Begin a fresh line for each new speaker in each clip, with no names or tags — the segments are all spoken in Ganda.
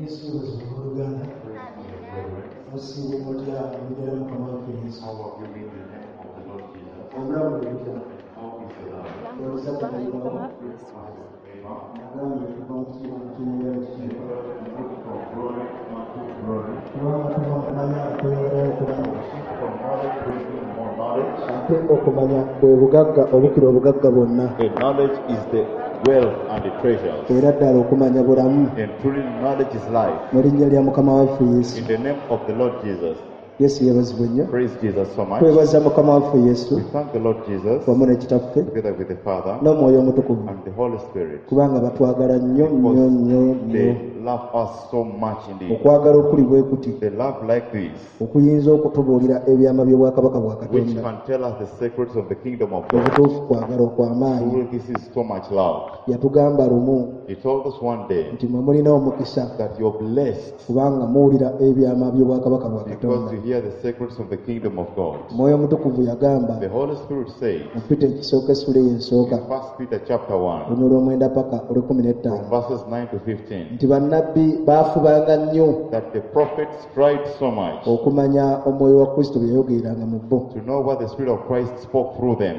Yesu yeebazibwe abooluganda. Musiibye mutya mu linnya lya Mukama waffe Yesu?
How have you been in the name of the Lord Jesus?
Obulamu bwe butya?
How is your life?
Oluzadde luyitawo? Nagambye tuva mu kitiibwa ne tuyingira mu kitiibwa.
From glory unto glory.
Kubanga tuva mu kumanya okweyongerayo okumanya.
From knowledge bringing more knowledge.
Ate okumanya bwe bugagga obukira obugagga bwonna.
And knowledge is the wealth and the treasures.
Era ddala okumanya bulamu.
And truly knowledge is life.
Mu linnya lya Mukama waffe Yesu.
In the name of the Lord Jesus.
Yesu yeebazibwe nnyo.
Praise Jesus so much.
Twebaza Mukama waffe Yesu
We thank the Lord Jesus
wamu ne Kitaffe
together with the Father
n'Omwoyo Omutukuvu
and the Holy Spirit.
kubanga batwagala nnyo nnyo nnyo nnyo.
They love us so much indeed.
Okwagala okuli bwe kuti
They love like this,
okuyinza okutubuulira ebyama by'obwakabaka bwa
which
Katonda.
can tell us the secrets of the kingdom of God.
Obutuufu kwagala okw'amaanyi.
Truly, this is so much love.
Yatugamba lumu
He told us one day
nti mwe mulina omukisa
that you're blessed
kubanga muwulira ebyama by'obwakabaka bwa
because
Katonda.
you hear the secrets of the kingdom of God.
Omwoyo Omutukuvu yagamba
The Holy Spirit says
mu Peter ekisooka essula eyo esooka
in 1 Peter chapter 1,
olunyiriri olw'omwenda paka olw'ekkumi
from
n'ettaano
verses 9 to 15,
nti bannabbi baafubanga nnyo
that the prophets tried so much
okumanya omwoyo wa Kristo bye yayogereranga mu bo.
to know what the Spirit of Christ spoke through them.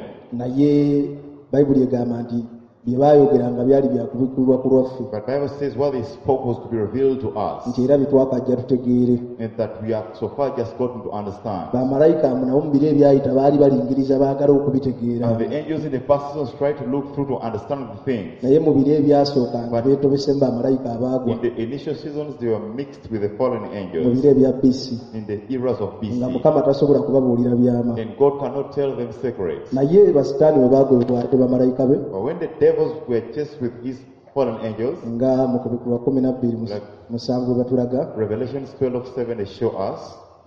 Naye Bayibuli egamba nti bye baayogeranga byali bya kubikkulirwa ku lwaffe
But Bible says what they spoke was to be revealed to us,
nti era bye twakajja tutegeere.
and that we have so far just gotten to understand.
Bamalayika nabo mu biro ebyayita baali balingiriza baagala okubitegeera.
And the angels in the past seasons tried to look through to understand the things.
Naye mu biro ebyasooka nga beetobesemu bamalayika abaagwa
In the initial seasons, they were mixed with the fallen
mu
angels
biro ebya BC
in the eras of
nga
BC.
Mukama tasobola kubabuulira byama.
And God cannot tell them secrets.
Naye basitaani bwe baagobebwa ate bamalayika be
But when the devils were chased with his fallen angels,
nga mu kubikkulwa 12:7 bwe batulaga
Revelations 12:7 they show us,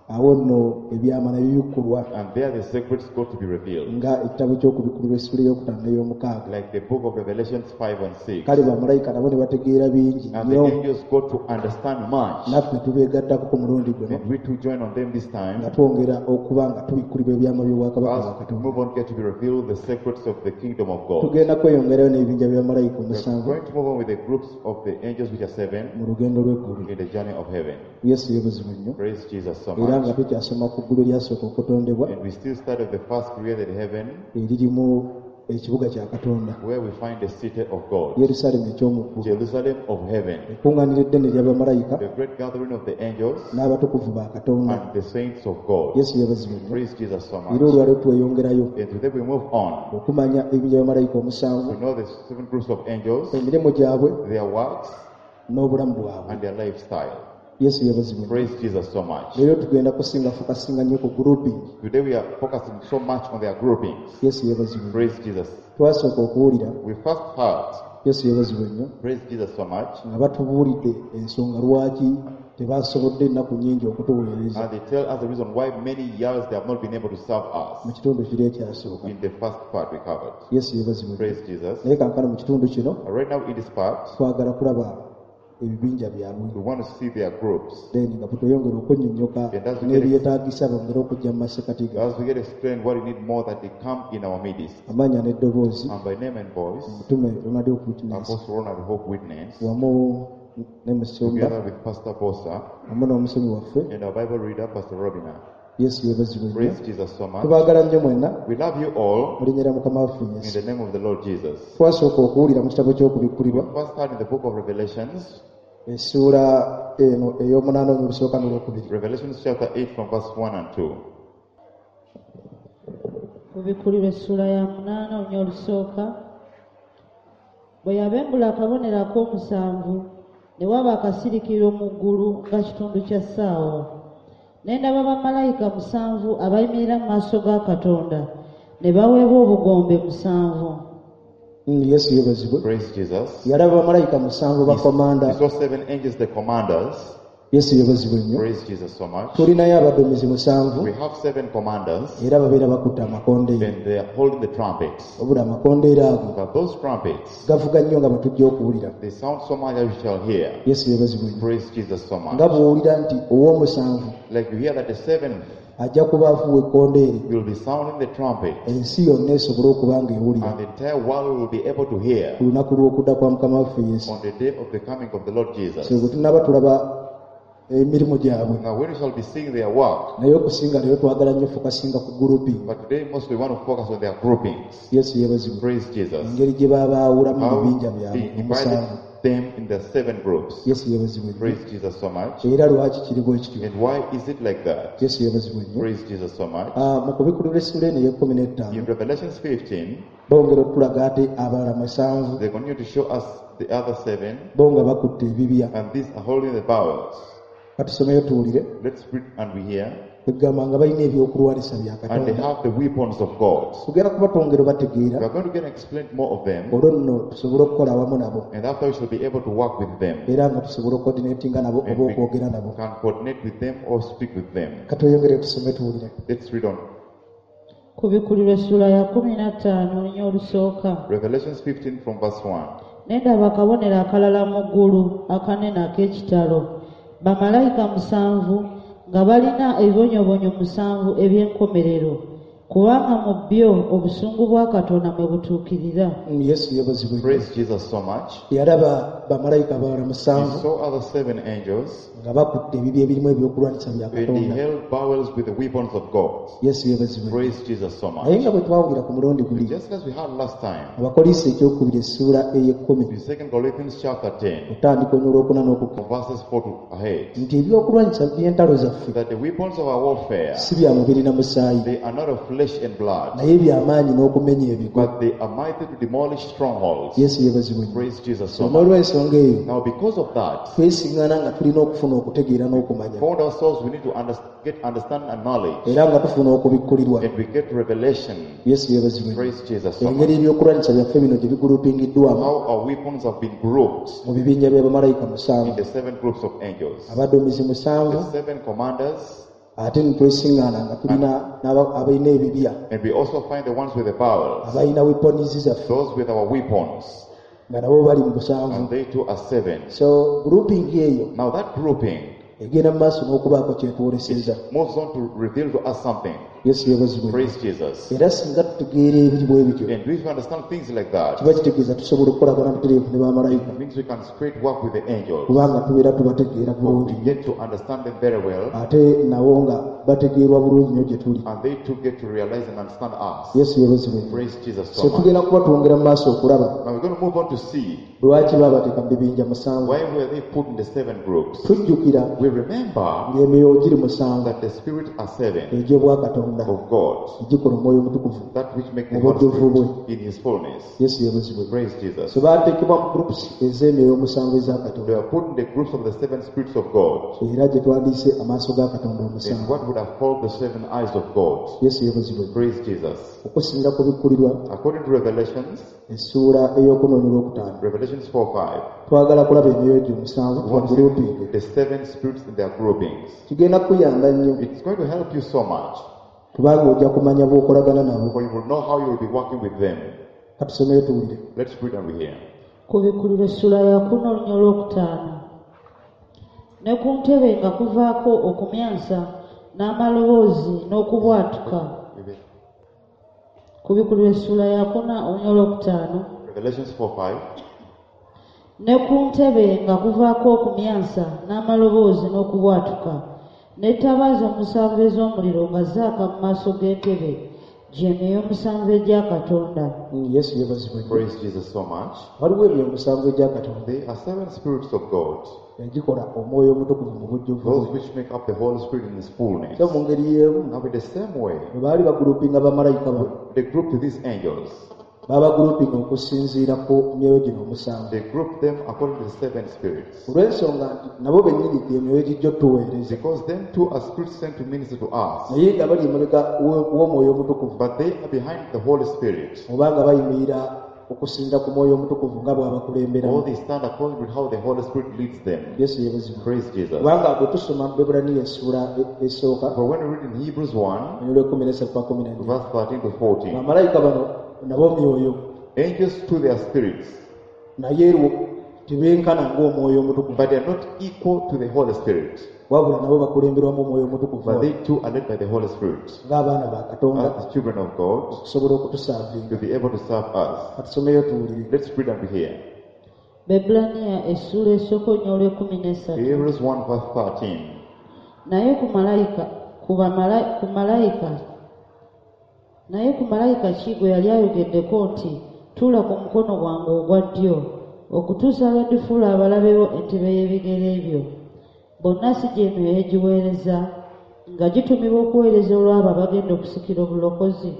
awo nno ebyama ne bibikkulwa
and there the secrets got to be revealed.
nga ekitabo ky'okubikkulirwa essula ey'okutaano n'ey'omukaaga.
Like the book of Revelations 5 and 6.
Kale bamalayika nabo ne bategeera bingi
And the
nnyo
angels got to understand much.
naffe ne tubeegattako ku mulundi guno
And we too join on them this time.
nga twongera okuba nga tubikkulibwa ebyama by'obwakabaka bwa
As we
Katonda.
move on, get to be revealed the secrets of the kingdom of God.
Tugenda kweyongerayo n'ebibinja bya bamalayika
We are
omusanvu
going to move on with the groups of the angels, which are seven,
mu lugendo lw'eggulu.
in the journey of heaven.
Yesu yeebazibwe nnyo.
Praise Jesus so
Era
much.
nga tukyasoma ku ggulu eryasooka okutondebwa
And we still start at the first created heaven,
eririmu ekibuga kya Katonda,
where we find the city of God,
Yerusaalemi eky'omu ggulu,
Jerusalem of heaven,
ekkuŋŋaaniro eddene erya bamalayika
the great gathering of the angels
n'abatukuvu ba Katonda.
and the saints of God.
Yesu yeebazibwe nnyo.
Praise Jesus so
Era
much.
olwaleero tweyongerayo
And today we move on
okumanya ebibinja bya bamalayika omusanvu,
to know the seven groups of angels,
emirimu gyabwe
their works,
n'obulamu bwabwe.
and their lifestyle.
Yesu yeebazibwe nnyo.
Praise Jesus so much.
Leero tugenda kusinga fokasinga nnyo ku grouping.
Today we are focusing so much on their groupings.
Yesu yeebazibwe nnyo.
Praise Jesus.
Twasooka okuwulira
We first heard,
Yesu yeebazibwe nnyo
praise Jesus so much,
nga batubuulidde ensonga lwaki tebasobodde ennaku nnyingi okutuweereza
and they tell us the reason why many years they have not been able to serve us
mu kitundu kiri ekyasooka.
in the first part we covered.
Yesu yeebazibwe nnyo.
Praise Jesus.
Naye kaakano mu kitundu kino
Right now in this part,
twagala kulaba ebibinja byabwe
we want to see their groups.
then nga bwetweyongera okunnyonnyoka
And as we
n'ebyetaagisa bongere okujja mu masekati ga
As we get explained what we need more that they come in our midst.
amannya n'eddoboozi
And by name and voice,
omutume Ronald Hope Witness
Apostle Ronald Hope Witness,
wamu ne Musumba
together with Pastor Bosa
wamu n'omusomi waffe
and our Bible reader, Pastor Robina.
Yesu yeebazibwe nnyo.
Praise Jesus so much.
Tubaagala nnyo mwenna
We love you all
mu linnya lya Mukama waffe
in
Yesu.
the name of the Lord Jesus.
Twasooka okuwulira mu kitabo ky'okubikkulirwa
First heard in the book of Revelations,
essuula eno ey'omunaana olusooka n'olwokubiri.
Revelations chapter 8 from verse 1 and 2.
Kubikkulirwa essuula ya 8 olunya olusooka. Bwe yabembula akabonero ak'omusanvu ne waba akasirikiriro mu ggulu nga kitundu kya ssaawa. Ne ndaba bamalayika 7 abayimirira mu maaso ga Katonda ne baweebwa obugombe 7.
Yesu yeebazibwe.
Praise Jesus.
Yalaba bamalayika 7 bakomanda.
He saw seven angels, the commanders.
Yesu yeebazibwe nnyo.
Praise Jesus so much.
Tulinayo abaduumizi 7
We have seven commanders
era babeera bakutte amakondeere.
and they are holding the trumpets.
Wabula amakondeere ago
But those trumpets,
gavuga nnyo nga bwe tujja okuwulira.
they sound so much that we shall hear.
Yesu yeebazibwe nnyo.
Praise Jesus so
Nga
much.
bw'owulira nti ow'omusanvu
Like you hear that the seventh
Ajja kuba afuuwa ekkondeere
He will be sounding the trumpet,
ensi yonna esobole okuba nga ewulira
and the entire world will be able to hear
ku lunaku lw'okudda kwa mukama waffe Yesu.
on the day of the coming of the Lord Jesus.
So bwe tunaaba tulaba emirimu gyabwe
Now, when we shall be seeing their work,
naye okusinga leero twagala nnyo fokasinga ku grouping.
But today mostly we want to focus on their groupings.
Yesu yeebazibwe.
Praise Jesus.
Engeri gye babaawulamu mu
How
bibinja byabwe
they
omusanvu.
divided them in the seven groups.
Yesu yeebazibwe nnyo.
Praise Jesus so much.
Era lwaki kiri bwe kityo?
And why is it like that?
Yesu yeebazibwe nnyo.
Praise Jesus so much.
Ah, mu kubikulira essuula eno ey'ekkumi n'ettaano
In Revelations 15,
bongera okutulaga ate abalala musanvu
they continue to show us the other seven,
bo nga bakutte ebibya.
And these are holding the bowels.
Katusomeyo tuwulire.
Let's read and we hear.
Kwegamba nga balina ebyokulwanisa bya
And they
Katonda.
have the weapons of God.
Tugenda kuba twongera
We
bategeera
are going to get explained more of them,
olwo nno tusobole okukola awamu nabo
and after we shall be able to work with them.
era nga tusobole okucoordinatinga nabo
And
oba
we
okwogera nabo.
can coordinate with them or speak with them.
Katweyongere tusome tuwulire.
Let's read on.
Kubikulirwa essula ya 15 olunya olusooka.
Revelations 15 from verse 1.
Ne ndaba akabonero akalala mu ggulu akanene ak'ekitalo, bamalayika musanvu nga balina ebibonyoobonyo musanvu eby'enkomerero, kubanga mu byo obusungu bwa Katonda mwe butuukirira.
Yesu yeebazibwe.
Praise Jesus so much.
Yalaba bamalayika abalala
He
musanvu
saw other seven angels,
nga bakutte ebibya ebirimu ebyokulwanyisa bya
and they
Katonda.
held bowels with the weapons of God.
Yesu yeebazibwe.
Praise Jesus so
Naye
much.
nga bwe twawulira ku mulundi guli
Just as we had last time,
Abakoliisi ekyokubiri essuula ey'ekkumi
in 2 Corinthians chapter 10,
otandika olunya olwokuna n'okukka
from verses 4 to ahead,
nti ebyokulwanyisa by'entalo zaffe
that the weapons of our warfare,
si bya mubiri na musaayi
they are not of flesh and blood,
naye byamaanyi n'okumenya ebigo.
But they are mighty to demolish strongholds.
Yesu yeebazibwe nnyo.
Praise Jesus so much.
N'olw'ensonga eyo
Now, because of that,
twesiŋŋana nga tulina okufuna okutegeera n'okumanya
found ourselves we need to get understanding and knowledge,
era nga tufuna okubikkulirwa.
And we get revelation.
Yesu yeebazibwe nnyo.
Praise Jesus so
Engeri
much.
ebyokulwanyisa byaffe bino gye bigulupingiddwamu
How our weapons have been grouped
mu bibinja bya bamalayika
in
musanvu
the seven groups of angels,
abaduumizi musanvu
the seven commanders,
ate ne twesiŋŋaana nga tulina abalina ebibya
and we also find the ones with the bowels,
abalina weapons zaffe
those with our weapons,
nga nabo bali mu busanvu.
And they too are seven.
So grouping eyo
Now that grouping
egenda mu maaso n'okubaako kyetwoleseza.
Moves on to reveal to us something.
Yesu yeebazibwe.
Praise Jesus.
Era singa tutegeera ebiri bwe bityo
And if we understand things like that,
kiba kitegeeza tusobola okukolagana butereevu ne bamalayika
it means we can straight work with the angels.
kubanga tubeera tubategeera
For
bulungi
we get to understand them very well,
ate nabo nga bategeerwa bulungi nnyo gye tuli.
And they too get to realize and understand us.
Yesu yeebazibwe.
Praise Jesus
So
so much.
tugenda kuba twongera mu maaso okulaba
Now we're going to move on to see
lwaki baabateeka mu bibinja musanvu.
why were they put in the seven groups.
Tujjukira
We remember
ng'emyoyo giri musanvu
that the spirit are seven
egy'obwakatonda
of God,
egikola omwoyo omutukuvu
that which makes the
mu
Holy
bujjuvu bwe.
Spirit in his fullness.
Yesu yeebazibwe.
Praise Jesus.
So baateekebwa mu groups ez'emyoyo omusanvu eza
They
Katonda
were put in the groups of the seven spirits of God.
era gye twandiise amaaso ga Katonda
And
omusanvu.
what would have called the seven eyes of God.
Yesu yeebazibwe.
Praise Jesus.
Okusinga kubikkulirwa
According to Revelations,
essuula ey'okuna olwokutaano
Revelations 4:5,
twagala kulaba emyoyo gyo omusanvu
we want to
tubagrouping.
see the seven spirits in their groupings.
Kigenda kukuyamba nnyo
It's going to help you so much,
kubanga ojja kumanya bw'okolagana nabo.
For you will know how you will be working with them.
Katusomeyo tuwulire.
Let's read and we hear.
Kubikulirwa essula ya 4 olunya olwokutaano. Ne ku ntebe nga kuvaako okumyansa n'amaloboozi n'okubwatuka. Kubikulirwa essula ya 4 olunya olwokutaano.
Revelations 4:5.
Ne ku ntebe nga kuvaako okumyansa n'amaloboozi n'okubwatuka. N'ettabaaza omusanvu ez'omuliro nga zaaka mu maaso g'entebe gy'emyoyo omusanvu egya Katonda.
Yesu yeebazibwe nnyo.
Praise Jesus so much.
Waliwo emyoyo omusanvu egya Katonda
There are seven spirits of God,
egikola omwoyo omutukuvu mu bujjuvu
those
bwe.
which make up the Holy Spirit in His fullness.
So mu ngeri y'emu
Now, in the same way,
bwe baali bagulupinga bamalayika bano
they grouped these angels.
baabagulupinga okusinziira ku myoyo gino omusanvu
They grouped them according to the seven spirits.
olw'ensonga nti nabo bennyini gy'emyoyo gijja otuweereza
Because them too are spirits sent to minister to us.
naye nga bali emabega w'omwoyo omutukuvu
But they are behind the Holy Spirit.
obanga bayimirira okusinziira ku mwoyo omutukuvu nga bw'abakulemberamu.
Or they stand according to how the Holy Spirit leads them.
Yesu yeebazibwe.
Praise Jesus.
Kubanga bwe tusoma mu Bebbulaniya essuula esooka
For when we read in Hebrews 1,
olw'ekumi n'esatu paka 14
verse 13 to 14,
bamalayika bano nabo myoyo
angels to their spirits,
naye Tebenkana ng'omwoyo omutukuvu.
But they are not equal to the Holy Spirit.
Wabula nabo bakulemberwamu omwoyo omutukuvu
But they too are led by the Holy Spirit
ng'abaana ba Katonda
as the children of God
okusobola okutusaavinga.
to be able to serve us.
Katusomeyo tuwulire.
Let's read and hear.
Bebbulaniya essuula esooka olunya olw'ekkumi n'essatu.
Hebrews 1 verse 13.
Naye ku malayika ku bamala- ku malayika naye ku malayika ki gwe yali ayogeddeko nti tuula ku mukono gwange ogwa ddyo okutuusa lwe ndifuula abalabe bo entebe y'ebigere byo. Bonna si gy'emyoyo egiweereza nga gitumibwa okuweereza olw'abo abagenda okusikira obulokozi.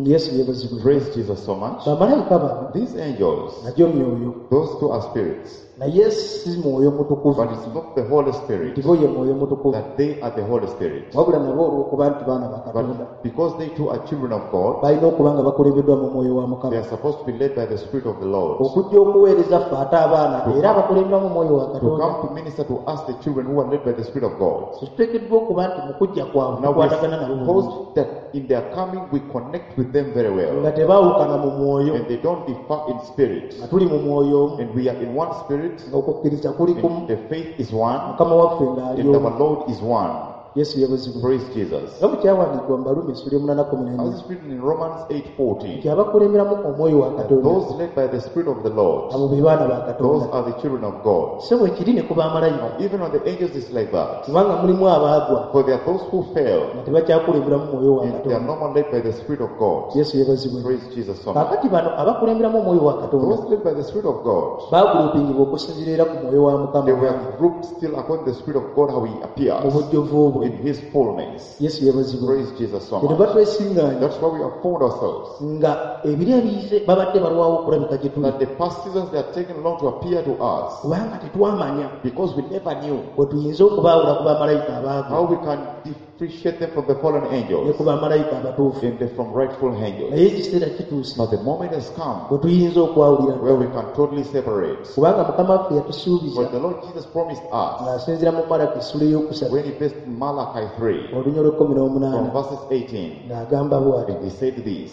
Yesu yeebazibwe.
Praise Jesus so much.
Bamalayika bano
These angels,
nagyo myoyo,
those two are spirits,
naye si mwoyo mutukuvu
but it's not the Holy Spirit
nti bo ye mwoyo mutukuvu,
that they are the Holy Spirit.
wabula nabo olw'okuba nti baana ba Katonda
But because they too are children of God,
balina okuba nga bakulembeddwa mu mwoyo wa
they
Mukama
are supposed to be led by the Spirit of the Lord
okujja okuweereza ffe ate abaana era abakulemberwa mu mwoyo wa
to
Katonda.
come to minister to us, the children who are led by the Spirit of God.
So tuteekeddwa okuba nti mu kujja kwabwe
Now we
tukwatagana nabo bulungi
suppose that in their coming we connect with them very well
nga tebaawukana mu mwoyo,
and they don't differ in spirit.
nga tuli mu mwoyo omu,
And we are in one spirit,
nga okukkiriza kuli kumu,
and the faith is one,
Mukama waffe ng'ali
and
omu.
our Lord is one.
Yesu yeebazibwe.
Praise Jesus.
Nga bwe kyawandiikibwa mu Baruumi essula emunaana kkumi
As
n'ennya
is written in Romans 8:14,
nti abakulemberamu omwoyo wa
that
Katonda
those led by the Spirit of the Lord,
abo be baana ba
those
Katonda.
are the children of God.
So bwe kiri ne ku bamalayika,
Even on the angels it's like that.
kubanga mulimu abaagwa
For there are those who fail
nga tebakyakulemberamu mwoyo wa
and they are
Katonda.
no more led by the Spirit of God.
Yesu yeebazibwe.
Praise Jesus so much.
Kaakati bano abakulemberamu omwoyo wa Katonda
Those led by the Spirit of God,
baagulupingibwa okusinziira era ku mwoyo wa Mukama
they were grouped still according to the Spirit of God how He
mu
appears
bujjuvu bwe.
in His fullness.
Yesu yeebazibwe.
Praise Jesus so
Kyetuva
much.
twesiŋŋaanya
That's why we have found ourselves.
nga ebiro ebiyise babadde balwawo okulabika gye tuli,
That the past seasons they are taking long to appear to us
kubanga tetwamanya
because we never knew
bwe tuyinza okubaawula ku bamalayika abaagwa
how we can differentiate them from the fallen
ne
angels
ku bamalayika abatuufu.
and the from rightful angels.
Naye ekiseera kituuse
But the moment has come
bwe tuyinza okwawulira,
where we can totally separate.
kubanga Mukama waffe yatusuubiza
But the Lord Jesus promised us
ng'asinziira mu Malaki essula ey'okusatu
when he faced Malachi 3
olunya olw'ekkumi
from
n'omunaana
verses 18,
ng'agamba bw'ati.
and he said this.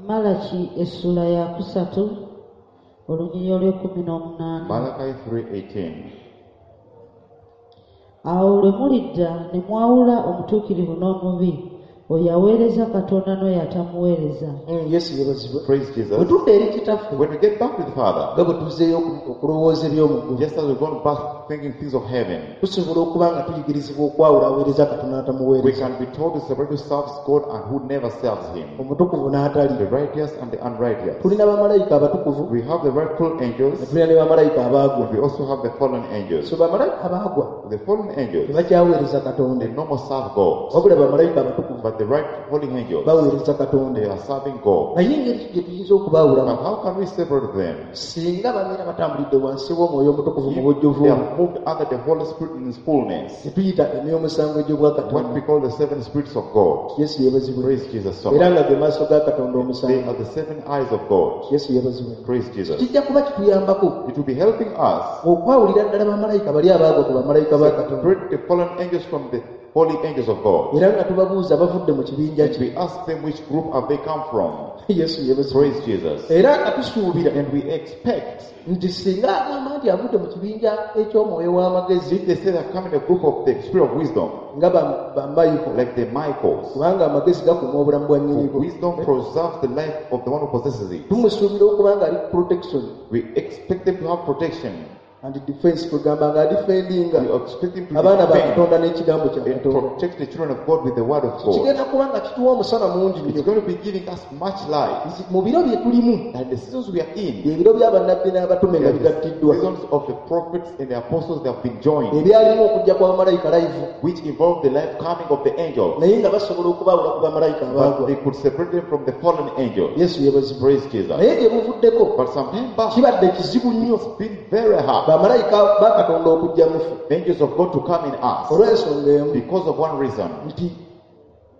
Malaki essuula ya kusatu olunyiriri olw'ekkumi n'omunaana.
Malachi 3:18.
Awo lwe mulidda ne mwawula omutuukirivu n'omubi, oyo aweereza Katonda n'oyo atamuweereza.
Yesu yeebazibwe.
Praise
Bwe
Jesus.
tudda eri Kitaffe
When we get back to the Father,
nga bwe tuzzeeyo okulowooza eby'omu ggulu,
just as we've gone back thinking things of heaven,
tusobola okuba nga tuyigirizibwa okwawula aweereza Katonda
we
n'atamuweereza,
can be told to separate who serves God and who never serves Him,
omutukuvu n'atali.
the righteous and the unrighteous.
Tulina bamalayika abatukuvu
We have the rightful
ne
angels,
tulina ne bamalayika abaagwa.
and we also have the fallen angels.
So bamalayika abaagwa
The fallen angels,
tebakyaweereza Katonda,
they no more serve God,
wabula bamalayika abatukuvu
but the right holy angels,
baweereza Katonda.
they are serving God.
Naye engeri gye tuyinza okubaawulamu,
But how can we separate them?
singa babeera batambulidde wansi w'omwoyo omutukuvu mu
If
bujjuvu
they have moved under the Holy Spirit in His fullness,
gye tuyita emyoyo omusanvu egy'obwakatonda.
what we call the seven spirits of God.
Yesu yeebazibwe.
Praise Jesus so
Era
much.
nga ge maaso ga Katonda
They
omusanvu.
are the seven eyes of God.
Yesu yeebazibwe.
Praise Jesus.
Kijja kuba kituyambako
It will be helping us
okwawulira ddala bamalayika bali abaagwa ku bamalayika ba Katonda,
separate the fallen angels from the holy angels of God.
era nga tubabuuza bavudde mu kibinja
And
ki.
we ask them which group have they come from.
Yesu yeebazibwe.
Praise Jesus.
Era nga tusuubira
And we expect,
nti singa agamba nti avudde mu kibinja eky'omwoyo w'amagezi
if they say they have come in a group of the spirit of wisdom,
nga bamayiho,
like the Michaels,
kubanga amagezi gakuuma obulamu bwa
for
nnyinigo,
wisdom preserves the life of the one who possesses it.
tumusuubira okuba nga ali ku protection
We expect them to have protection.
and defense, kwegamba nga adifendinga
We expect them to
abaana ba
defend
Katonda n'ekigambo kya
and
Katonda.
protect the children of God with the word of God.
Kigenda kuba nga kituwa omusana mungi
It's
nnyo
going to be giving us much light.
nti mu biro bye tulimu,
And the seasons we are in,
ebiro by'abannabbi n'abatume
they
nga
are the
bigattiddwa,
seasons of the prophets and the apostles that have been joined,
ebyalimu okujja kwa bamalayika live,
which involved the life coming of the angels.
naye nga basobola okubaawula ku bamalayika
But
abaagwa.
they could separate them from the fallen angels.
Yesu yeebazibwe.
Praise Jesus.
Naye gye buvuddeko
But some time back,
kibadde kizibu nnyo
it's been very hard.
bamalayika ba Katonda okujja mufu
Angels of God to come in us
olw'ensonga emu
because of one reason,
nti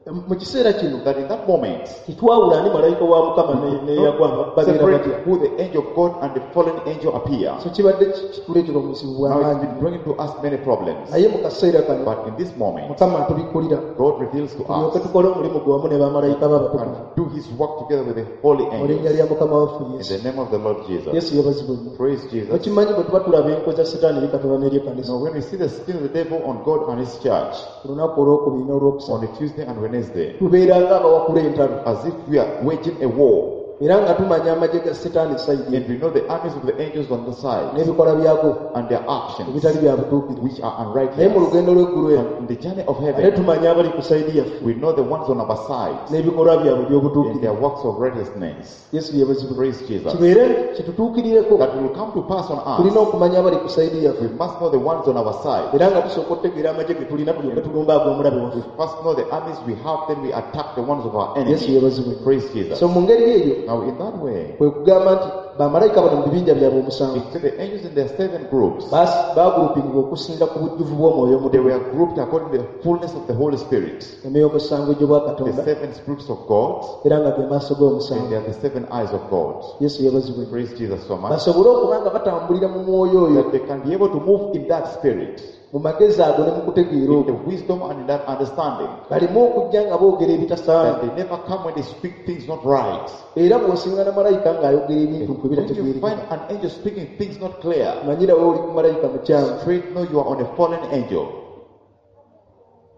Mu kiseera kino
That in that moment,
tetwawula ani malayika wa mukama neyagwa
not
babeera
separate
batya.
who the angel of God and the fallen angel appear.
So kibadde kituleetera obuzibu
Now it's
bw'amaanyi.
been bringing to us many problems.
Naye mu kaseera kano
But in this moment,
mukama atubikkulira
God reveals to
tulyoke
us
tukole omulimu gwe wamu ne bamalayika be abatukuvu
and do his work together with the holy
mu linnya
angels.
lya mukama waffe
In
Yesu.
the name of the Lord Jesus.
Yesu yeebazibwe nnyo.
Praise Jesus.
Okimanyi bwe tuba tulaba enkwe za sitaani eri Katonda n'eri ekkanisa
Now when we see the scheme of the devil on God and his church
ku lunaku olwokubiri n'olwokusatu
on a Tuesday and Wednesday,
tubeera ng'abawakula entalo
as if we are waging a war,
era nga tumanya amagye ga sitaani sayidi
and we know the armies of the angels on the side
n'ebikolwa byago
and their actions,
ebitali bya butuukirivu.
which are
Naye mu
unrighteous.
lugendo lw'eggulu eno
And in the journey of
ate
heaven,
tumanya abali ku sayidi yaffe
we know the ones on our side
n'ebikolwa byabwe
and
eby'obutuukirivu.
their works of righteousness.
Yesu yeebazibwe.
Praise Jesus.
Kibeere kitutuukirireko
That will come to pass on
tulina
us.
okumanya abali ku sayidi yaffe
We must know the ones on our side.
era nga tusooka okutegeera amagye ge tulina tulyoke tulumba ag'omulabe
We
waffe.
first know the armies we have, then we attack the ones of our
Yesu
enemy.
yeebazibwe.
Praise Jesus.
So mu ngeri eyo
Now, in that way,
kwe kugamba nti bamalayika bano mu bibinja byabwe omusanvu
it said the angels in their seven groups,
baagulupingibwa okusinga ku bujjuvu bw'omwoyo
they
omutukuvu.
were grouped according to the fullness of the Holy Spirit.
Emyoyo omusanvu egy'obwa
The
Katonda
seven spirits of God,
era nga ge maaso
and
g'omusanvu.
they are the seven eyes of God.
Yesu yeebazibwe.
Praise Jesus so much.
Basobole okuba nga batambulira mu mwoyo oyo
That they can be able to move in that spirit,
mu magezi ago ne mu kutegeera
in the
okwo
wisdom and in that understanding.
baleme okujja nga boogera ebitasaana.
That they never come when they speak things not right.
Era bw'osingana malayika ng'ayogera ebintu nkwe
When you
bitategeerekeka
find an angel speaking things not clear,
manyirawo oli ku malayika mukyamu.
straight know you are on a fallen angel.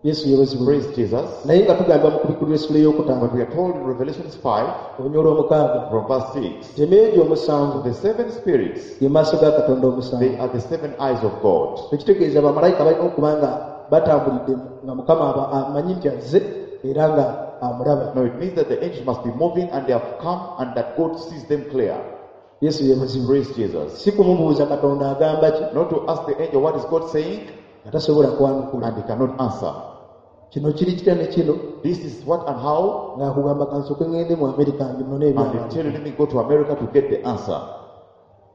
Yesu yeebazibwe.
Praise Jesus.
Naye nga tugamba mu kubikkulirwa essula ey'okutaano
But we are told in Revelations 5,
olunya olw'omukaaga
from verse 6,
nti emyoyo gyo omusanvu
the seven spirits,
ge maaso ga Katonda omusanvu.
they are the seven eyes of God.
Ekitegeeza bamalayika balina okuba nga batambulidde nga mukama amanyi nti azze era nga amulaba.
Now it means that the angels must be moving and they have come and that God sees them clear.
Yesu yeebazibwe.
Praise Jesus.
Si kumubuuza Katonda agamba ki
Not to ask the angel what is God saying
nga tasobola kwanukula.
and he cannot answer.
Kino kiri kitya ne kino
This is what and how,
ng'akugamba kansooke ŋŋende mu Amerika nginone
and they
ebyawandiikibwa.
tell you, let me go to America to get the answer.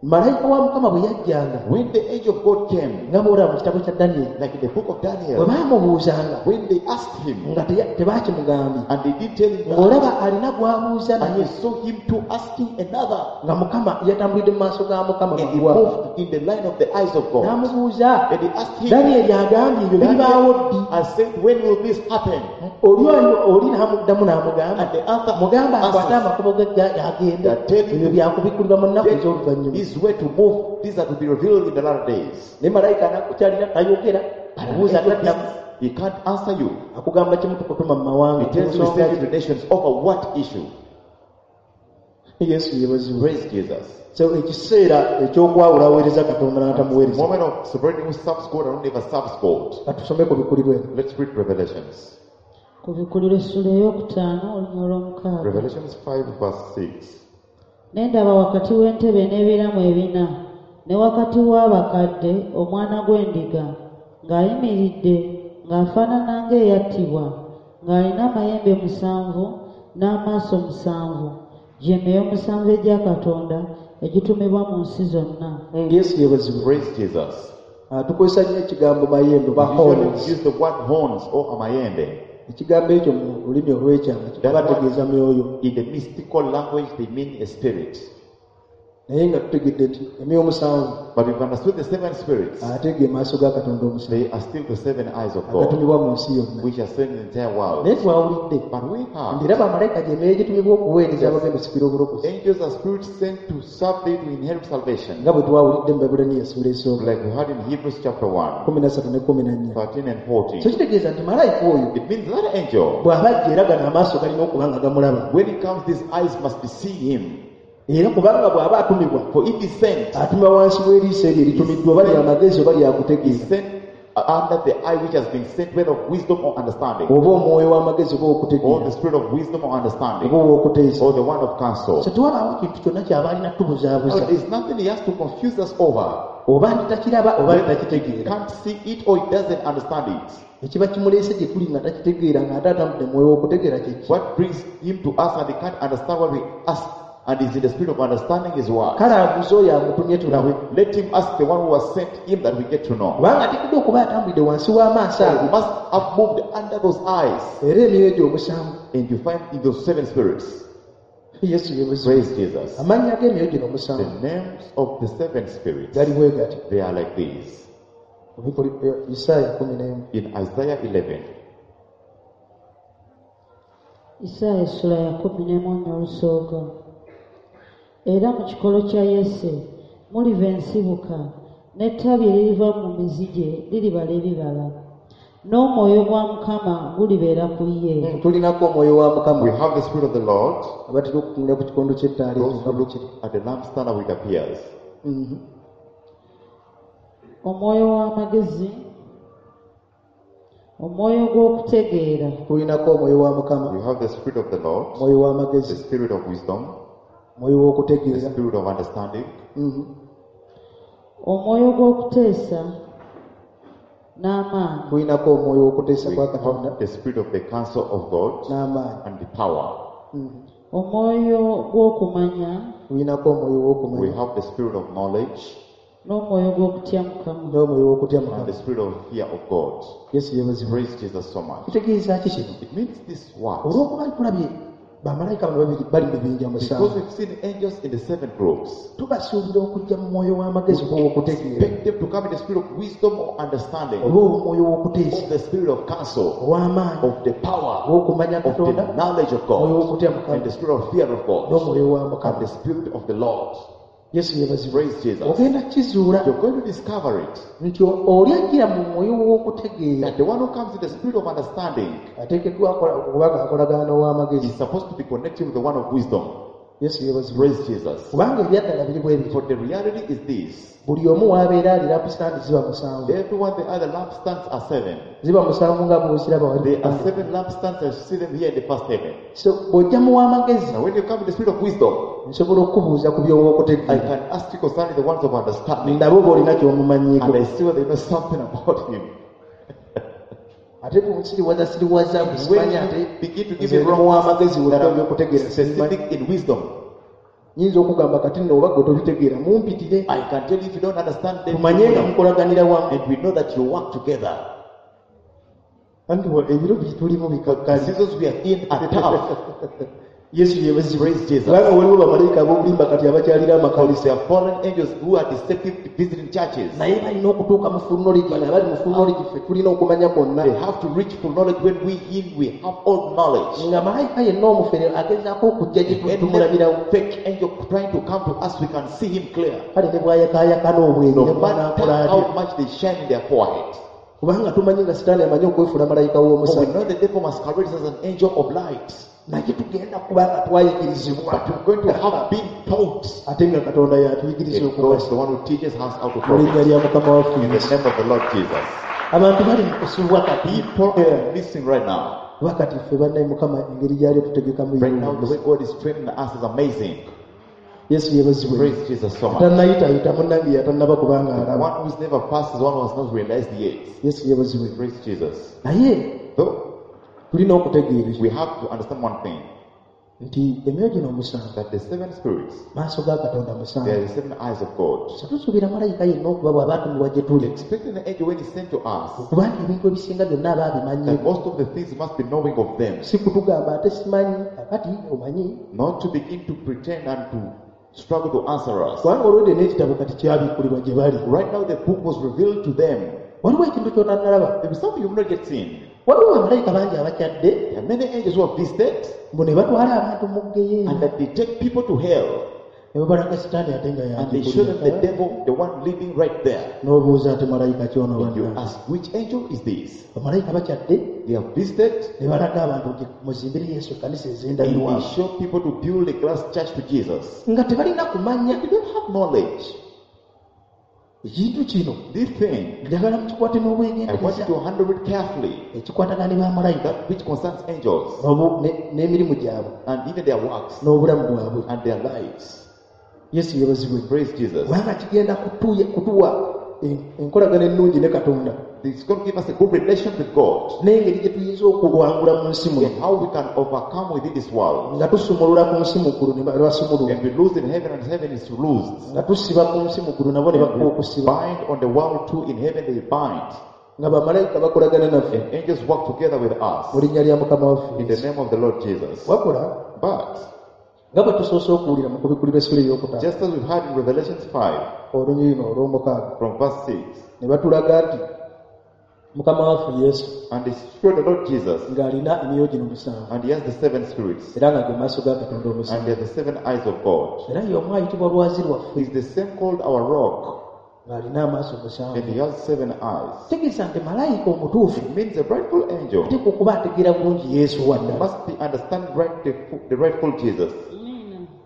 Malayika wa mukama bwe yajjanga
When the angel of God came,
nga bw'olaba mu kitabo kya Daniyeli
like in the book of
bwe
Daniel,
baamubuuzanga
when they asked him
nga tebaakimugambye
and they didn't tell him that,
ng'olaba alina gw'abuuza
and
naye
you saw him to asking another,
nga mukama yatambulidde mu maaso ga mukama
and he
mangu ago.
moved in the line of the eyes of God.
N'amubuuza
And he asked him,
Daniyeli agambye ebyo biribaawo ddi?
I said, when will this happen?
Oli oyo oli n'amuddamu n'amugamba
And the answer
mugamba akwate
answers
amakubo ge agende
That tell him
ebyo byakubikkulirwa mu nnaku ez'oluvannyuma.
This way to move, these are to be revealed in the latter days.
Naye malayika anakukyalira tayogera abuuza taddamu
He can't answer you.
akugamba kimu tukutuma mu mawanga
He tells you,
Ensonga
send you to nations over what issue?
ki? Yesu yeebazibwe.
Praise Jesus.
So ekiseera ekyokwawula aweereza Katonda n'atamuweereza
Moment of separating who serves God and who never serves God.
katusome ku bikulirwa eno.
Let's read Revelations.
Kubikkulirwa essula ey'okutaano olunya olw'omukaaga.
Revelations 5, verse 6.
Ne ndaba wakati w'entebe n'ebiramu ebina ne wakati w'abakadde omwana gw'endiga ng'ayimiridde ng'afaanana ng'eyattibwa ng'alina amayembe musanvu n'amaaso musanvu gye myoyo musanvu egya Katonda egitumibwa mu nsi zonna.
Yesu yeebazibwe.
Praise Jesus.
Ah, tukozesa nnyo ekigambo mayembe oba
We usually
horns.
use the word horns or amayembe.
Ekigambo ekyo mu lulimi olw'ekyama bategeeza myoyo
In the mystical language, they mean a spirit.
naye nga tutegedde nti emyoyo omusanvu
But we've understood the seven spirits.
ate ge maaso ga Katonda omusanvu
They are still the seven eyes of God,
agatumibwa mu nsi yonna.
which are sent in the entire world.
Naye twawulidde
But we
nti
have
era bamalayika gye myoyo egitumibwa okuweereza abagenda osikira obulokozi
angels are spirits sent to serve thee to inherit salvation.
nga bwe twawulidde mu Baebbulaniya essuula esooka
Like we heard in Hebrews chapter 1,
13 ne 14.
13 and
So
14.
kitegeeza nti malayika oyo
It means that angel,
bw'aba ajja era gano amaaso galina okuba nga gamulaba
when he comes, these eyes must be seeing him.
era kubanga bw'aba atumibwa
For if he's sent,
atumibwa wansi w'eriiso eryo eritumiddwa oba lya magezi oba lyakutegeera
he's sent under the eye which has been sent, whether of wisdom or understanding,
oba omwoyo w'amagezi oba
or
okutegeera
the spirit of wisdom or understanding,
oba ow'okuteesa.
or the one of counsel.
So tewabaawo kintu kyonna ky'aba alina
Now,
tubuzaabuza
there's nothing he has to confuse us over.
oba nti takiraba oba nti
He
takitegeera.
can't see it or he doesn't understand it.
Ekiba kimuleese gye tuli nga takitegeera ng'ate atambudde mwoyo w'okutegeera kye ki?
What brings him to us and he can't understand what we ask And is in the spirit of understanding his words.
Kale abuuze oyo amutumye tulabe.
Let him ask the one who has sent him that we get to know.
Kubanga ateekeddwa okuba atambulidde wansi w'amaaso
He
ago.
must have moved under those eyes.
Era emyoyo egyo omusanvu.
And you find in those seven spirits.
Yesu yeebazibwe.
Praise Jesus.
Amannya g'emyoyo gino
The
omusanvu
names of the seven spirits,
gali bwe gati.
they are like these.
Isaaya 11.
In Isaiah 11,
Isaaya essula ya 11 olusooka. Era mu kikolo kya Yese muliva ensibuka, n'ettabi eririva mu mizi gye liribala ebibala. N'omwoyo gwa Mukama gulibeera ku ye.
Tulinako omwoyo wa
we
Mukama.
have the spirit of the Lord.
Abatera okutunula ku kikondo ky'ettaala ekyo
Those
nga
who
bwe
look
kiri.
at the lampstand how it appears.
Omwoyo w'amagezi, omwoyo gw'okutegeera,
Tulinako omwoyo wa Mukama,
We have the spirit of the Lord,
omwoyo
the
w'amagezi,
spirit of wisdom,
omwoyo
the
w'okutegeera.
spirit of understanding,
omwoyo gw'okuteesa n'amaanyi,
Tulinako omwoyo w'okuteesa
we
kwa Katonda
have the spirit of the counsel of God
n'amaanyi.
and the power.
omwoyo gw'okumanya
Tulinako omwoyo
We
w'okumanya
have the spirit of knowledge
n'omwoyo gw'okutya Mukama.
n'omwoyo w'okutya
and
Mukama.
the spirit of fear of God.
Yesu yeebazibwe.
Praise Jesus so much.
Kitegeeza ki kino?
It means this what?
Olw'okuba tulabye bamalayika bano babiri bali mu bibinja
Because
musanvu,
we've seen angels in the seven groups.
tubasuubira okujja mu mwoyo w'amagezi oba ow'okutegeera,
Expect them to come in the spirit of wisdom or understanding,
oba omwoyo w'okuteesa,
of the spirit of counsel,
ow'amaanyi,
of the power,
ow'okumanya
of the
Katonda,
knowledge of
omwoyo
God,
w'okutya
and
Mukama,
the spirit of fear of God,
n'omwoyo wa
and
Mukama.
the spirit of the Lord.
Yesu yeebazibwe.
Praise Jesus.
Ogenda kizuula
You're going to discover it
nti oli ajjira mu mwoyo w'okutegeera
that the one who comes in the spirit of understanding
ateekeddwa okuba nga akolagana n'ow'amagezi.
is supposed to be connected with the one of wisdom.
Yesu yeebazibwe.
Praise Jesus.
Kubanga ebyaddala biri bwe bityo.
For the reality is this:
Buli omu w'abeera ali lampstand ziba musanvu.
everyone, the other lampstands are seven.
Ziba musanvu nga bw'oziraba wali.
There are seven lampstands. I see them here in the first heaven.
So bw'ojja mu w'amagezi
Now, when you come in the spirit of wisdom,
nsobola okukubuuza ku
I
by'ow'okutegeera.
can ask you concerning the ones of understanding,
Ndabe oba olina ky'omumanyiiko.
and I see whether you know something about him.
Ate bw'onsiriwaza siriwaza
When
busimanya ate
you begin to give
nze
me
ndi
wrong
mu w'amagezi
that
wonna
are
by'okutegeera sibimanyi.
specific in wisdom,
Nyinza okugamba kati nno oba gwe tobitegeera mumpitire
I can tell you if you don't understand them,
tumanye nga mukolaganira wamu.
and we know that you work together.
Anti ebiro bye tulimu
The
bikakkali.
seasons we are in are tough.
Yesu yeebazibwe.
Praise Jesus.
Kubanga waliwo bamalayika ab'obulimba kati abakyalira amakanisa.
There are fallen angels who are deceptive visiting churches.
Naye balina okutuuka mu full knowledge nga bali mu full knowledge ffe tulina okumanya kwonna.
They have to reach full knowledge when we in we have all knowledge.
Nga malayika yenna omufere agezaako okujja gye tuli
Any
tumulabirawo.
fake angel trying to come to us, we can see him clear.
Kale ne bw'ayakaayakana obwenyi
No
ne
matter
bw'anaakola atya.
how much they shine in their forehead.
Kubanga tumanyi nga Sitaani amanyi okwefuula malayika
For we
w'omusana.
know the devil masquerades as an angel of light.
Naye tugenda kuba nga twayigirizibwa.
But we're going to have been taught.
Ate nga Katonda y'atuyigiriza
And God
okubasa.
is the one who teaches us how to
Mu linnya
profit.
lya Mukama waffe
In the
Yesu.
name of the Lord Jesus.
Abantu bali mu kusubwa kati.
People are missing right now.
Kuba kati ffe bannaye Mukama engeri gy'ali otutegekamu
Right now, the
ye.
way God is training us is amazing.
Yesu yeebazibwe.
Praise Jesus so much.
Tannayitayita munnange yatannaba kubanga
The
alaba.
one who's never passed is one who has not realized yet.
Yesu yeebazibwe.
Praise Jesus.
Naye
Though
tulina okutegeera ekyo
we have to understand one thing
nti emyoyo gino omusanvu
that the seven spirits,
maaso ga Katonda
they
musanvu.
are the seven eyes of God.
So tusuubira malayika yenna okuba bw'aba atumibwa gye tuli
Expecting the angel when he's sent to us,
okubanga ebintu ebisinga byonna aba abimanyi.
that most of the things must be knowing of them,
Si kutugamba ate simanyi kakati omanyi
not to begin to pretend and to struggle to answer us.
kubanga olwedde n'ekitabo kati kyabikkulibwa gye bali.
Right now, the book was revealed to them.
Waliwo ekintu ky'otannalaba.
There is something you've not yet seen.
Waliwo bamalayika bangi abakyadde
There are many angels who have visited
mbu ne batwala abantu mu ggeyeena
and that they take people to hell
ne babalaga Sitaani ate nga
and they show them the
yagikulira.
devil, the one living right there.
N'obuuza ate malayika kyono
And you
bannange.
ask, which angel is this?
Bamalayika bakyadde
They have visited
ne balaga abantu nti muzimbire Yesu ekkanisa
and
ez'endabirwamu
they show people to build a glass church to Jesus.
nga tebalina kumanya
They don't have knowledge.
ekintu kino.
This thing,
Njagala mukikwate
I want you
n'obwegendereza
to handle it carefully.
ekikwatagana ne bamalayika
That which concerns angels
n'emirimu gyabwe
and even their works
n'obulamu bwabwe.
and their lives.
Yesu yeebazibwe.
Praise Jesus.
Kubanga kigenda kutuwa enkolagana ennungi ne Katonda
It's going to give us a good relation with God
n'engeri gye tuyinza okuwangula mu nsi muno
and how we can overcome within this world.
Nga tusumulula ku nsi mu ggulu ne basumulula
And we lose in heaven and heaven is loosed.
Nga tusiba ku nsi mu ggulu nabo ne bakuba okusiba
Bind on the world too, in heaven they bind.
Nga bamalayika bakolagana naffe
And angels work together with us
mu linnya lya Mukama waffe
in the
Yesu.
Name of the Lord Jesus.
Wabula
But
nga bwe tusoose okuwulira mu kubikulirwa essula ey'okutaano
just as we've heard in Revelations 5
olunyiriri olw'omukaaga
from verse 6,
ne batulaga nti Mukama waffe Yesu
and they showed the Lord Jesus,
ng'alina emyoyo gino musanvu
and he has the seven spirits,
era nga ge maaso ga Katonda
and
omusanvu
they are the seven eyes of God.
Era y'omu ayitibwa lwazi lwaffe
He's the same called our rock,
ng'alina amaaso musanvu
and he has seven eyes.
Kitegeeza nti malayika omutuufu
It means a rightful angel
ateekwa okuba ategeera bulungi Yesu waddala
must be understand right the rightful Jesus.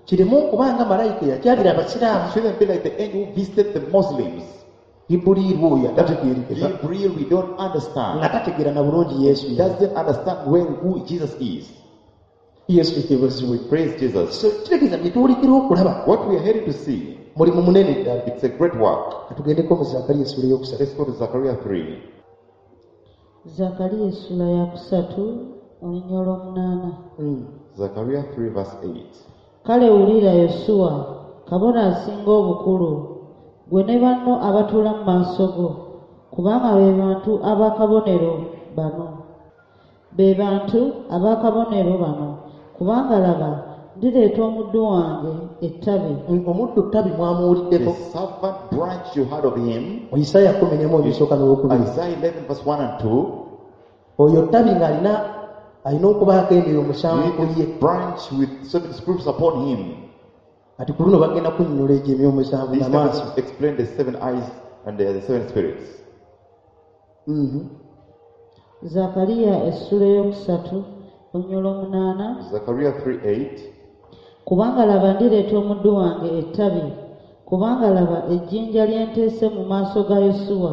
Kireme okuba nga malayika eyakyalira abasiraamu
Shouldn't be like the angel who visited the Muslims.
Gibuliiru oyo atategeerekeka
Gabriel, we don't understand.
Nga tategeera na bulungi Yesu
He
yali.
doesn't understand where who Jesus is.
Yesu yeebazibwe
Praise Jesus.
So kitegeeza bye tuwulikira okulaba
What we are headed to see,
mulimu munene ddala
it's a great work.
Katugendeko mu Zakariya essula eyokusatu
Let's go to Zechariah 3.
Zakariya essula ya kusatu olunya olw'omunaana
Zechariah 3, verse 8.
Kale wulira Yosuwa kabona asinga obukulu gwe ne banno abatuula mu maaso go kubanga be bantu ab'akabonero bano be bantu ab'akabonero bano kubanga laba ndireeta omuddu wange ettabi
Omuddu ttabi
The
mwamuwuliddeko
servant branch you heard of him,
mu Isaaya 11 olusooka n'olwokubiri
Isaiah 11, verse 1 and 2.
Oyo ttabi ng'alina alina okubaako emyoyo musanvu ku ye
Branch with seven spirits upon him.
Ati ku luno bagenda kunnyonnyola egyo emyoyo musanvu
These
n'amaaso
seven explain the seven eyes and the seven spirits.
Zakariya essula eyokusatu olunya olw'omunaana
Zechariah 3 8.
Kubanga laba ndireeta omuddu wange ettabi kubanga laba ejjinja lye nteese mu maaso ga Yosuwa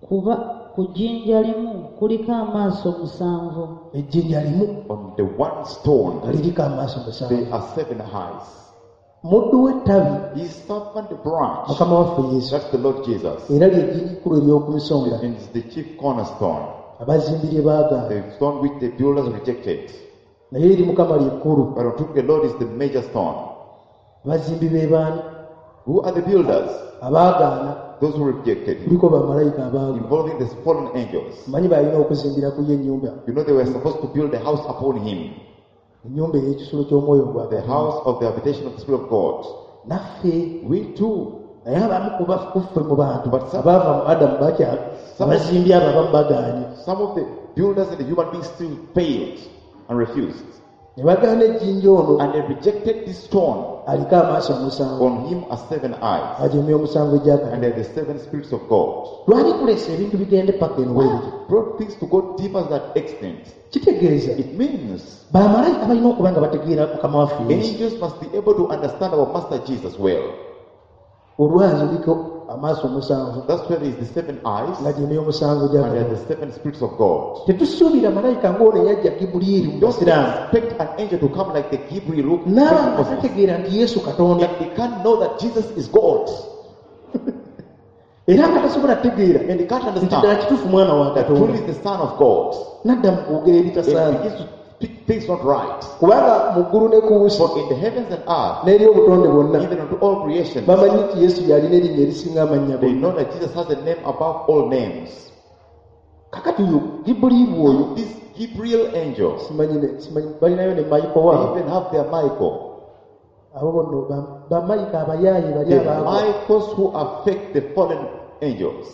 kuba ku jjinja limu kuliko amaaso musanvu
Ejjinja limu
On the one stone,
nga liriko amaaso musanvu
there are seven eyes.
Muddu w'ettabi
His servant branch,
Mukama waffe Yesu
that's the Lord Jesus,
era ly'ejjinja ekkulu ery'oku nsonda
and is the chief cornerstone,
abazimbi lye baagaana
the stone which the builders rejected.
Naye eri Mukama lyekkulu
But unto the Lord is the major stone.
Abazimbi be baani
Who are the builders?
Abaagaana
Those who rejected him,
kuliko bamalayika abaagwa
involving the fallen angels.
manyi balina okuzimbira ku ye ennyumba
You know, they were supposed to build a house upon him,
ennyumba ey'ekisulo ky'omwoyo gwa
the
Katonda.
House of the habitation of the Spirit of God.
Naffe
We too,
naye abamu ku kuffe mu bantu
But some-
abaava mu Adamu bakya abazimbi abo abamu bagaanye
some of the builders and the human beings still failed and refused.
Ne bagaana ejjinja ono
And they rejected this stone.
Aliko amaaso omusanvu
On him are seven eyes,
agyo emyoyo omusanvu egya
and
Katonda
they are the seven spirits of God.
Lwaki tuleese ebintu bigende paka eno bwe bityo
Brought things to go deeper than that extent.
Kitegeeza
It means
bamalayika balina okuba nga bategeera Mukama waffe Yesu
angels must be able to understand our Master Jesus well.
Olwazi luliko amaaso omusanvu
That's where there is the seven eyes,
nga gyemyoyo omusanvu gya
and there are
Katonda
the seven spirits of God.
Tetusuubira malayika ng'ono eyajja Gibuliiri mu
Don't
basiraamu
expect an angel to come like the Gabriel who came
n'aba
to
nga
Moses.
tategeera nti Yesu Katonda
And they can't know that Jesus is God.
Era nga tasobola kutegeera
And they can't
nti ddala
understand
kituufu mwana wa
that truly
Katonda
is the Son of God.
nadda mu kwogera
And
ebitasaana
begins to speak things not right.
Kubanga mu ggulu ne ku nsi
For in the heavens and earth,
n'eri obutonde bwonna
even unto all creation,
bamanyi nti Yesu yalina erinnya erisinga amannya
they
gonna
know that Jesus has a name above all names.
Kakati oyo Gibuliiru oyo
This Gabriel angel,
simanyi simanyi balinayo ne Mayiko
they
waabwe
even have their Michael.
Abo bonno bamayika abayaaye bali
The
abaagwa
Michaels who affect the fallen angels.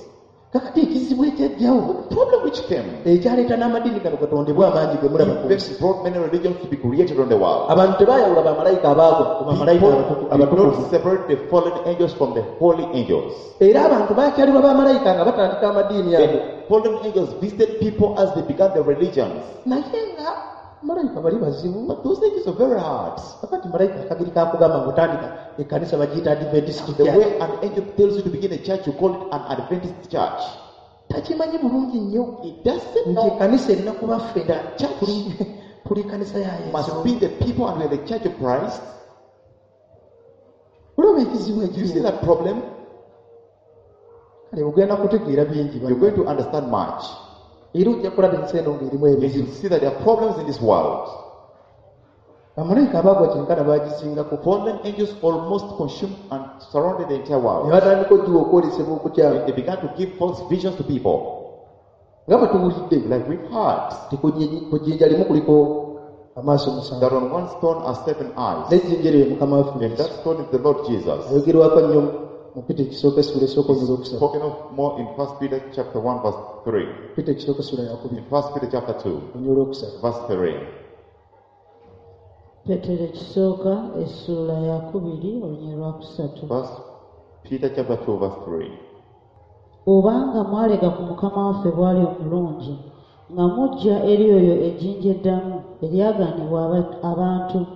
Kakati ekizibu ekyajjawo
The problem which came,
ekyaleeta n'amadiini gano gatondebwa amangi ge mulaba ku nsi
even brought many religions to be created on the world.
Abantu tebayawula bamalayika abaagwa ku bamalayika
People did
abatukuvu
not separate the fallen angels from the holy angels.
Era abantu bakyalibwa bamalayika nga batandika amadiini ago
The fallen angels visited people as they began their religions.
Naye nga malayika bali bazibu
But those angels are very hard.
Kakati malayika akagiri kakugamba ngaotandika ekkanisa bagiyita Adventist
The
Church.
way an angel tells you to begin a church, you call it an Adventist church.
Takimanyi bulungi nnyo
It doesn't
nti
know
ekkanisa erina kuba ffe
that church
tuli kanisa ya Yesu
must be the people and we are the church of Christ.
Olaba ekizibu
Do you see
ekiriwo
that problem?
Kale ogenda kutegeera bingi
You're going to understand much.
Era ojja kulaba ensi eno ng'erimu
And
ebizibu.
you'll see that there are problems in this world.
Bamalayika abaagwa kyenkana baagizingako.
Fallen angels almost consumed and surrounded the entire
Ne
world.
batandika ogiwa okwolesebwa okukyamu.
They began to give false visions to people.
Nga bwe tuwulidde
Like we've heard
nti ku jjinja limu kuliko amaaso 7,
that on one stone are seven eyes.
n'ejjinja eryo ye Mukama waffe
And
Yesu.
that stone is the Lord Jesus.
Ayogerwako nnyo mu Peter ekisooka essula esooka olunyiriri olwokusatu.
Spoken of more in 1 Peter chapter 1 verse 3.
Peter ekisooka essula yakubiri
In 1 Peter chapter 2
olunyiriri olwokusatu.
verse 3.
Peetero ekisooka essuula yakubiri olunyiriri lwakusatu.
1 Peter chapter 2 verse 3.
Obanga mwalega ku Mukama waffe bw'ali omulungi, nga mujja eri oyo ejjinja eddamu eryagaanibwa abantu,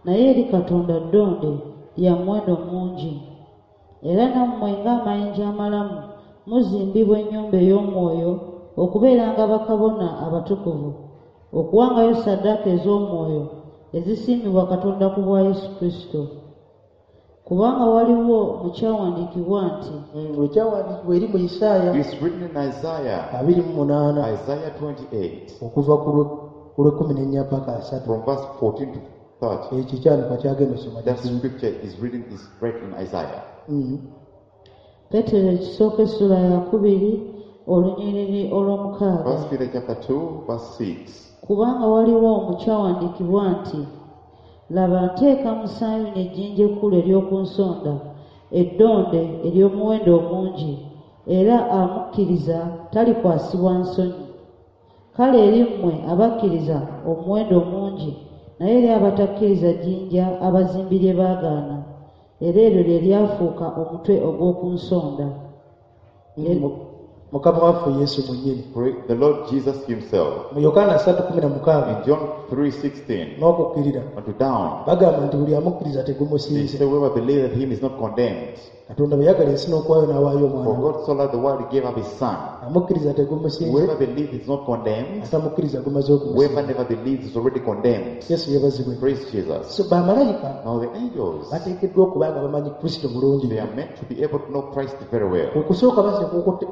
naye eri Katonda ddonde lya muwendo mungi. Era nammwe ng'amayinja amalamu muzimbibwa ennyumba ey'omwoyo okubeeranga bakabona abatukuvu, okuwangayo ssaddaaka ez'omwoyo ezisiimibwa Katonda ku bwa Yesu Kristo. Kubanga waliwo mu kyawandiikibwa nti
Ekyawandiikibwa eri mu Isaaya
It's written in Isaiah,
28
Isaiah 28,
okuva ku lw'e14 paka 30.
from verse 14 to 30.
Ekyo ekyawandiikibwa kyagenda osoma
That
kizibu.
scripture is written is read in Isaiah.
Peetero ekisooka essula yakubiri olunyiriri olw'omukaaga.
1 Peter chapter 2 verse 6.
Kubanga waliwo mu kyawandiikibwa nti laba nteeka mu Sayuuni ejjinja ekkulu ery'oku nsonda, eddonde ery'omuwendo omungi, era amukkiriza talikwasibwa nsonyi. Kale eri mmwe abakkiriza omuwendo omungi, naye eri abatakkiriza jjinja abazimbi lye baagaana, era eryo lye lyafuuka omutwe ogw'oku nsonda.
Mukama waffe Yesu mwennyini.
Pray the Lord Jesus himself.
Mu Yokaana 3:16
In John 3:16
n'okukkirira
unto down,
bagamba nti buli amukkiriza
they
tegumusinze.
say whoever believeth him is not condemned.
Katonda bwe yagala ensi n'okuwaayo n'awaayo
For
omwana we.
God so loved the world, he gave up his son.
Amukkiriza tegumusinze,
Whoever believes is not condemned.
atamukkiriza gumaze
Whoever
okumusinza.
never believes is already condemned.
Yesu yeebazibwe.
Praise Jesus.
So bamalayika
Now the angels,
bateekeddwa okuba nga bamanyi Kristo bulungi.
they are meant to be able to know Christ very well.
Okusooka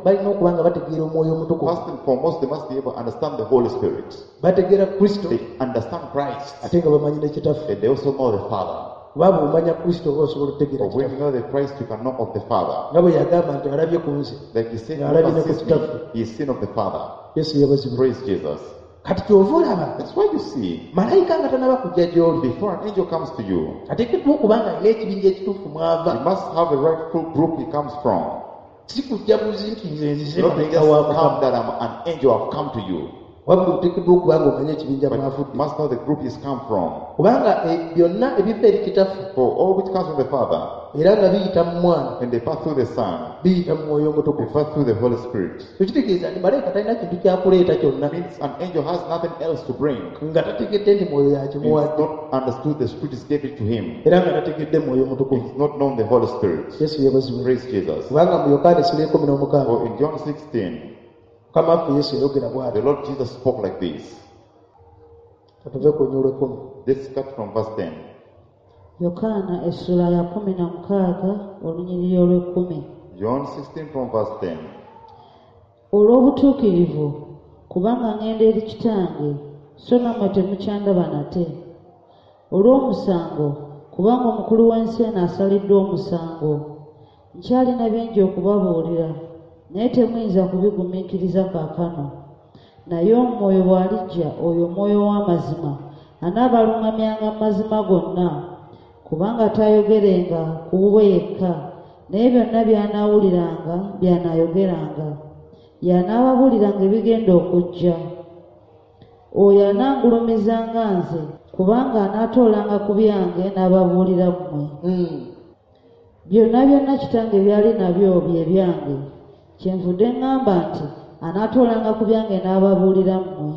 balina okuba nga bategeera Omwoyo Omutukuvu.
First and foremost, they must be able to understand the Holy Spirit.
Bategeera Kristo
They understand Christ.
ate nga bamanyi ne Kitaffe.
And they also know the Father.
Kuba bw'omanya Kristo oba osobola okutegeera
But when
Kitaffe.
you know the Christ, you can know of the Father.
Nga bwe yagamba nti alabye ku nze,
Like he said,
Alabye ne
whoever
ku
sees me,
Kitaffe.
he is seen of the Father.
Yesu yeebazibwe.
Praise Jesus.
Kati ky'ova olaba
That's why you see,
malayika nga tannaba kujja gy'oli
before an angel comes to you,
ateekeddwa okuba nga alina ekibinja ekituufu mw'ava.
he must have a rightful group he comes from.
Si kujja buzi nti nze nzize
Not
malayika
just
wa
come
Mukama.
that I'm an angel, I've come to you.
Wabula oteekeddwa okuba nga omanye ekibinja
But you
mw'avudde.
must know the group he's come from.
Kubanga byonna ebiva eri Kitaffe
For all which comes from the Father,
era nga biyita mu Mwana,
and they pass through the Son,
biyita mu Mwoyo
they
Omutukuvu.
pass through the Holy Spirit.
Ekitegeeza nti malayika talina kintu kyakuleeta kyonna
Means an angel has nothing else to bring.
nga tategedde nti Mwoyo
He's
yakimuwadde
not understood the Spirit is gave it to him.
era nga tategedde Mwoyo Mutukuvu.
He's not known the Holy Spirit.
Yesu yeebazibwe.
Praise Jesus.
Kubanga mu Yokaana essula 16
For in John 16,
Mukama waffe Yesu yayogera bw'ati.
the Lord Jesus spoke like this.
Katuve ku lunyiriri lw'ekumi.
Let's start from verse 10.
Yokaana essula ya 16 olunyiriri olw'ekkumi.
John 16 from verse 10.
Olw'obutuukirivu, kubanga ŋŋenda eri Kitange, so nammwe temukyandaba nate. Olw'omusango, kubanga omukulu w'ensi eno asaliddwa omusango. Nkyalina bingi okubabuulira, naye temuyinza kubigumiikiriza kaakano. Naye Omwoyo bw'alijja, oyo Omwoyo w'amazima, anaabaluŋŋamyanga mu mazima gonna, kubanga taayogerenga ku bubwe yekka, naye byonna by'anaawuliranga by'anaayogeranga. Y'anaababuuliranga ebigenda okujja. Oyo anangulumizanga nze, kubanga anaatoolanga ku byange n'ababuulira mmwe. Byonna byonna Kitange by'ali nabyo bye byange. Kyenvudde ŋŋamba nti anaatoolanga ku byange n'ababuulira mmwe.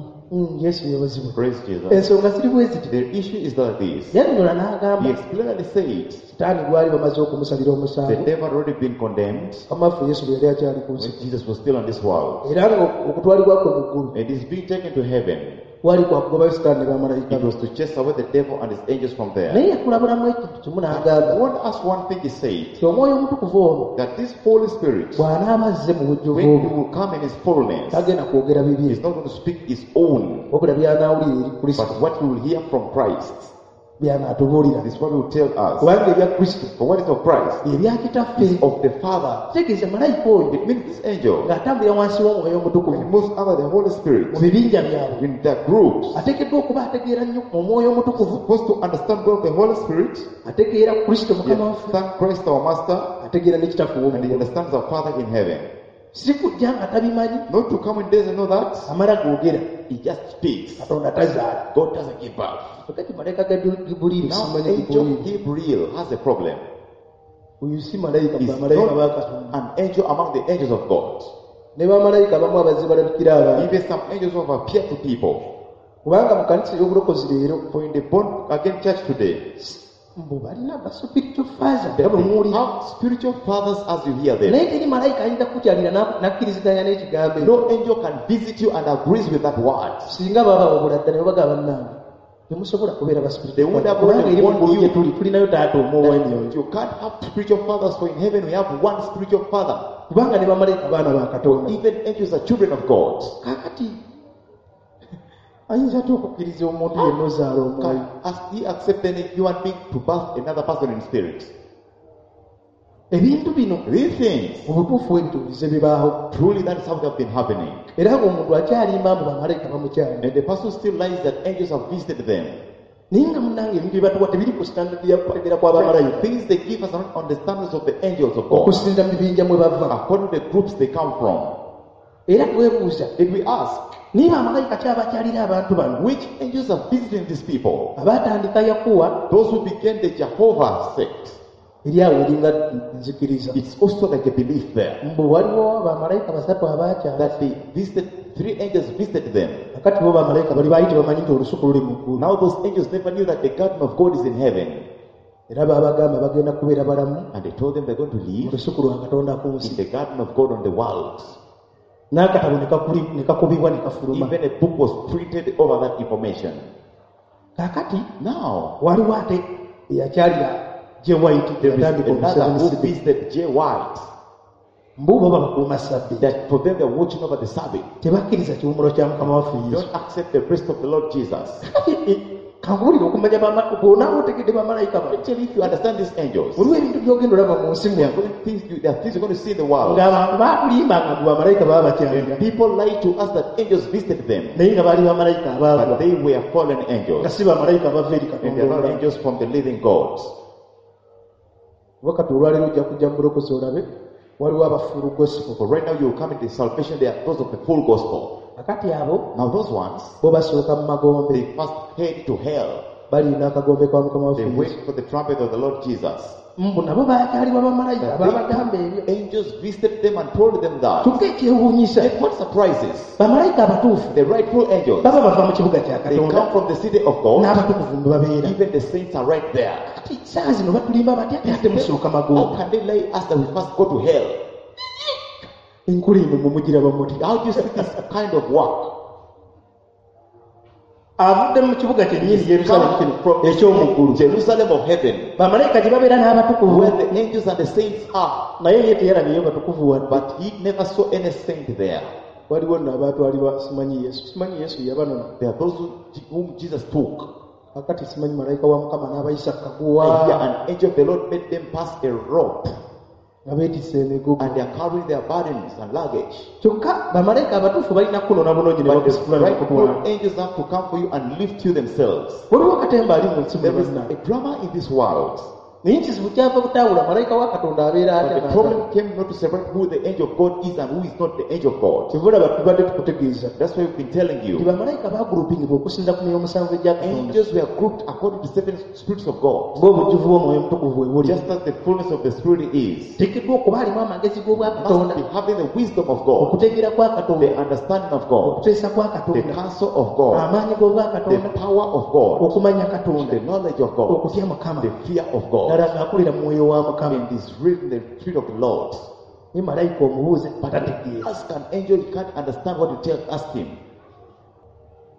Yesu yeebazibwe.
Praise Jesus.
Ensonga ziri bwe ziti.
The issue is like this.
Yannyonnyola n'agamba
He explicitly said
Sitaani gwali bamaze okumusalira
the
omusango
devil had already been condemned
Mukama waffe Yesu bwe yali akyali ku nsi.
when Jesus was still on this world.
Era nga okutwalibwa kwe mu ggulu
And he's being taken to heaven.
Kwali kwakugobayo sitaani ne bamalayika
It
be.
was to chase away the devil and his angels from there.
Naye yakulabulamu ekintu kimu n'agamba
I want to ask one thing he said,
nti omwoyo omutukuvu ono
that this Holy Spirit,
bw'anaaba azze mu bujjuvu
when he
bwe
will come in his fullness,
tagenda kwogera bibye
he's not going to speak his own,
wabula by'anaawulira eri kristo
but what he will hear from Christ.
by'anaatubuulira
This is what he will tell us.
kubanga ebya kristo
For what is of Christ
bye bya kitaffe
is of the Father.
kitegeeza malayika oyo
It means this angel,
ng'atambulira wansi w'omwoyo
when he
omutukuvu
moves under the Holy Spirit,
mu bibinja byabwe
in their groups,
ateekeddwa okuba ategeera nnyo omwoyo omutukuvu
supposed to understand well the Holy Spirit,
ategeera kristo
he
mukama waffe
understands Christ our Master,
ategeera ne kitaffe
and he
ow'omuggulu
understands our Father in heaven.
si kujja nga tabimanyi
Not to come and doesn't know that,
amala googera
he just speaks.
katonda tazaala
God doesn't give birth.
kakati malayika ga gibuliiri
Now,
simanyi
angel
gibuliiri
Gabriel has a problem.
oyo si malayika
He's
bamalayika ba
not
katonda
an angel among the angels of God.
ne bamalayika abamu abazze balabikira abantu
Even some angels who have appeared to people.
kubanga mu kanisa ey'obulokozi leero
For in the born again church today,
mbu balina ba spiritual father
they
nga bwe muwulira
have spiritual fathers as you hear them.
naye teri malayika ayinza kukukyalira n'akkiriziganya n'ekigambo ekyo
No angel can visit you and agrees with that word.
singa baba wabula ddala ne babaga bannange temusobola kubeera ba
They
spiritual
would
father
have
kubanga eri mu
warned
ggulu
you.
gye tuli tulinayo taata omu ow'emyoyo
You can't have spiritual fathers, for in heaven we have one spiritual father.
kubanga ne bamalayika baana ba katonda
Even angels are children of God.
kaakati ayinza atya okukkiriza omuntu yenna ozaala omwoyo
Can as he accept any human being to birth another person in spirit?
Ebintu bino
These things,
mu butuufu ebituulize bibaawo
truly that is how they have been happening.
Era ng'omuntu akyalimba mbu bamalayika bamukyalira
And the person still lies that angels have visited them.
Naye nga munnange ebintu bye batuwa tebiri ku standard ya kutegeera kw'abamalayika
Things they give us are not on the standards of the angels of God,
okusinziira mu bibinja mwe bava
according to the groups they come from.
Era twebuuza
If we ask,
niba bamalayika kyabakyalira abantu bano
which angels are visiting these people?
Abaatandika yakuwa
Those who began the Jehovah sect.
Eri awo eringa nzikiriza
It's also like a belief there
mbu waliwo bamalayika basatu abaakyala
that they visited, three angels visited them.
Kakati bo bamalayika bali baali tebamanyi nti olusuku luli mu ggulu
Now those angels never knew that the garden of God is in heaven.
Era baabagamba bagenda kubeera balamu
And they told them they're going to
mu
live
lusuku lwa katonda ku
in
nsi
the garden of God on the world.
N'akatabo ne ne kakubibwa ne kafuluma
Even a book was printed over that information.
Kaakati
Now,
waliwo ate eyakyalira J White
there is
yatandika
another who
omuseveniside
visited J. White.
mbu bo babakuuma sabbi
That for them they're watching over the Sabbath.
Tebakkiriza kiwumulo kya mukama waffe yesu
Don't accept the rest of the Lord Jesus.
Kati, kankubuulire okumanya bw'onaaba otegedde bamalayika bano
Actually, if you understand these angels,
waliwo ebintu by'ogenda olaba mu nsi
there
muno
are things you're going to see in the world.
Ng'abantu baatulimbanga mbu bamalayika baba bakyalira
People lie to us that angels visited them,
naye nga baali bamalayika abaagwa
but they were fallen
nga
angels.
si bamalayika abava eri
And
katonda
they are not
omulamu.
angels from the living God.
Oba kati olwaleero ojja kujja mu bulokozi olabe waliwo abafuulu gospel
For right now, you will come into salvation, they are those of the full gospel.
Kakati abo
Now, those ones,
bo basooka mu magombe
they first head to hell.
Balina akagombe kwa mukama
They
waffe Yesu
wait for the trumpet of the Lord Jesus.
Mbu nabo baakyalibwa bamalayika
That
baabagamba ebyo
angels visited them and told them that.
Kyokka ekyewuunyisa
And what surprises?
Bamalayika abatuufu
The rightful angels,
baba bava mu kibuga kya
they
katonda
come from the city of God.
N'abatukuvu mwe babeera
Even the saints are right there.
Kati saa zino batulimba batya ate ate musooka
How
magombe
can they lie us that we first go to hell?
Enkula eno mwe mugiraba muti
How do you see this kind of work?
Avudde mu kibuga kyennyini yerusaalemu kino
From
eky'omu ggulu
Jerusalem of heaven,
bamalayika gye babeera n'abatukuvu
where the angels and the saints are.
Naye ye teyalabyeyo batukuvu wadde
But he never saw any saint there.
Waliwo nno abaatwalibwa simanyi yesu simanyi yesu yabanona
There are those whom Jesus took.
Kakati simanyi malayika wa mukama n'abayisa
And here
kaguwa
an angel of the Lord made them pass a rope,
nga beetisse emigugu
and they are carrying their burdens and luggage.
Kyokka bamalayika abatuufu balina kunona bunonyi ne
But the
bakusitula ne bakutwala
rightful angels have to come for you and lift you themselves.
Waliwo katemba ali mu nsi
There is
muno
a drama in this world.
Naye ekizibu kyava butaawula malayika wa katonda abeera
But
atya
the problem came not to separate who the angel of God is and who is not the angel of God.
kyova tubadde tukutegeeza
That's why we've been telling
nti
you.
bamalayika bagurupingibwa okusinza ku myoyo omusanvu egya katonda
Angels were grouped according to seven spirits of God,
ng'obujjuvu bw'omwoyo omutukuvu bwe buli
just as the fullness of the Spirit is.
teekeddwa okuba alimu amagezi g'obwakatonda
Must be having the wisdom of God,
okutegeera kwa katonda
the understanding of God,
okuteesa kwa
the
katonda
counsel of God,
amaanyi
the
g'obwakatonda
power of God,
okumanya katonda
the knowledge of God,
okutya mukama
the fear of God.
Ddala ng'akulira mu mwoyo wa mukama
And is written the spirit of the Lord.
Naye malayika omubuuze tategeera
Ask an angel, he can't understand what you tell, ask him.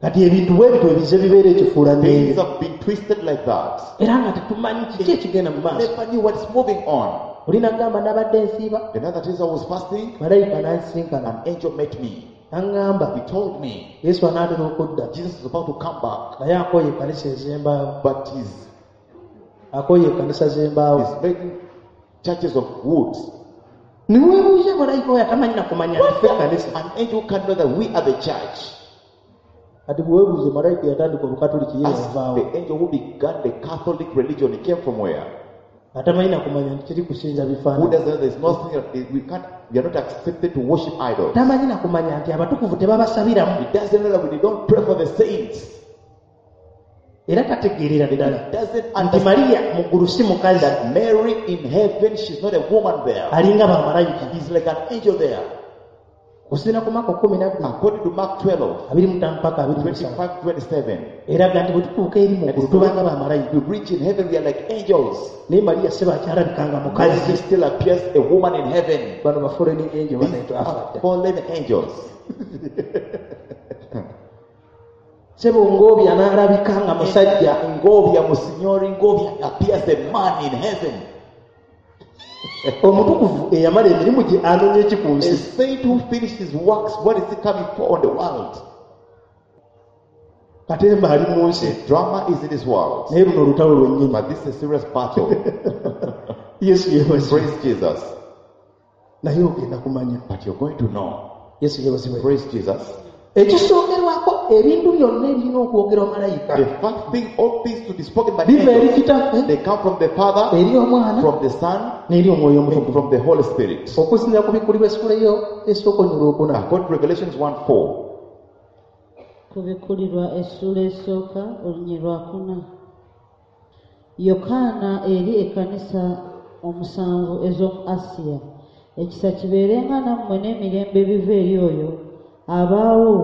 Kati ebintu bwe bityo ebize bibeera ekifuulannenge
Things have been twisted like that.
Era nga tetumanyi kiki ekigenda mu maaso.
Never knew what's moving on.
Oli nagamba nabadde nsiiba
Another days I was fasting,
malayika n'ansinkana
an angel met me.
n'aŋŋamba
He told me
Yesu anaatera okudda
Jesus is about to come back,
naye akooye ekkanisa ez'embaawo
but he's,
akooye ekkanisa z'embaawo
he's making churches of wood.
Niweebuuza malayika oyo atamanyi nakumanya nti ffe ekkanisa
An angel can know that we are the church.
Kati bweweebuuze malayika yatandika obukatuliki ye
Ask
yavaawo
the angel who began the Catholic religion, he came from where?
Atamanyi nakumanya nti kiri kusinza
Who
bifaananyi
doesn't know there's nothing, we are not accepted to worship idols.
Tamanyi nakumanya nti abatukuvu tebabasabiramu
He doesn't know that we don't pray for the saints.
Era tategeerera ddala
He doesn't
nti
understand
Mariya mu ggulu si mukazi
that Mary in heaven, she's not a woman there.
Alinga bamalayika
He's like an angel there.
Kusinziira ku Mako 12
According to Mark 12,
25 paka 27
25 27,
eraga nti bwe tutuuka eri mu ggulu tubanga bamalayika
we reach in heaven, we are like angels.
Naye Mariya si bakyalabikanga
Mary
mukazi
still appears a woman in heaven.
Bano ba fallen angel
These
banaitw
are
afadda
fallen angels.
Sebo Ngobya n'alabika nga musajja
Ngobia, Monsignor Ngobia appears a man in heaven.
Omutukuvu eyamala emirimu gye anoonya eki ku
A
nsi
saint who finished his works, what is he coming for on the world?
Katemba ali mu nsi
The drama is in this world.
Naye luno olutalo lwennyini
But this is a serious battle.
Yesu yeebazibwe
Praise Jesus.
Naye ogenda kumanya
But you're going to know.
Yesu yeebazibwe
Praise Jesus.
Ekisookerwako ebintu byonna ebirina okwogerwa malayika
The first thing, all things to be spoken by
biva eri
angels,
kitaffe
they come from the Father,
eri omwana
from the Son,
n'eri omwoyo
and
omutukuvu
from the Holy Spirit.
Okusinziira ku bikkulibwa essula eyo esooka onyula okuna
According to Revelations 1:4,
Kubikkulirwa essuula esooka olunyi lwakuna Yokaana eri ekkanisa omusanvu ez'omu Asiya ekisa kibeerenga nammwe n'emirembe ebiva eri oyo abaawo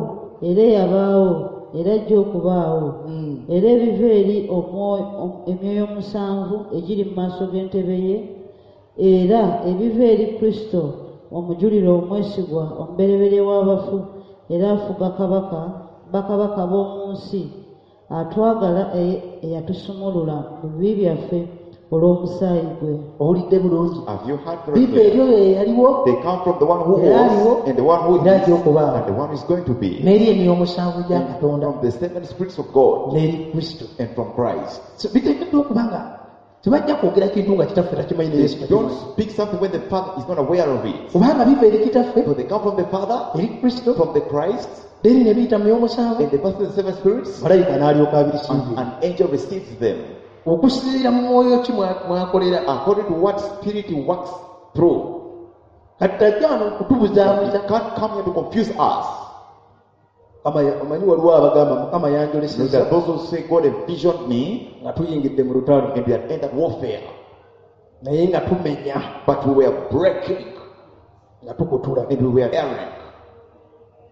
era eyabaawo era ajja okubaawo era ebiva eri emyoyo omusanvu egiri mu maaso g'entebe ye era ebiva eri Kristo omujulirwa omwesigwa omubereberye w'abafu era afuga kabaka bakabaka b'omu nsi atwagala eyatusumulula mu bibi byaffe olw'omusaayi gwe
Owulidde bulungi
have you heard very
biva eri
clear?
oyo eyaliwo
They come from the one who
Era aliwo,
was, and the one who
era
is,
ajja okubaawo
and the one who is going to be.
N'eri emyoyo omusanvu gya Katonda
From the seven spirits of God
n'eri Kristo
and from Christ.
So, biteekeddwa okuba nga tebajja kwogera kintu nga kitaffe takimanyi ne
They
Yesu
don't
takimanyi
speak something when the Father is not aware of it.
Kubanga biva eri kitaffe
So they come from the Father,
eri Kristo
from the Christ,
then ne biyita mu myoyo omusanvu
and they pass through the seven spirits,
malayika n'alyoka abirisiibye
and an angel receives them.
Okusinziira mu mwoyo ki mwakolera
According to what spirit he works through.
Kati tajja wano
He
okutubuzaabuza
can't come here to confuse us.
Mukama omanyi waliwo abagamba Mukama
There
yanjoleseza
are those who say God envisioned me
nga tuyingidde mu lutalo
and we had entered warfare,
naye nga tumenya
but we were breaking
nga tukutula
and we were erring.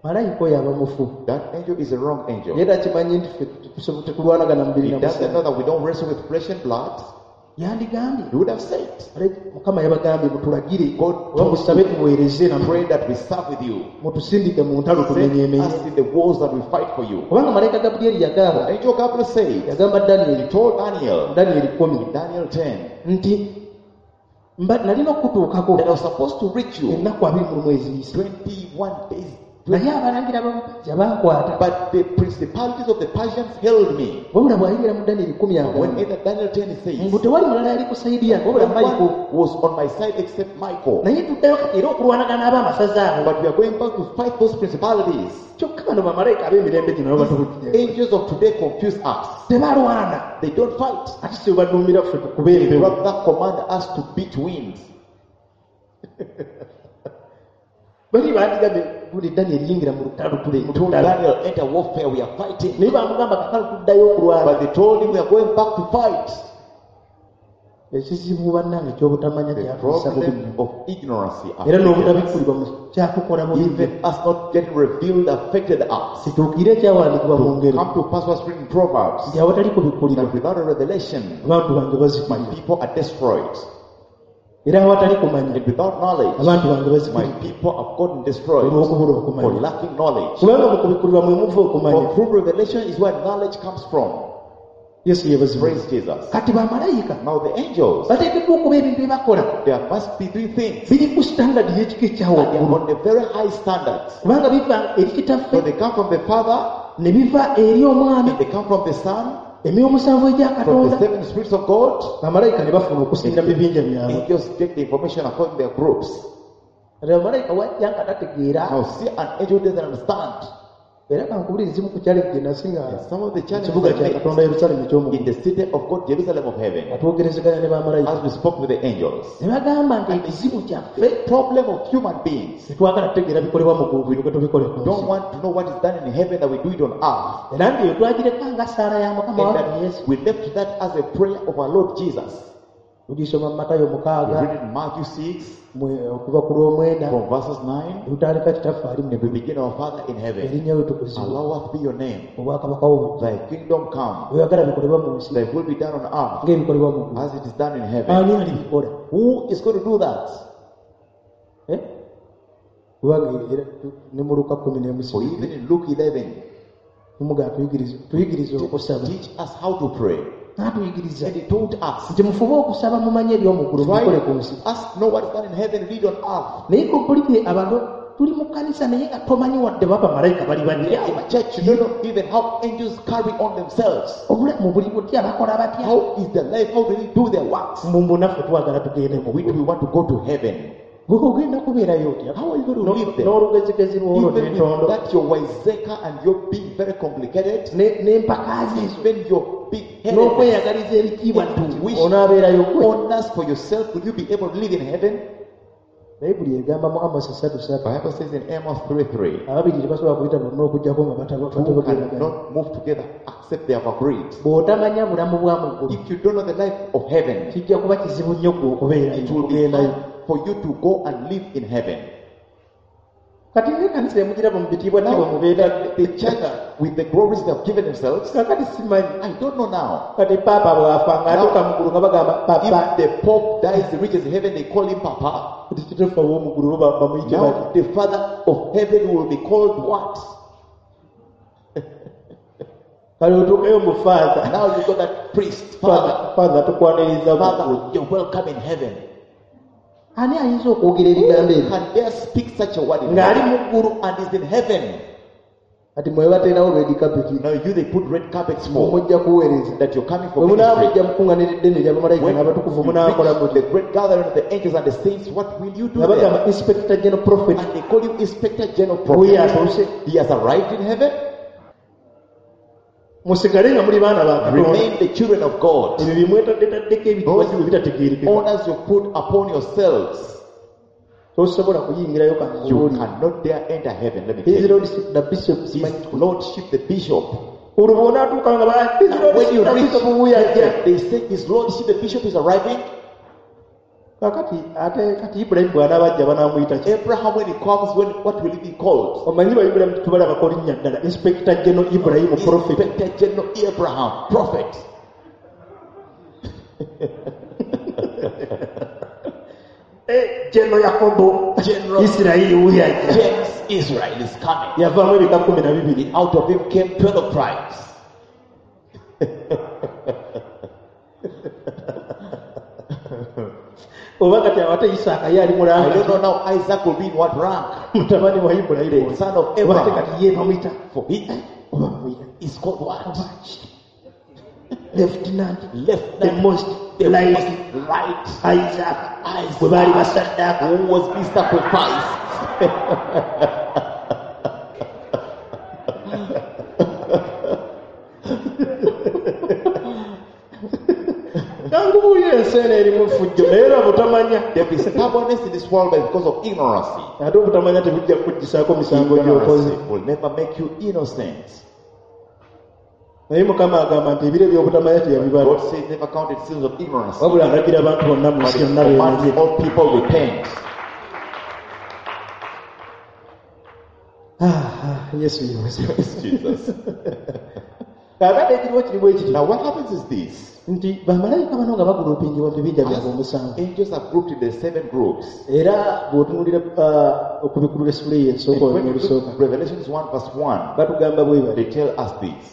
Malayika oyo aba mufu
That angel is a wrong angel.
Naye takimanyi nti ffe tetulwanagana mubiri
He
na
doesn't
musaayi
know that we don't wrestle with flesh and blood.
Yandigambye
He would have said,
"Malayika, Mukama yabagambye mutulagire
God
oba musabe tuweereze nammwe
pray that we serve with you.
Mutusindike mu ntalo
Send
tumenyeemenye
us in the wars that we fight for you.
Kubanga malayika Gabulyeri yagamba
Angel Gabriel said,
yagamba
he
Danyeri
told Daniel,
Danyeri 10
Daniel 10,
nti mba nalina okukutuukako
that I was supposed to reach you
ennaku 21 eziyise
21 days.
Naye abalangira b'abapajja bankwata
But the principalities of the Persians held me.
Wabula bw'ayingira mu Danyeri 10
When
agamba
either Daniel 10 says,
mbu tewali mulala yali ku sayidi yange wabula
no
Mayiko
one was on my side except Michael.
Naye tuddayo kati era okulwanagana ab'amasaza abo
But we are going back to fight those principalities.
Kyokka bano bamalayika ab'emirembe gino nabo batubukire
Angels of today confuse us.
Tebalwana
They don't fight.
Ate si baduumira ffe tukube
They
empewo
rather command us to beat winds.
Bali bandigambye buli Danyeri yingira mu lutalo tule
They
mu
told
lutalo
Daniel, enter warfare, we are fighting.
Naye bamugamba kakalo tuddayo okulwana
But they told him, we are going back to fight.
Ekizibu bannange ekyobutamanya
The
kyatuusa bubi
problem
nnyo
of ignorance
era
affected us.
n'obutabikkulibwa mu kyakukola bubi nnyo
Even us not getting revealed affected us.
Kituukire ekyawandiikibwa mu ngero
Come to pass what's written in Proverbs
nti awatali kubikkulirwa
that without a revelation,
abantu bange
my
bazikirira
people are destroyed.
Era awatali kumanya
And without knowledge,
abantu bange
my
bazikiridde
people have gotten destroyed
olw'okubula
for
okumanya.
lacking knowledge.
Kubanga mu kubikkulirwa mwe muva okumanya.
For true revelation is where knowledge comes from.
Yesu yeebazibwe.
Praise Jesus.
Kati bamalayika
Now the angels,
bateekeddwa okuba ebintu bye bakola
there must be three things.
biri ku standard y'ekika ekya
And they are
waggulu
on a very high standard.
kubanga biva eri
So
kitaffe
they come from the Father,
ne biva eri omwana
and they come from the Son,
emyoyo omusanvu egya
from the
katonda
seven spirits of God.
bamalayika ne bafuna okusinda mu bibinja byabwe.
Angels get the information according to their groups.
Kati bamalayika wajja nga tategeera
Now see an angel doesn't understand.
era kankubulire ezimu ku challenge gye nasinga
And some of the challenges
kibuga
I
kya
met
katonda yerusaalemu
in
eky'omuggulu
the city of God, Jerusalem of heaven,
nga twogerezeganya ne bamalayika
as we spoke with the angels.
ne bagamba nti ekizibu kyaffe
The problem of human beings
tetwagala tutegeera bikolebwa mu ggulu tulyoke tubikole ku
don't
nsi
want to know what is done in heaven that we do it on earth.
era nti eyo twagireka nga ssaala ya mukama
And
waffe
that
yesu
we left that as a prayer of our Lord Jesus.
tugisoma mu matayo
We
mukaaga
read it in Matthew 6
okuva ku lw'omwenda
from verses 9.
lutandika kitaffe ali mu
And we begin our Father in heaven.
erinnya lyo tukuzibwe
Allowed be your name.
obwakabaka bwo
Thy kingdom come.
bweyagala bikolebwa mu nsi
Thy will be done on earth
ng'ebikolebwa mu ggulu
as it is done in heaven.
ani alibikola
Who is going to do that?
Eh? Kubanga era ne mu luka kumi n'emu
For even in Luke 11,
tumugaa tuyigirize okusaba
teach us how to pray.
n'atuyigiriza
And he taught us.
nti mufube okusaba mumanye eby'omuggulu
Try
mubikole ku nsi
us know what is done in heaven, read on earth.
naye kompulire abantu tuli mu kkanisa naye nga tomanyi wadde baba malayika bali batya
In church, you don't know even how angels carry on themselves.
obulamu buli butya bakola batya
How is their life? How do they do their works?
mbumbu naffe twagala tugende mu
We
ggulu
do we want to go to heaven.
gwe ogenda kubeerayo otya
How are you going to live there?
n'olugezigezi lwolwo
Even
n'entondo
with that your wiseacre and your being very complicated,
n'empaka ze ezo
even your big head
n'okweyagaliza ebitiibwa
And to wish
onaabeerayo gwe
honors for yourself, will you be able to live in heaven?
Bayibuli egamba mu Amosi ssatu ssatu
Bible says in Amos 3:3,
ababiri tebasobola kuyita bonna okuggyako nga
two
batabogeragana
cannot move together except they have agreed.
bw'otamanya bulamu bwa mu ggulu
If you don't know the life of heaven,
kijja kuba kizibu nnyo gwe okubeerayo
it will be
okugendayo
hard for you to go and live in heaven.
kati ng'ekkanisa emugiraba mu bitiibwa tibwa
Now,
mubeera
the church with the glories they have given themselves,
kakati simanyi
I don't know now.
kati paapa bw'afa ng'atuuka mu ggulu nga bagamba papa
If the Pope dies, he reaches heaven, they call him Papa.
kati kitaffe ow'omu ggulu bo bamuyite bati
Now, the Father of heaven will be called what?
kale otuukeyo mu faatha
Now you got that priest, Father.
faatha tukwaniriza mu ggulu
Father, you're welcome in heaven.
ani ayinza okwogera ebigambo ebyo
Can dare speak such a word in
ng'ali
heaven
mu ggulu
and is in heaven?
kati mwe bateerawo red carpet
Now you they put red carpets for
mujja kuweereza
that you're coming for
bwe
ministry.
munaamujja mukuŋŋaanira eddene ery'abamalayika
When
n'abatukuvu
you
munaakola
reach
muti
the great gathering of the angels and the saints, what will you do
nga
there?
bagamba inspector general prophet
And they call you Inspector General
wuyo
Prophet.
atuuse
He has arrived in heaven.
musigale nga muli baana ba katonda
Remain the children of God.
ebyo byemwetaddetaddeko ebitiibwa bwe bitategeerekeka
Honors you put upon yourselves.
tosobola kuyingirayo
You
kanguuli
cannot dare enter heaven. Let me
his
tell you.
lordship the bishop
His
simanyi
lordship, the bishop.
olwo bw'onaatuuka nga ba- his
Now, when you
lordship the
reach
bishop wuyo ajja
heaven, they say his lordship, the bishop is arriving.
kakati ate kati ibulayimu bw'anaaba ajja banaamuyita ki
Abraham, when he comes, when what will he be called?
omanyi ba ibulayimu tubalabako linnya ddala inspector general ibulayimu prophet
Inspector General Abraham, prophet.
General yakobo
General
isirayiri wuyo ajja
James Israel is coming.
yavaamu ebika 12
Out of him came 12 tribes.
oba kati awate isaaka ye ali
I don't
mulanga
know now Isaac will be in what rank.
mutabani wa ibulayimu
The son of
oba ate
Abraham.
kati ye bamuyita
For he
oba bamuyita
is called what?
lieutenant
Left
the most
the
right
most right
isaac
Isaac.
bwe baali basaddaaka
who was be sacrificed.
kangubuulira ensi eno erimu effujjo naye era butamanya
There is stubbornness in this world but because of ignorance.
ate obutamanya tebujja kukuggisaako misango gy'okoze
Ignorance will never make you innocent.
naye mukama agamba nti ebiro eby'obutamanya teyabibala
God says never counted sins of ignorance.
wabula alagira abantu bonna mu
But
nsi
he
yonna
commands
beenenye
all people repent.
Ah, ah, yesu yeebazibwe
Jesus.
Kaakati ekiriwo kiri bwe kiti
Now what happens is this.
Nti bamalayika bano nga bagulupingibwa mu bibinja byabwe
As
omusanvu
angels are grouped in the seven groups.
Era bw'otunuulira okubikulula essula eyo
And
esooka
when
olunya
you
olusooka
look Revelations 1 verse 1,
batugamba bwe bali
they tell us this.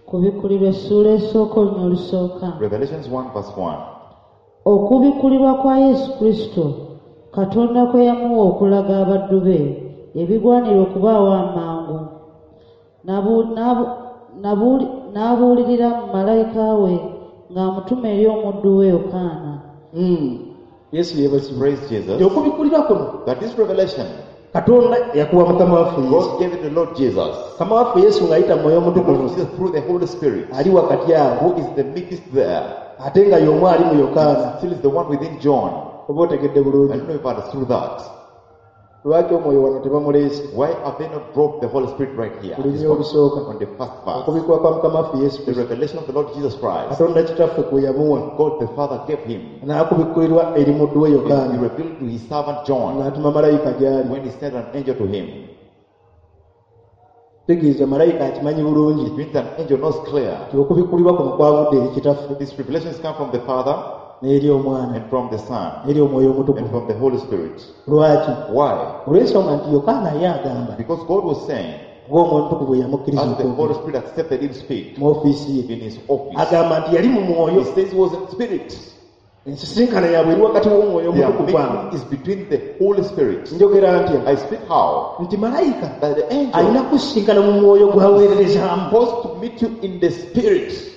Kubikkulirwa essuula esooka olunya olusooka.
Revelations 1 verse 1.
Okubikkulirwa kwa Yesu Kristo Katonda kwe yamuwa okulaga abaddu be ebigwanira okubaawo amangu. N'abuulirira mu malayika we ng'amutuma eri omuddu we Yokaana.
Yesu yeebazibwe.
Praise Jesus.
Nti okubikkulirwa kuno
That this revelation,
Katonda yakuwa Mukama waffe Yesu.
God gave it to the Lord Jesus.
Mukama waffe Yesu ng'ayita mu Mwoyo
The Lord
Omutukuvu
Jesus through the Holy Spirit,
ali wakati awo
who is the midst there,
ate nga y'omu ali mu Yokaana.
Still is the one within John.
Oba otegedde
I
bulungi.
don't know if I understood that.
Lwaki omwoyo wano tebamuleese?
Why have they not brought the Holy Spirit right here?
Lunya
It's on
olusooka.
on the first verse.
Okubikkulwa kwa Mukama waffe Yesu
The
Kristo
revelation of the Lord Jesus Christ,
Katonda Kitaffe kwe yamuwa
God the Father gave him.
n'akubikkulirwa eri muddu we
He
Yokaana
revealed to his servant John
ng'atuma malayika gy'ali.
when he sent an angel to him.
Tegeeza malayika akimanyi bulungi
It means an angel knows clear.
nti okubikkulirwa kuno kwavudde eri Kitaffe
These revelations come from the Father
n'eri Omwana
and from the Son
n'eri Omwoyo
and
Omutukuvu.
from the Holy Spirit.
Lwaki?
Why?
Olw'ensonga nti Yokaana ye agamba
Because God was saying,
ng'Omwoyo Omutukuvu bwe yamukkiriza
as the
okwogera
Holy Spirit accepted him speak
mu ofiisi ye
in his office,
agamba nti yali mu mwoyo.
He says he was in spirit.
Ensisinkano yaabwe eri wakati w'Omwoyo
Their
Omutukuvu awo.
meeting is between the Holy Spirit.
Njogera ntya?
I speak how?
Nti malayika
That the angel
alina kusisinkana mu mwoyo gw'aweererezaamu
supposed to meet you in the spirit.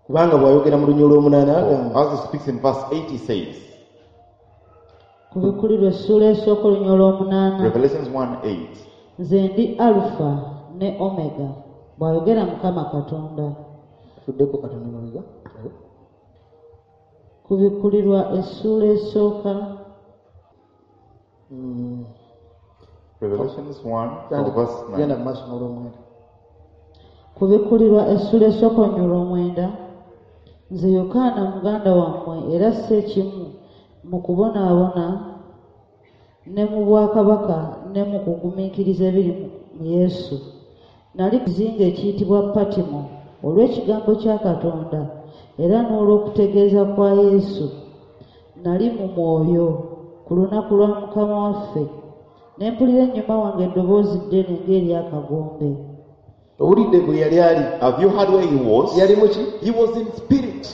Kubanga bw'ayogera mu lunya olw'omunaana agamba
As he speaks in verse 8, he says,
Kubikkulirwa essuula esooka olunya olw'omunaana.
Revelations 1 8.
Nze ndi Alufa ne Omega, bw'ayogera Mukama Katonda.
Tuddeko katono mabega.
Kubikkulirwa essuula esooka
Revelations 1 from verse
Genda
9.
mu maaso n'olwomwenda.
Kubikkulirwa essuula esooka olunya olw'omwenda. Nze Yokaana muganda wammwe era si ekimu mu kubonaabona ne mu bwakabaka ne mu kugumiikiriza ebiri mu Yesu. Nali ku kizinga ekiyitibwa Patimo olw'ekigambo kya Katonda era n'olw'okutegeeza kwa Yesu. Nali mu mwoyo ku lunaku lwa Mukama waffe ne mpulira ennyuma wange eddoboozi ddene ng'ery'akagombe.
Owulidde bwe yali ali?
Have you heard where he was?
Yali muki?
He was in spirit.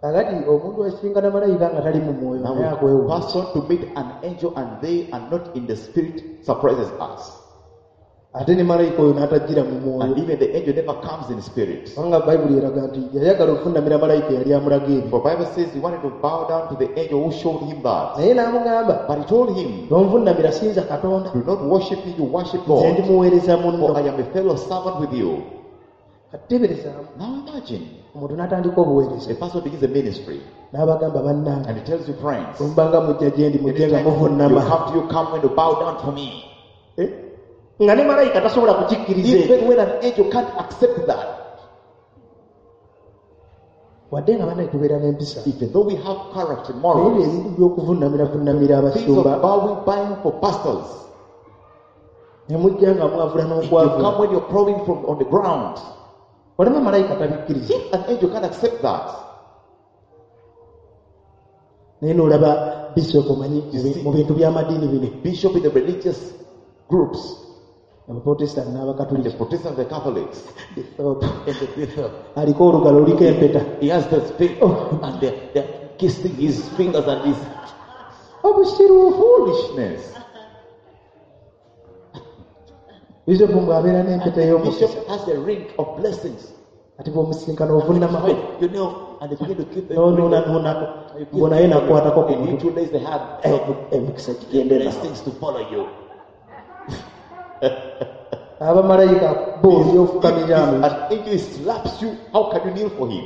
Kakati omuntu asisinkana malayika nga tali mu mwoyo
Now,
naye
a
akwewuunya.
person to meet an angel and they are not in the spirit surprises us.
Ate ne malayika oyo n'atajjira mu mwoyo.
And even the angel never comes in spirit.
Kubanga Bayibuli eraga nti yayagala okuvunnamira malayika eyali amulaga ebyo.
For Bible says he wanted to bow down to the angel who showed him that.
Naye n'amugamba
But he told him,
tonvunnamira sinza Katonda.
Do not worship me, you worship
Nze ndi
God.
muweereza munno.
For I am a fellow servant with you.
Kati teeberezaamu
Now imagine
omuntu n'atandika obuweereza
a person begins a ministry
n'abagamba bannange
and he tells you, friends,
bwe mubanga mujja gye ndi mujje nga
anytime you
muvunnama.
come to you, come when you bow down to me.
Eh? Nga ne malayika tasobola kukikkiriza ekyo.
Even when an angel can't accept that,
Wadde nga bannaye tubeera n'empisa
even though we have character,
naye
morals,
ebyo ebintu by'okuvunnamira vunnamira
things of
abasumba
bowing, buying for pastors,
ne mujja nga mwavula
you
n'okwavula
come when you're crawling from on the ground.
olaba malayika tabikkiriza.
If an angel can't accept that,
Naye n'olaba bishop omanyi mu bintu by'amadiini bino
bishop in the religious groups,
Abaprotestant
the
n'Abakatuliki
Protestants, the Catholics,
bishop
and the bishop,
aliko olugalo luliko empeta
he has the spit and they're kissing his fingers and his
obusiruufu.
foolishness.
Bishop bw'abeera n'empeta ey'omukisa
Bishop has a ring of blessings.
ati bw'omusisinkana ovunnamako
When you know, and they begin to give them
n'onuunanuunako mbu naye nakwatako ku
And you
mutwe
two lays the hand,
emikisa gigende naawe.
blessings to follow you.
Abamalayika bo ebyofukamiramu
If an angel slaps you, how can you kneel for him?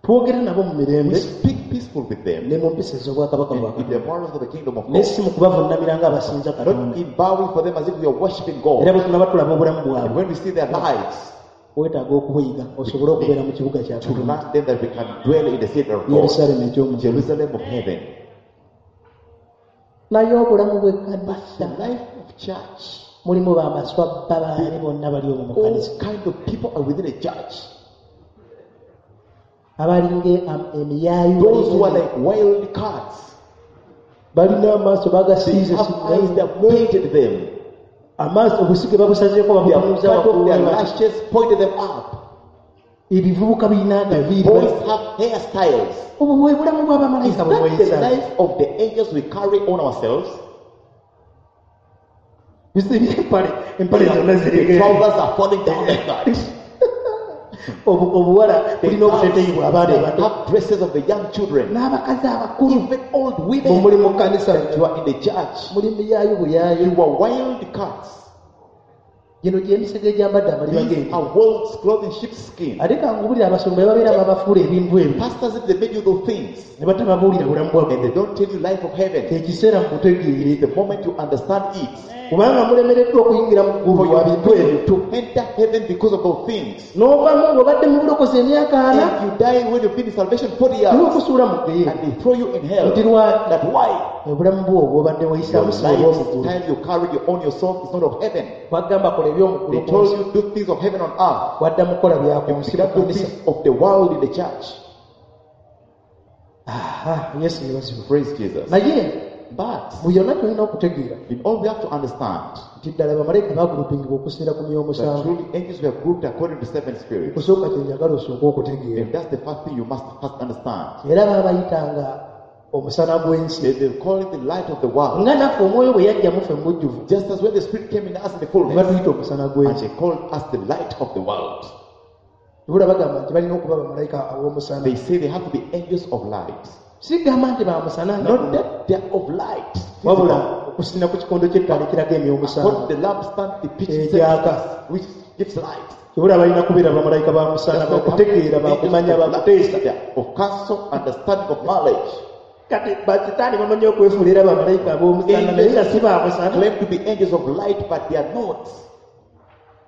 Twogera nabo mu
We
mirembe
speak peaceful with them
ne mu mpisa ez'obwakabaka bwa
in
Katonda
the morals of the kingdom of
naye
God.
si mu kubavunnamira ng'abasinza Katonda.
Not in bowing for them as if we are worshiping
Era
God.
bwe tunaba tulaba obulamu
And
bwabwe
when we see their lives,
weetaaga okubuyiga osobole okubeera mu kibuga kya
to
Katonda
learn them that we can dwell in the city of God,
Yerusaalemi eky'omu
Jerusalem of heaven.
Naye obulamu bw'ekkanisa
The life of church,
Mulimu bamaswa babaani bonna bali omwo mu
All
kkanisa.
kind of people are within a church.
Abalinga emiyaayu
Those who are like wild cats.
Balina amaaso
They
bagasiize
have eyes, they have painted them.
Amaaso obusige babusazeeko
They have
babutunuza
cut off their
waggulu.
lashes, pointed them up.
Ebivubuka birina agaviiri.
Boys have hairstyles.
Obwo bwe bulamu
Is
bw'abamalayika bwe
that the
mweyisa.
life of the angels we carry on ourselves?
Bisibye empale empale zonna
The
zirege.
trousers are falling down like that.
Obuwala
The
bulina obuteeteeyi bw'abaana
they
abato
have dresses of the young children.
n'abakazi abakulu.
Even old
Bwe
women
muli mu kkanisa
that you are in the church.
muli miyaayu buyaayu.
You are wild cats.
Gino gy'emisege egyambadde amaliba
These
g'ente.
are wolves clothed in sheepskin.
Ate kangubulira abasumba be babeera babafuula ebintu ebyo
Pastors, if they made you those things
ne batababuulira bulamu bwa
and they
ggulu.
don't tell you life of heaven,
Ekiseera mukutegeere
the moment you understand it,
kubanga mulemereddwa okuyingira mu ggulu
for
lwa bintu
you
ebyo.
to enter heaven because of those things.
N'ovaamu ng'obadde mu bulokozi emyaka ana
And you die when you've been in salvation 40 years
n'okusuula mu ggeyeena.
and they throw you in hell.
Nti lwaki?
That why?
Obulamu bwo obwobadde
Your
wayisaamu si obw'omu ggulu.
lifestyle you carry your own yourself is not of heaven.
Bagamba kola eby'omu
They
ggulu ku
told
nsi.
you do things of heaven on earth.
Wadda mukola bya ku
You
nsi mu
began to do
kkanisa.
things of the world in the church.
Aha, Yesu yeebazibwe.
Praise Jesus.
Naye
But
mu byonna tulina okutegeera
in all we have to understand
nti ddala bamalayika baagulupingibwa okusinziira ku myoyo
that
omusanvu.
truly angels were grouped according to seven spirits.
Okusooka kye njagala osooke okutegeera.
And that's the first thing you must first understand.
Era baabayitanga omusana gw'ensi.
They call it the light of the world.
Nga naffe omwoyo bwe yajja muffe mu bujjuvu
Just as when the Spirit came in us in the
ne
fullness,
batuyita omusana
and
gw'ensi.
they called us the light of the world.
Ebula bagamba nti balina okuba bamalayika ab'omusana.
They say they have to be angels of light.
Sigamba nti bamusana nga
Not that they are of light.
wabula
Physical.
okusinda ku kikondo ky'ettaala ekiraga emyoyo
According
omusanvu
to the lampstand depicts
Egyaka.
which gives light.
Ebula balina kubeera bamalayika ba musana
That's why they have to be
bakutegeera
angels
bakumanya
of light,
bakuteesa.
they are of counsel, understanding of knowledge.
Kati bakitaani bamanyi okwefuula era bamalayika ab'omusana naye nga si bamusana.
Claim to be angels of light, but they are not.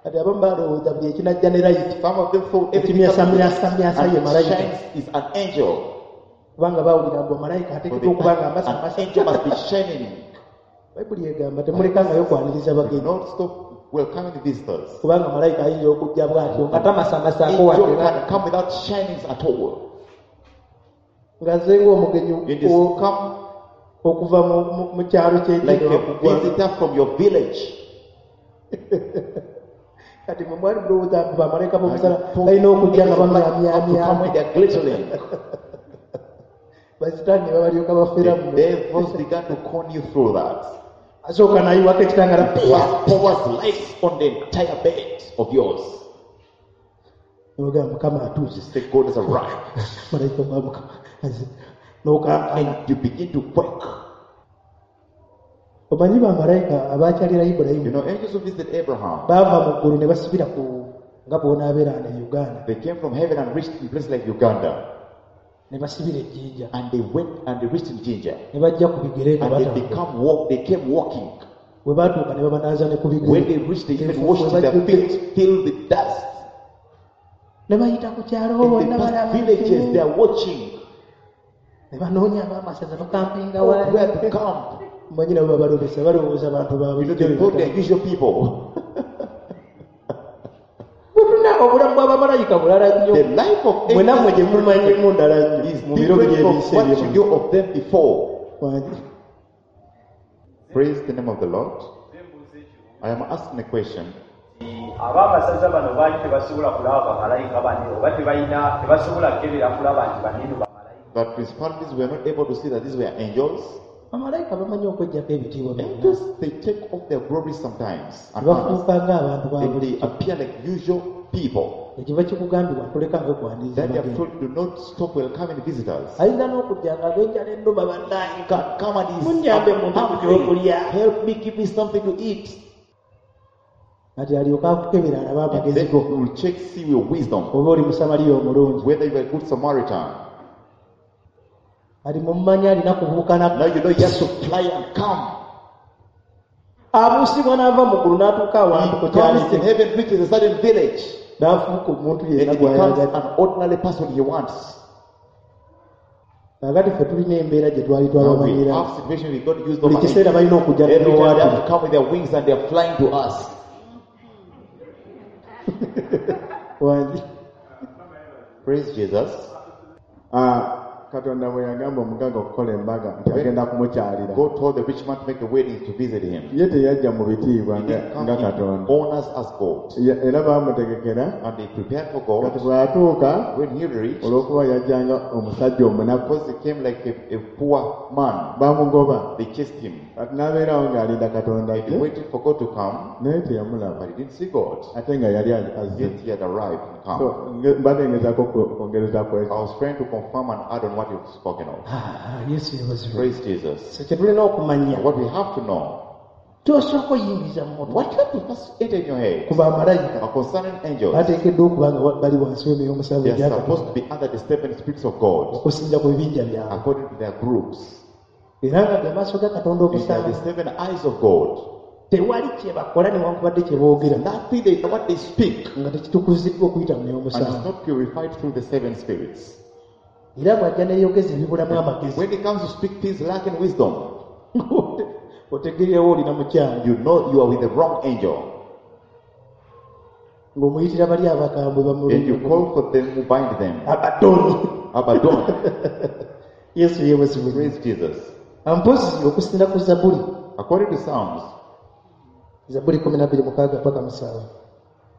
Kati abamu balowooza buli ekinajja ne layiti
Some of them thought everything
Ekimyasamyasamyasa ye
and
malayika.
shines is an angel.
Kubanga bawulira mbu malayika
For
ateekeddwa
the,
okuba nga
an
amasamasa.
angel must be shining.
Bayibuli egamba temulekangayo kwaniriza
Do
bagenyi
not stop welcoming visitors.
kubanga malayika ayinza okujja bw'atyo nga tamasamasaako
Angel
wadde
can come without shinings at all.
ng'azze ng'omugenyi
It is come
okuva mu kyalo
like
ky'ekino
a visitor from your village.
Kati mwe mwali mulowooza mbu bamalayika
And
b'omusana
you thought
balina okujja nga
angels of light have to come
bamyamyamya.
when they are glittering.
Basitaani ne babalyoka bafera
The
muno.
devils began to con you through that.
Asooka n'ayiwako ekitangala
First pours light on the entire bed of yours.
Nogamba Mukama atuuse.
You say God has arrived.
Malayika wa Mukama azze. N'okankana.
And you begin to quake.
Omanyi bamalayika abakyalira
You
Ibulayimu
know, angels who visited Abraham,
baava mu ggulu ne basibira ku nga bw'onaabeera wano e Uganda
they came from heaven and reached in place like Uganda.
ne basibira ejjinja
And they went and they reached in Jinja.
ne bajja ku bigere nga
And they
batambula.
become walk, they came walking.
Bwe baatuuka ne babanaaza ne ku
When
bigere
they reached, they even
Enfuufu
washed
we
their
bajjudde.
feet filled with dust.
Ne bayita ku kyalo
In the
bonna
past
balaba
villages, they are watching
ne banoonya ab'amasaza bakampinga
oh, where to
wala.
camp.
Mmanyi nabo babalobesa balowooza bantu
You know,
babulijjo
they
be
thought they
batambula.
are usual people.
Butuna obulamu bw'abamalayika bulala nnyo.
The life of
Mwe nammwe gye
angels
mumanyimu ndala nnyo
is
mu biro
different from
by'ebinsi
what you
eby'omu.
knew of them before.
Wangi.
Praise the name of the Lord. I am asking a question.
Ab'amasaza bano baali tebasobola kulaba bamalayika bano oba tebalina tebasobola kukebera kulaba nti banene bamalayika.
That principalities were not able to see that these were angels.
Bamalayika bamanyi okweggyako ebitiibwa byonna.
Angels, they take off their glory sometimes
Ne
and honors.
bafuuka ng'abantu ba
They
bulijjo.
appear like usual people.
Ekiva kikugambibwa ntolekanga kwaniriza
Then they are
bagenyi.
told, do not stop welcoming visitors.
Ayinza n'okujja nga ag'enjala ennuma bannange.
Come, come and is
Munyambe
I'm
mumpe ku
hungry.
kyokulya.
Help me, give me something to eat.
Kati alyoke akukebera alabe
And
amagezi
then
go.
you will check, see your wisdom,
Oba oli musamaliya omulungi.
whether you are a good Samaritan.
Kati mummanyi alina kubuuka na
Now you know he has to fly and come.
Abuusibwa n'ava mu ggulu n'atuuka awantu ku
He
kyalo
comes in
ekyo.
heaven, reaches a certain village,
N'afuuka omuntu
and
yenna
he becomes
gw'ayagadde.
an ordinary person he wants.
Kaakati ffe tulina embeera gye twali
Now we
twabamanyira
have situation we got used
buli
over
kiseera balina okujja
Every time they have
n'owaatuli
to come with their wings and they are flying to us.
Wangi.
Praise Jesus.
Ah, Katonda bwe yagamba omugagga okukola embaga nti agenda kumukyalira
God told the rich man to make a wedding to visit him.
ye teyajja mu bitiibwa
He
nga
didn't come
nga
in
Katonda
honors as God.
Era baamutegekera
And they prepared for God.
kati bw'atuuka
When he reached,
olw'okuba yajjanga omusajja omunaku
because he came like a poor man,
bamugoba
they chased him.
Kati n'abeerawo ng'alinda Katonda
And he
ajje
waited for God to come,
naye teyamulaba
but he didn't see God.
Ate nga yali azze.
Yet he had arrived and
So,
come.
mbadde ngezaako kwongereza ku ekyo.
I was trying to confirm and add on what you've spoken of.
Ah, Yesu yebazibwe.
Praise Jesus.
So kye tulina okumanya
And what we have to know,
tosooka oyingiza mu mutwe
what you have to first enter in your head
ku bamalayika
are concerning angels.
bateekeddwa okuba nga bali wansi w'emyoyo omusanvu
They are
egya
supposed
Katonda
to be under the seven spirits of God
okusinza ku bibinja byabwe
according to their groups.
Era nga ge maaso ga Katonda
And they are
omusanvu
the seven eyes of God.
Tewali kye bakola newankubadde kye boogera
Nothing they what they speak
nga tekitukuziddwa okuyita mu myoyo
and it's
omusanvu
not purified through the seven spirits.
Era bw'ajja neeyogeza ebibulamu amagezi
When it comes to speak things lacking wisdom,
otegerewo olina mukyamu
you know you are with the wrong angel.
Ng'omuyitira bali abakambwe
And you call for them who bind them.
Abadoni.
Abaddon.
Yesu yeebazibwe.
Praise Jesus.
Mpozi okusinza ku Zabuli
According to Psalms,
Zabuli 12:6 paka 7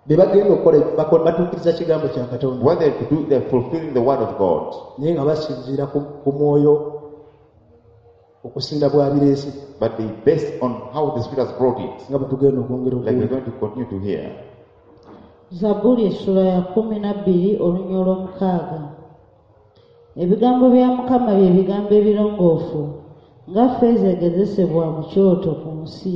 bye bagenda okukola batuukiriza kigambo kya Katonda
what they do, they're fulfilling the word of God.
Naye nga basinziira ku mwoyo okusinda bw'abireese
But they based on how the Spirit has brought it.
Nga bwe tugenda okwongera
Like we're
okuwulira.
going to continue to hear.
Zabbuli essula ya 12 olunya olw'omukaaga. Ebigambo bya Mukama bye bigambo ebirongoofu nga ffeeza egezesebwa mu kyoto ku nsi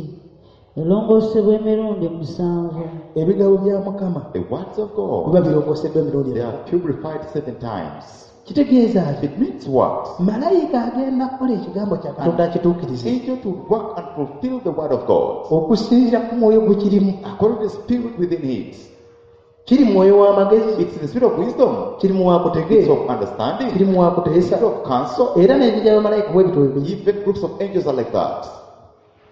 erongoosebwa emirundi musanvu.
Ebigambo bya Mukama
The words of God,
biba birongooseddwa emirundi
they
emeka?
are purified seven times.
Kitegeeza ki?
It means what?
Malayika agenda kukola ekigambo kya Katonda akituukirize
Angel to work and fulfill the word of God
okusinziira ku mwoyo gwe kirimu.
According to the spirit within it.
Kiri mwoyo w'amagezi
It's the spirit of wisdom,
kiri mu
it's
wakutegeera
of understanding,
kiri mu wakuteesa
it's of counsel.
Era n'ebinja bamalayika bwe bityo bwe biri.
Even groups of angels are like that.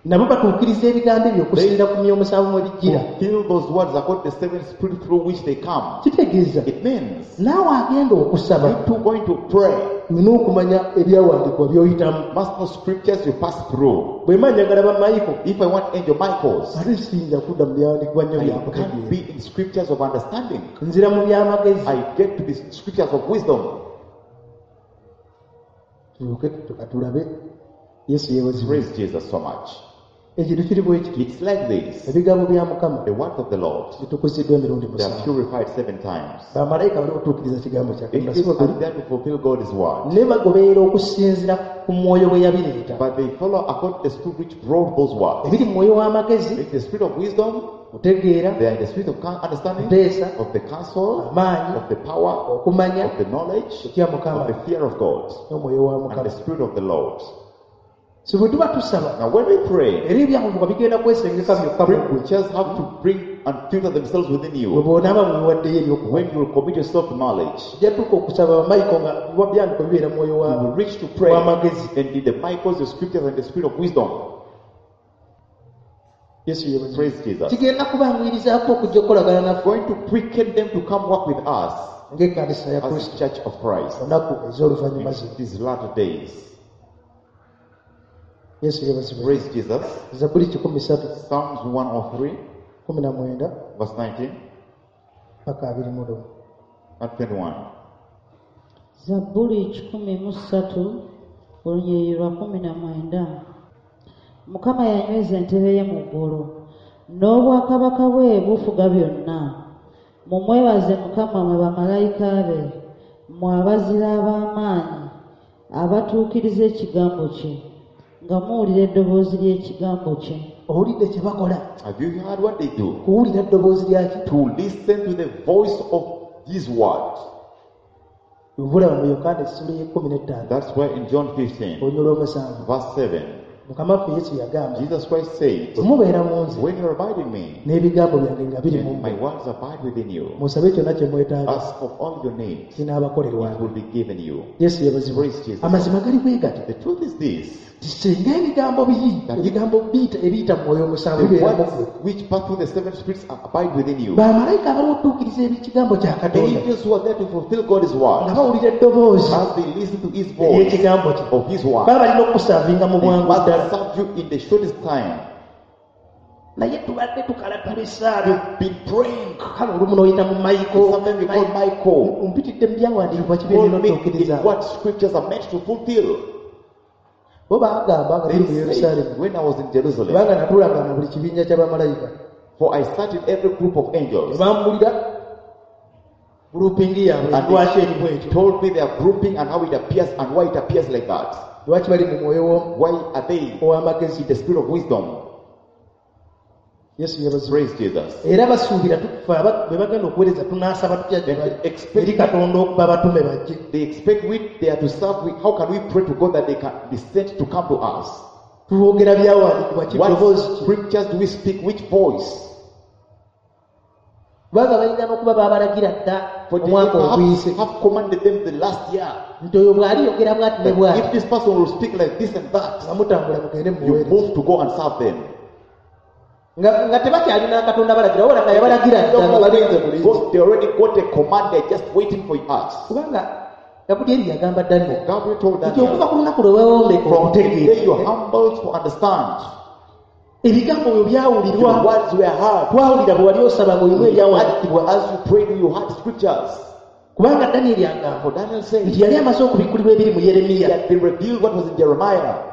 Nabo batuukiriza ebigambo ebyo okusinziira ku myoyo omusanvu mwe bijjira.
Fulfill those words according to the seven spirit through which they come.
Kitegeeza
It means
naawe agenda okusaba
you two going to pray
olina okumanya ebyawandiikibwa by'oyitamu.
Must know scriptures you pass through.
Bwe mba njagala bamayiko
If I want angel Michaels,
ate siyinza kudda mu byawandiikibwa nnyo
I can't
byakutegeera
be in scriptures of understanding.
Nzira mu byamagezi.
I get to the scriptures of wisdom.
Tulyoke tulabe Yesu yeebazibwe.
Praise Jesus so much.
Ekintu kiri bwe kiti
It's like this.
ebigambo bya Mukama
The words of the Lord,
bitukuziddwa emirundi
they are
musanvu
purified seven times.
bamalayika bali kutuukiriza kigambo kya Katonda si
Angels
bwe
are
guli
there to fulfill God's word.
ne bagoberera okusinziira ku mwoyo bwe yabireeta
But they follow according to the spirit which brought those words.
ebiri mu mwoyo w'amagezi
It's the spirit of wisdom,
kutegeera
they are in the spirit of understanding,
kuteesa
of the counsel,
amaanyi
of the power,
okumanya
of the knowledge,
okutya
of
Mukama
the fear of God,
n'omwoyo wa
and
Mukama
the spirit of the Lord.
So bwe tuba tusaba
Now, when we pray,
era ebyawandiikibwa bigenda kwesengeka byokka mu ggwe
scriptures have to bring and filter themselves within
bwe
you.
bw'onaaba mwewaddeyo ery'okuba
When you will commit yourself to knowledge,
ojja tuuka okusaba bamayiko nga byawandiikibwa bibeera mu mwoyo
you
wa
will reach to pray
w'amagezi
and in the Michaels, the scriptures, and the spirit of wisdom.
Yesu yeebazibwe.
Praise Jesus.
Kigenda kubanguyirizaako okujja okukolagana naffe
Going to quicken them to come work with us
ng'ekkanisa ya
as the
Kristo
church of Christ
olunaku ez'oluvannyuma
in
zino.
these latter days.
Yesu yeebazibwe.
Praise Jesus.
Zabbuli 103
Psalms 103,
19
verse 19
paka 21.
and 21.
Zabbuli 103 olunyiriri lwa 19. Mukama yanyweza entebe ye mu ggulu n'obwakabaka bwe bufuga byonna. Mumwebaze Mukama mwe bamalayika be mmwe abazira ab'amaanyi abatuukiriza ekigambo kye nga muwulira eddoboozi ly'ekigambo kye.
Owulidde kye bakola?
Have you heard what they do?
Kuwulira ddoboozi lyaki?
To listen to the voice of His word.
Obulaba mu Yokaana essula y'e 15
That's why in John 15,
olunyiriri olw'omusanvu
verse 7,
Mukama waffe Yesu yagamba,
Jesus Christ said,
bwe mubeera mu nze
when you abide in me,
n'ebigambo byange nga biri mu
and my
mmwe,
words abide within you,
musabe kyonna kye mwetaaga,
ask of all your needs, it
kinaabakolerwanga.
will be given you.
Yesu yeebazibwe.
Praise Jesus.
Amazima gali bwe gati
The truth is this,
nti singa ebigambo biri, ebigambo biyita ebiyita mu mwoyo omusanvu
the
bibeera mu
words
ggwe,
which pass through the seven spirits abide within you.
bamalayika abaliwo otuukiriza ekigambo kya
The
Katonda
angels who are there to fulfill God's
nga
word,
bawulira eddoboozi
as they listen to His voice
ery'ekigambo kye,
of His word,
baba balina okukusaavinga mu
they
bwangu
must
ddala.
serve you in the shortest time.
Naye tubadde tukalatula essaala,
You've been praying.
kale olumu n'oyita mu Michael.
Sometimes you call Michael.
Mpitidde mu byawandiikibwa kibeera
Call me in
n'otuukiriza.
what scriptures are meant to fulfill.
Bo baagamba nga
They
tuli mu Yerusaalemi,
said, when I was in Jerusalem,
kubanga natuulanga na buli kibinja kya bamalayika,
for I sat in every group of
ne
angels,
bambulira gulupingi yaabwe
and
lwaki eri
they
bwetyo,
told me their grouping and how it appears and why it appears like that.
lwaki bali mu mwoyo
Why are they
ow'amagezi.
in the spirit of wisdom?
Yesu yeebazibwe.
Praise Jesus.
Era basuubira tufe be bagenda okuweereza tunaasaba tutya gye bali eri Katonda okuba batume bajje.
They expect we they are to serve. We, how can we pray to God that they can be sent to come to us?
Twogera byawandiikibwa ki,
What
ddoboozi ki?
scriptures do we speak? Which voice?
Kubanga balina n'okuba baabalagira dda
For they
omwaka
perhaps
oguyise
have commanded them the last year
nti oyo bw'aliyogera bw'ati ne
that
bw'ati,
if this person will speak like this and that,
nga mutambula mugende
you
mumuweereze.
move to go and serve them.
Nga tebakyalina Katonda balagira, wabula nga yabalagira dda nga balinze bulinzi.
God, they already got a command, they're just waiting for us.
Kubanga Gabulyeri yagamba Daniel
Gabriel told
nti
Daniel,
okuva ku lunaku lwe weewombeka
from the day you
okutegeera,
humbled to understand,
ebigambo byo
the
byawulirwa,
words were heard.
twawulira bwe wali osaba ng'olimu ebyawandiikibwa.
As you prayed, you heard scriptures.
Kubanga Daniel agamba
For Daniel said,
nti yali amaze okubikkulirwa ebiri mu
he
Yeremiya,
had been revealed what was in Jeremiah.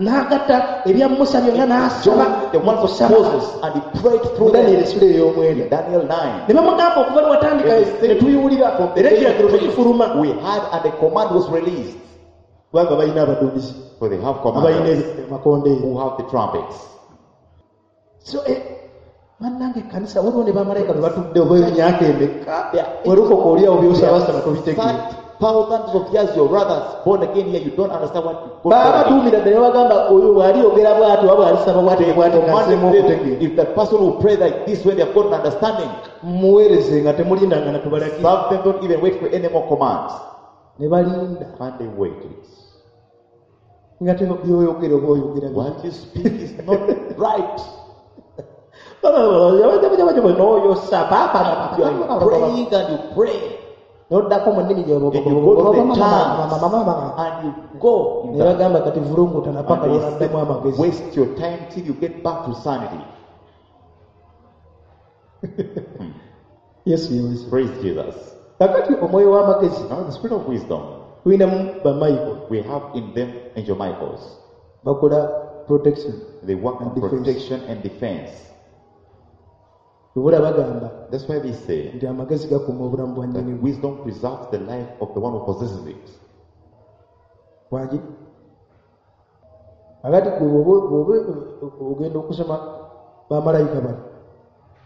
N'agatta ebya Musa byonna n'asaba
Joined the
mu
ones of
kusaba.
Moses and he prayed
Mu
through
Daniel
them.
essula ey'omwenda
In Daniel 9.
ne bamugamba okuva lwe watandika ne tubiwulira
From the
era
day
ekiragiro
you prayed,
tekifuluma,
we heard and the command was released.
kubanga balina abaduumizi
For they have
abalina
commanders
amakondeere.
who have the trumpets.
So bannange ekkanisa waliwo ne bamalayika bwe batudde oba emyaka emeka werukoka oli awo byosabasaba tobitegeera.
Thousands of years, your brothers born again here, you don't understand what God
Baabaduumira ddala ne babagamba oyo bw'aliyogera bw'ati oba bw'alisaba bw'ati ne bw'ati nga nzeemu
commanded them,
okutegeera.
if that person will pray like this when they have got an understanding,
Muweereze nga temulindanga na tubalagire.
serve them, don't even wait for any more commands.
Ne balinda
And they waited.
nga byoyogera oba oyogera biki.
What you speak is not right.
N'oyosa
You are praying and you pray
n'oddako mu nnimi
And you go to the tongues and you go in
ne
that.
bagamba kati vulungutana paka
And they
lwonaddamu
said,
amagezi.
waste your time till you get back to sanity.
Yesu yeebazibwe.
Praise Jesus.
Kakati omwoyo w'amagezi
Now the spirit of wisdom,
tulinamu bamayigo
we have in them angel Michaels.
bakola protection
They work on
and defense.
protection and defense.
Obula bagamba
That's why they say
nti amagezi gakuuma obulamu bwa
that
nnyinimu.
wisdom preserves the life of the one who possesses it.
Wagi akati gwe bw'oba ogenda okusoma bamalayika bano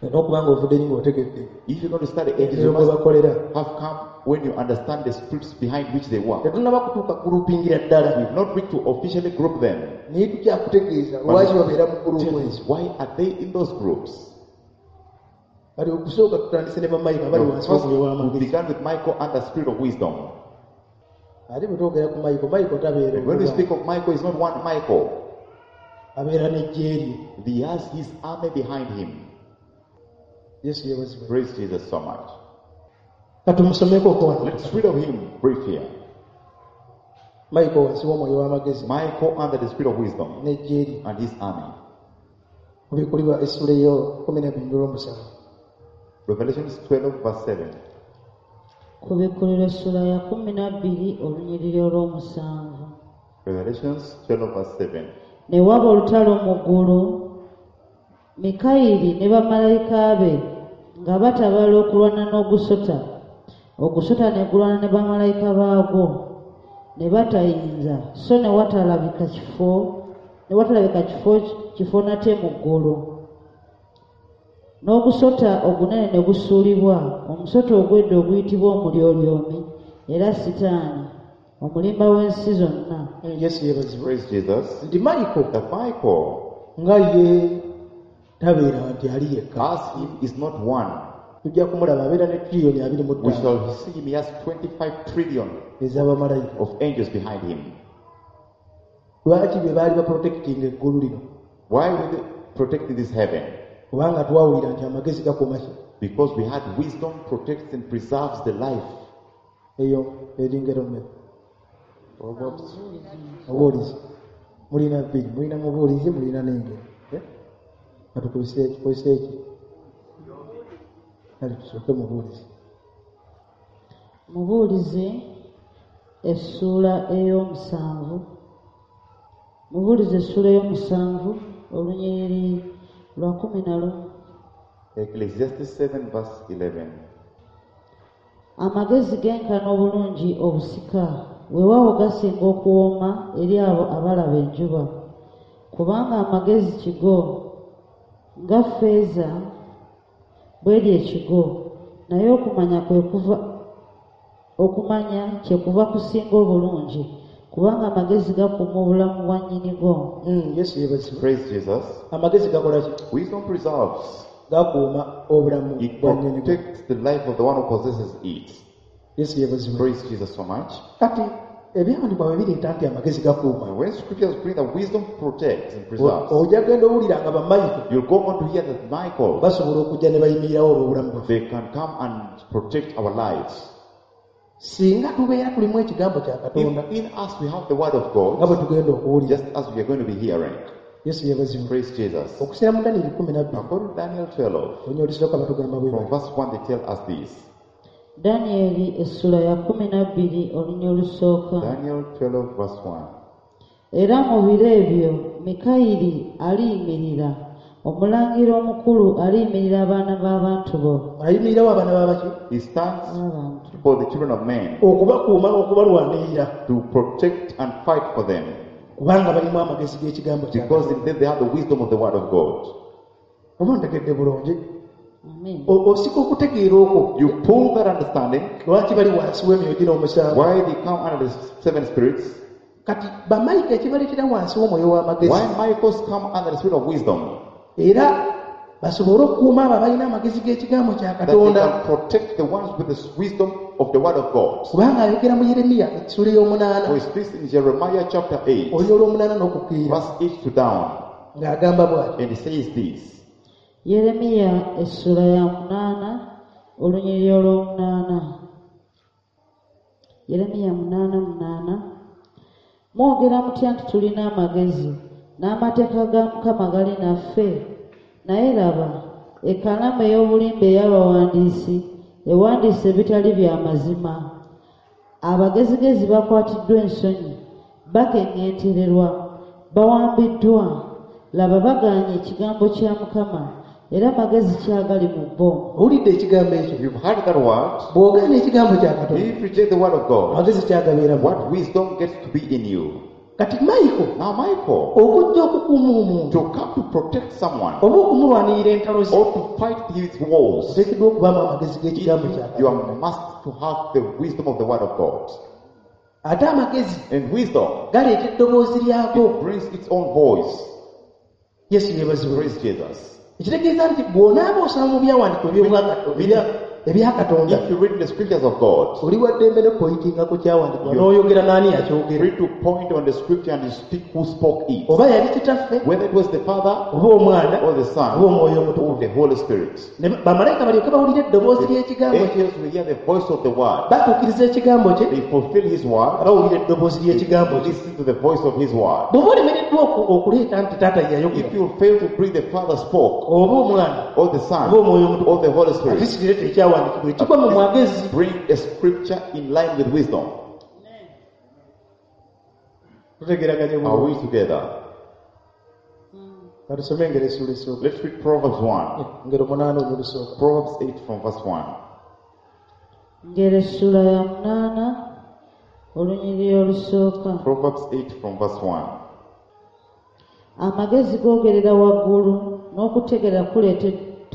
n'okuba nga ovudde eri ng'otegedde
If you're going to study angels, you
ebyo mwe
must
bakolera.
have come when you understand the spirits behind which they work.
Tetunnaba kutuuka kulupingira ddala,
We've not reached to officially group them.
naye tukyakutegeeza lwaki babeera mu gurupu ezo.
Why are they in those groups?
Kati okusooka tutandise ne bamalayika bali wansi
First,
w'omwoyo
we
w'amagezi.
began with Michael and the spirit of wisdom.
Ate bwe twogera ku Michael, Michael tabeera
And when we
omu
speak of Michael, it's not one Michael.
abeera n'eggye lye.
He has his army behind him.
Yesu yeebazibwe.
Praise Jesus so much.
Katumusomeko okuwano.
Let's read of him brief here.
Michael wansi w'omwoyo w'amagezi
Michael under the spirit of wisdom
n'eggye lye.
and his army.
Kubikkulirwa essula eyo 12 olw'omusanvu.
Revelations 12, verse 7.
Kubikkulirwa essula ya 12 olunyiriri olw'omusanvu.
Revelations 12, verse 7.
Ne waba olutalo mu ggulu, Mikayiri ne bamalayika be nga batabala okulwana n'ogusota. Ogusota ne gulwana ne bamalayika baagwo, ne batayinza, so ne watalabika kifo nate mu ggulu. N'ogusota ogunene ne gusuulibwa, omusota ogw'edda oguyitibwa Omulyolyomi era Sitaani, Omulimba w'ensi zonna.
Yesu yeebazibwe.
Praise Jesus.
Nti Michael
That Michael,
nga ye tabeera nti ali yekka.
as he is not one,
Tujja kumulaba abeera ne tiriyoni abiri mu
we
ttaano
shall see him, he has 25 trillion
ez'abamalayika.
of angels behind him.
Lwaki be baali baprotectinga eggulu lino?
Why were they protecting this heaven?
Kubanga twawulira nti amagezi gakuuma ki?
Because we had wisdom protects and preserves the life.
Eyo eringero mmeka? Obuulizi. Mulina bbiri, mulina mubuulizi, mulina n'engero. Eh? Katukozese tukozese eki? Kale tusooke mubuulizi.
Mubuulizi essuula ey'omusanvu. Mubuulizi essuula ey'omusanvu olunyiriri lwa 11.
Ecclesiastes 7, verse 11.
Amagezi genkana obulungi obusika, weewaawo gasinga okuwooma eri abo abalaba enjuba. Kubanga amagezi kigo, nga ffeeza bw'eri ekigo, naye okumanya kwe kuva okumanya kyekuva kusinga obulungi, kubanga amagezi gakuuma obulamu bwa nnyinigo.
Yesu yeebazibwe.
Praise Jesus.
Amagezi gakola ki?
Wisdom preserves.
Gakuuma obulamu
It
bwa nnyinigo.
protects the life of the one who possesses it.
Yesu yeebazibwe.
Praise Jesus so much.
Kati ebyawandiikibwa bwe bireeta nti amagezi gakuuma,
And when scriptures bring that wisdom protects and preserves,
ojja genda owulira nga bamayigo
you'll go on to hear that Michael,
basobola okujja ne bayimirirawo olw'obulamu bwaffe.
they can come and protect our lives.
Singa tubeera tulimu ekigambo kya Katonda
If in us we have the word of
nga
God,
bwe tugenda okuwulira.
just as we are going to be hearing.
Yesu yeebazibwe.
Praise Jesus.
Okusinziira mu Danyeri 12
According to Daniel 12,
olunya olusooka batugamba bwe
from
bati.
verse 1, they tell us this.
Danyeri essula ya 12 olunya olusooka.
Daniel 12, verse 1.
Era mu biro ebyo Mikayiri aliyimirira, omulangira omukulu aliyimirira abaana b'abantu bo.
Ayimirirawo abaana b'abaki?
He stands
B'abantu.
for the children of men
Okubakuuma n'okubalwanirira
to protect and fight for them,
kubanga balimu amagezi g'ekigambo kya
because in them they have the wisdom of the word of God.
Oba ntegedde bulungi?
Amen.
Osika okutegeera okwo
You pull that understanding,
lwaki bali wansi w'emyoyo gino omusanvu.
why they come under the seven spirits,
Kati bamalayika ekibaleetera wansi w'omwoyo w'amagezi
why Michael's come under the spirit of wisdom,
era basobole okukuuma abo abalina amagezi g'ekigambo kya
that they
Katonda.
can protect the ones with the wisdom of the word of God.
Kubanga ayogera mu Yeremiya essula ey'omunaana
For he speaks in Jeremiah chapter 8,
olunya olw'omunaana n'okukkirira
verse 8 to down,
ng'agamba bw'ati.
and he says this.
Yeremiya essula ya 8 olunyiriri olw'omunaana. Yeremiya 8:8. Mwogera mutya nti tulina amagezi n'amateeka ga Mukama gali naffe? Naye laba, ekkalaamu ey'obulimba ey'abawandiisi ewandiise ebitali bya mazima. Abagezigezi bakwatiddwa ensonyi, bakeŋŋentererwa, bawambiddwa. Laba bagaanye ekigambo kya Mukama, era magezi ki agali mu bo?
Owulidde ekigambo ekyo?
You've heard that word.
Bw'ogaana ekigambo kya Katonda,
If you reject the word of God,
amagezi kyagabeeramu.
what wisdom gets to be in you?
Kati Michael
Now, Michael,
okujja okukuuma omuntu
to come to protect someone
oba okumulwanirira entalo ze
or to fight his wars,
oteekeddwa okubaamu amagezi g'ekigambo kya
you
Katonda.
are must to have the wisdom of the word of God.
Ate amagezi
And wisdom,
galeeta eddoboozi lyago.
it brings its own voice.
Yesu yeebazibwe.
Praise Jesus.
Ekitegeeza nti bw'onaaba osoma mu byawandiikibwa ebya Katonda
If you read the scriptures of God,
oli wa ddembe ne poyitinga ku kyawandiikibwa n'oyogera n'ani yakyogera.
free to point on the scripture and you speak who spoke it.
Oba yali kitaffe
Whether it was the Father
oba omwana
or the Son
oba omwoyo
or
omutukuvu.
the Holy Spirit.
Ne bamalayika balyoke bawulire eddoboozi ly'ekigambo kye
Angels will hear the voice of the word.
batuukiriza ekigambo kye
They fulfill his word.
bawulira eddoboozi ly'ekigambo kye.
Listen to the voice of his word.
Bw'oba olemereddwa okuleeta nti taata ye yayogera
If you fail to bring the Father spoke,
oba omwana
or the Son,
oba omwoyo omutukuvu
or the Holy Spirit,
ate sikireeta ekyawandiikibwa ekigwa mu mwagezi.
bring a scripture in line with wisdom.
Tutegeraganye
Are
bulungi.
we together?
Katusome engero essuula esooka.
Let's read Proverbs 1.
Engero 8 olusooka.
Proverbs 8 from verse 1.
Ngero essula ya 8 olunyiriri olusooka.
Proverbs 8 from verse 1.
Amagezi googerera waggulu n'okutegeera kuleeta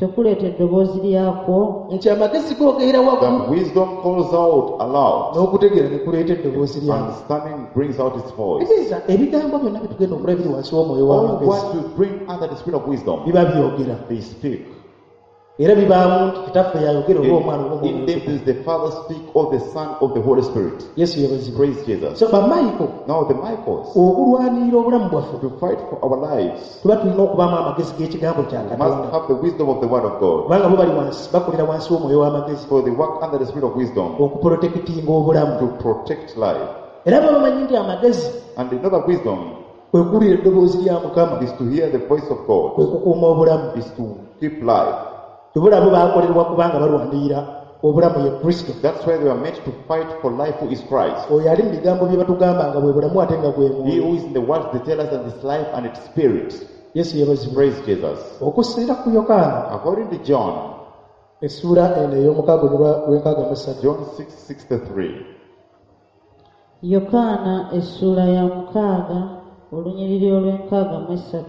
Tekuleeta eddoboozi lyakwo?
Nti amagezi googerera waggulu
That wisdom calls out aloud.
n'okutegeera ne kuleeta eddoboozi lyako.
Understanding brings out its voice.
Tegeeza ebigambo byonna bye tugenda okulaba biri wansi w'omwoyo
All
w'amagezi
what we bring under the spirit of wisdom,
biba byogera
they speak.
era bibaamu nti kitaffe yayogera oba omwana oba
In
omwoyo.
them does the Father speak or the Son of the Holy Spirit.
Yesu yeebazibwe.
Praise Jesus.
So bamayiko
Now the Michaels,
okulwanirira obulamu bwaffe
to fight for our lives,
tuba tulina okubaamu amagezi g'ekigambo kya
must
Katonda
have the wisdom of the Word of God.
kubanga bo bali wansi bakolera wansi w'omwoyo w'amagezi
For they work under the spirit of wisdom
okuprotekitinga obulamu
to protect life.
era bo bamanyi nti amagezi
And they know that wisdom
kwe kuwulira eddoboozi lya Mukama
is to hear the voice of God,
kwe kukuuma obulamu.
is to keep life.
Tebulabo baakolerwa kubanga balwanirira obulamu ye Kristo.
That's why they were meant to fight for life who is Christ.
Oyo ali mu bigambo bye batugamba nga bwe bulamu ate nga bwe
He
mwoyo.
who is in the world, they tell us that it's life and it's spirit.
Yesu yeebazibwe.
Praise Jesus.
Okusinziira ku Yokaana
According to John,
essuula eno ey'omukaaga olw'enkaaga mu ssatu.
John 6:63.
Yokaana essuula ya 6 olunyiriri olw'e63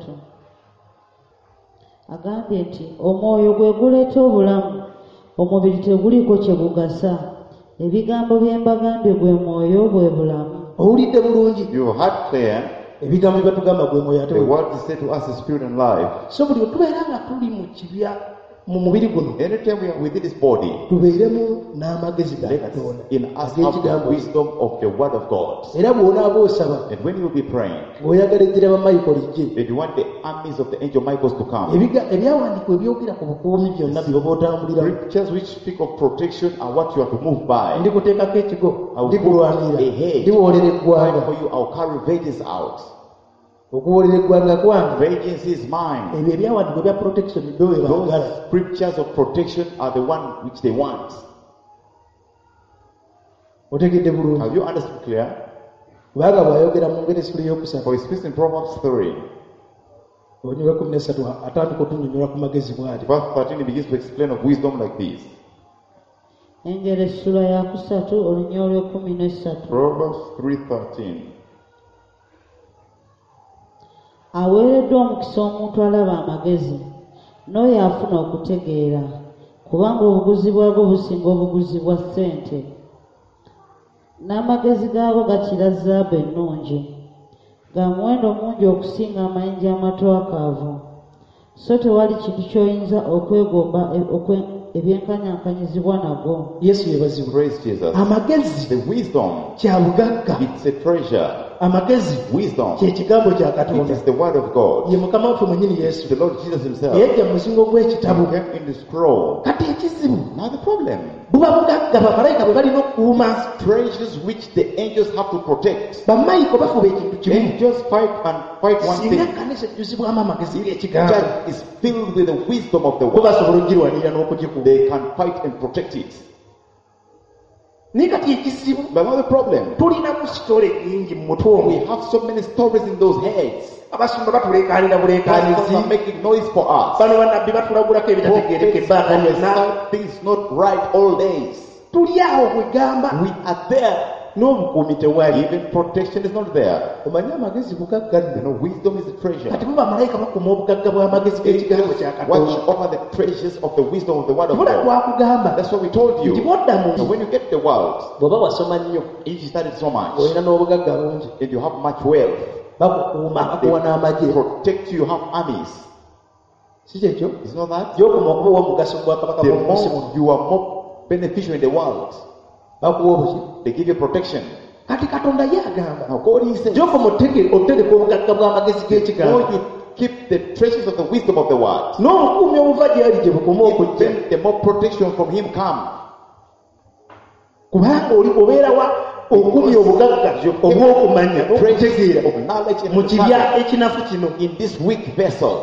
agambye nti omwoyo gwe guleeta obulamu, omubiri teguliiko kye gugasa. Ebigambo bye mbagambye gwe mwoyo bwe bulamu.
Owulidde bulungi
You heard clear,
ebigambo bye batugamba gwe mwoyo ate
the
bwe.
word is said to us is spirit and life.
So buli lwe tubeera nga tuli mu kibya mu mubiri guno
Anytime we are within this body,
tubeeremu n'amagezi ga
let
Katonda
in us have the
ag'ekigambo.
wisdom of the word of God.
Era bw'onaaba osaba
And when you will be praying,
ng'oyagala ejjira bamayiko lijje
if you want the armies of the angel Michaels to come,
Ebyawandiikibwa ebyogera ku bukuumi byonna by'oba otambuliramu
scriptures which speak of protection are what you are to move by.
ndikuteekako ekigo
I will
ndikulwanirira
put a hedge.
ndiwoolera
Fight
eggwanga
for you, I'll carry vengeance out.
okuwoolera eggwanga kwange.
Vengeance is mine.
Ebyo ebyawandiikibwa ebya protection byo bye baagala.
Those scriptures of protection are the one which they want.
Otegedde bulungi?
Have you understood clear?
Kubanga bw'ayogera mu ngeri essula ey'okusatu
For he speaks in Proverbs 3,
olunyiriri lw'ekkumi n'essatu atandika otunnyonnyola ku magezi bw'ati.
verse 13, he begins to explain of wisdom like this.
Engero essula ya 3 olunyiriri olw'e13.
Proverbs 3:13.
Aweereddwa omukisa omuntu alaba amagezi n'oyo afuna okutegeera, kubanga obuguzi bwago businga obuguzi bwa ssente, n'amagezi gaago gakira zaabu ennungi, ga muwendo mungi okusinga amayinja amatwakaavu. So tewali kintu ky'oyinza okwegomba ebyenkanyankanyizibwa nago.
Yesu yeebazibwe.
Praise Jesus.
Amagezi
The wisdom,
kya bugagga.
it's a treasure.
Amagezi
Wisdom,
kye kigambo kya
it
Katonda.
is the word of God.
Ye Mukama waffe mwennyini Yesu
The Lord Jesus himself
eyajja mu muzingo gw'ekitabo.
came in the scroll.
Kati ekizibu
Now the problem,
buba bugagga bamalayika bwe balina okukuuma.
treasures which the angels have to protect.
Bamayiko bafuba ekintu kimu.
Angels fight and fight one
Singa
thing.
ekkanisa ejjuzibwamu amagezi g'ekigambo
Church is filled with the wisdom of the
bo
word.
basobola okugirwanirira n'okugikuuma.
They can fight and protect it.
Naye kati ekizibu
But now the problem,
tulinamu sitole nnyingi mu mutwe omwo.
we have so many stories in those heads.
Abasumba batuleekaanira
Pastors
buleekaanizi.
are making noise for us.
Bano bannabbi batulagulako ebitategeereka
Prophets
ebbanga lyonna.
prophesy things not right all days.
Tuli awo kwegamba
We are there.
n'obukuumi tewali.
Even protection is not there.
Omanye amagezi bugagga
You
nno.
know, wisdom is a treasure.
Kati bo bamalayika bakuuma obugagga bw'amagezi g'ekigambo
Angels
kya
watch
Katonda.
over the treasures of the wisdom of the word of
Tubula
God.
twakugamba
That's what we told
nti
you.
bw'odda mu
So when you get the world,
bw'oba wasoma nnyo
if you studied so much
olina n'obugagga bungi
and you have much wealth,
bakukuuma bakuwa n'amagye.
protect you, you have armies.
Si kyekyo?
Is not that?
Gy'okoma okuba ow'omugaso mu bwakabaka
The
bw'omu nsi muno
more you are more beneficial in the world,
bakuwa obuki.
they give you protection.
Kati Katonda ye agamba
Now God is saying,
gy'okoma otereka obugagga bw'amagezi
the more
g'ekigambo
you keep the treasures of the wisdom of the word,
n'obukuumi obuva gy'ali gye bukoma okujja
then the more protection from him come.
kubanga oli obeerawa okumya obugagga obw'okumanya
Treasures
n'okutegeera
of knowledge and
mu kibya
understanding
ekinafu kino.
in this weak vessel.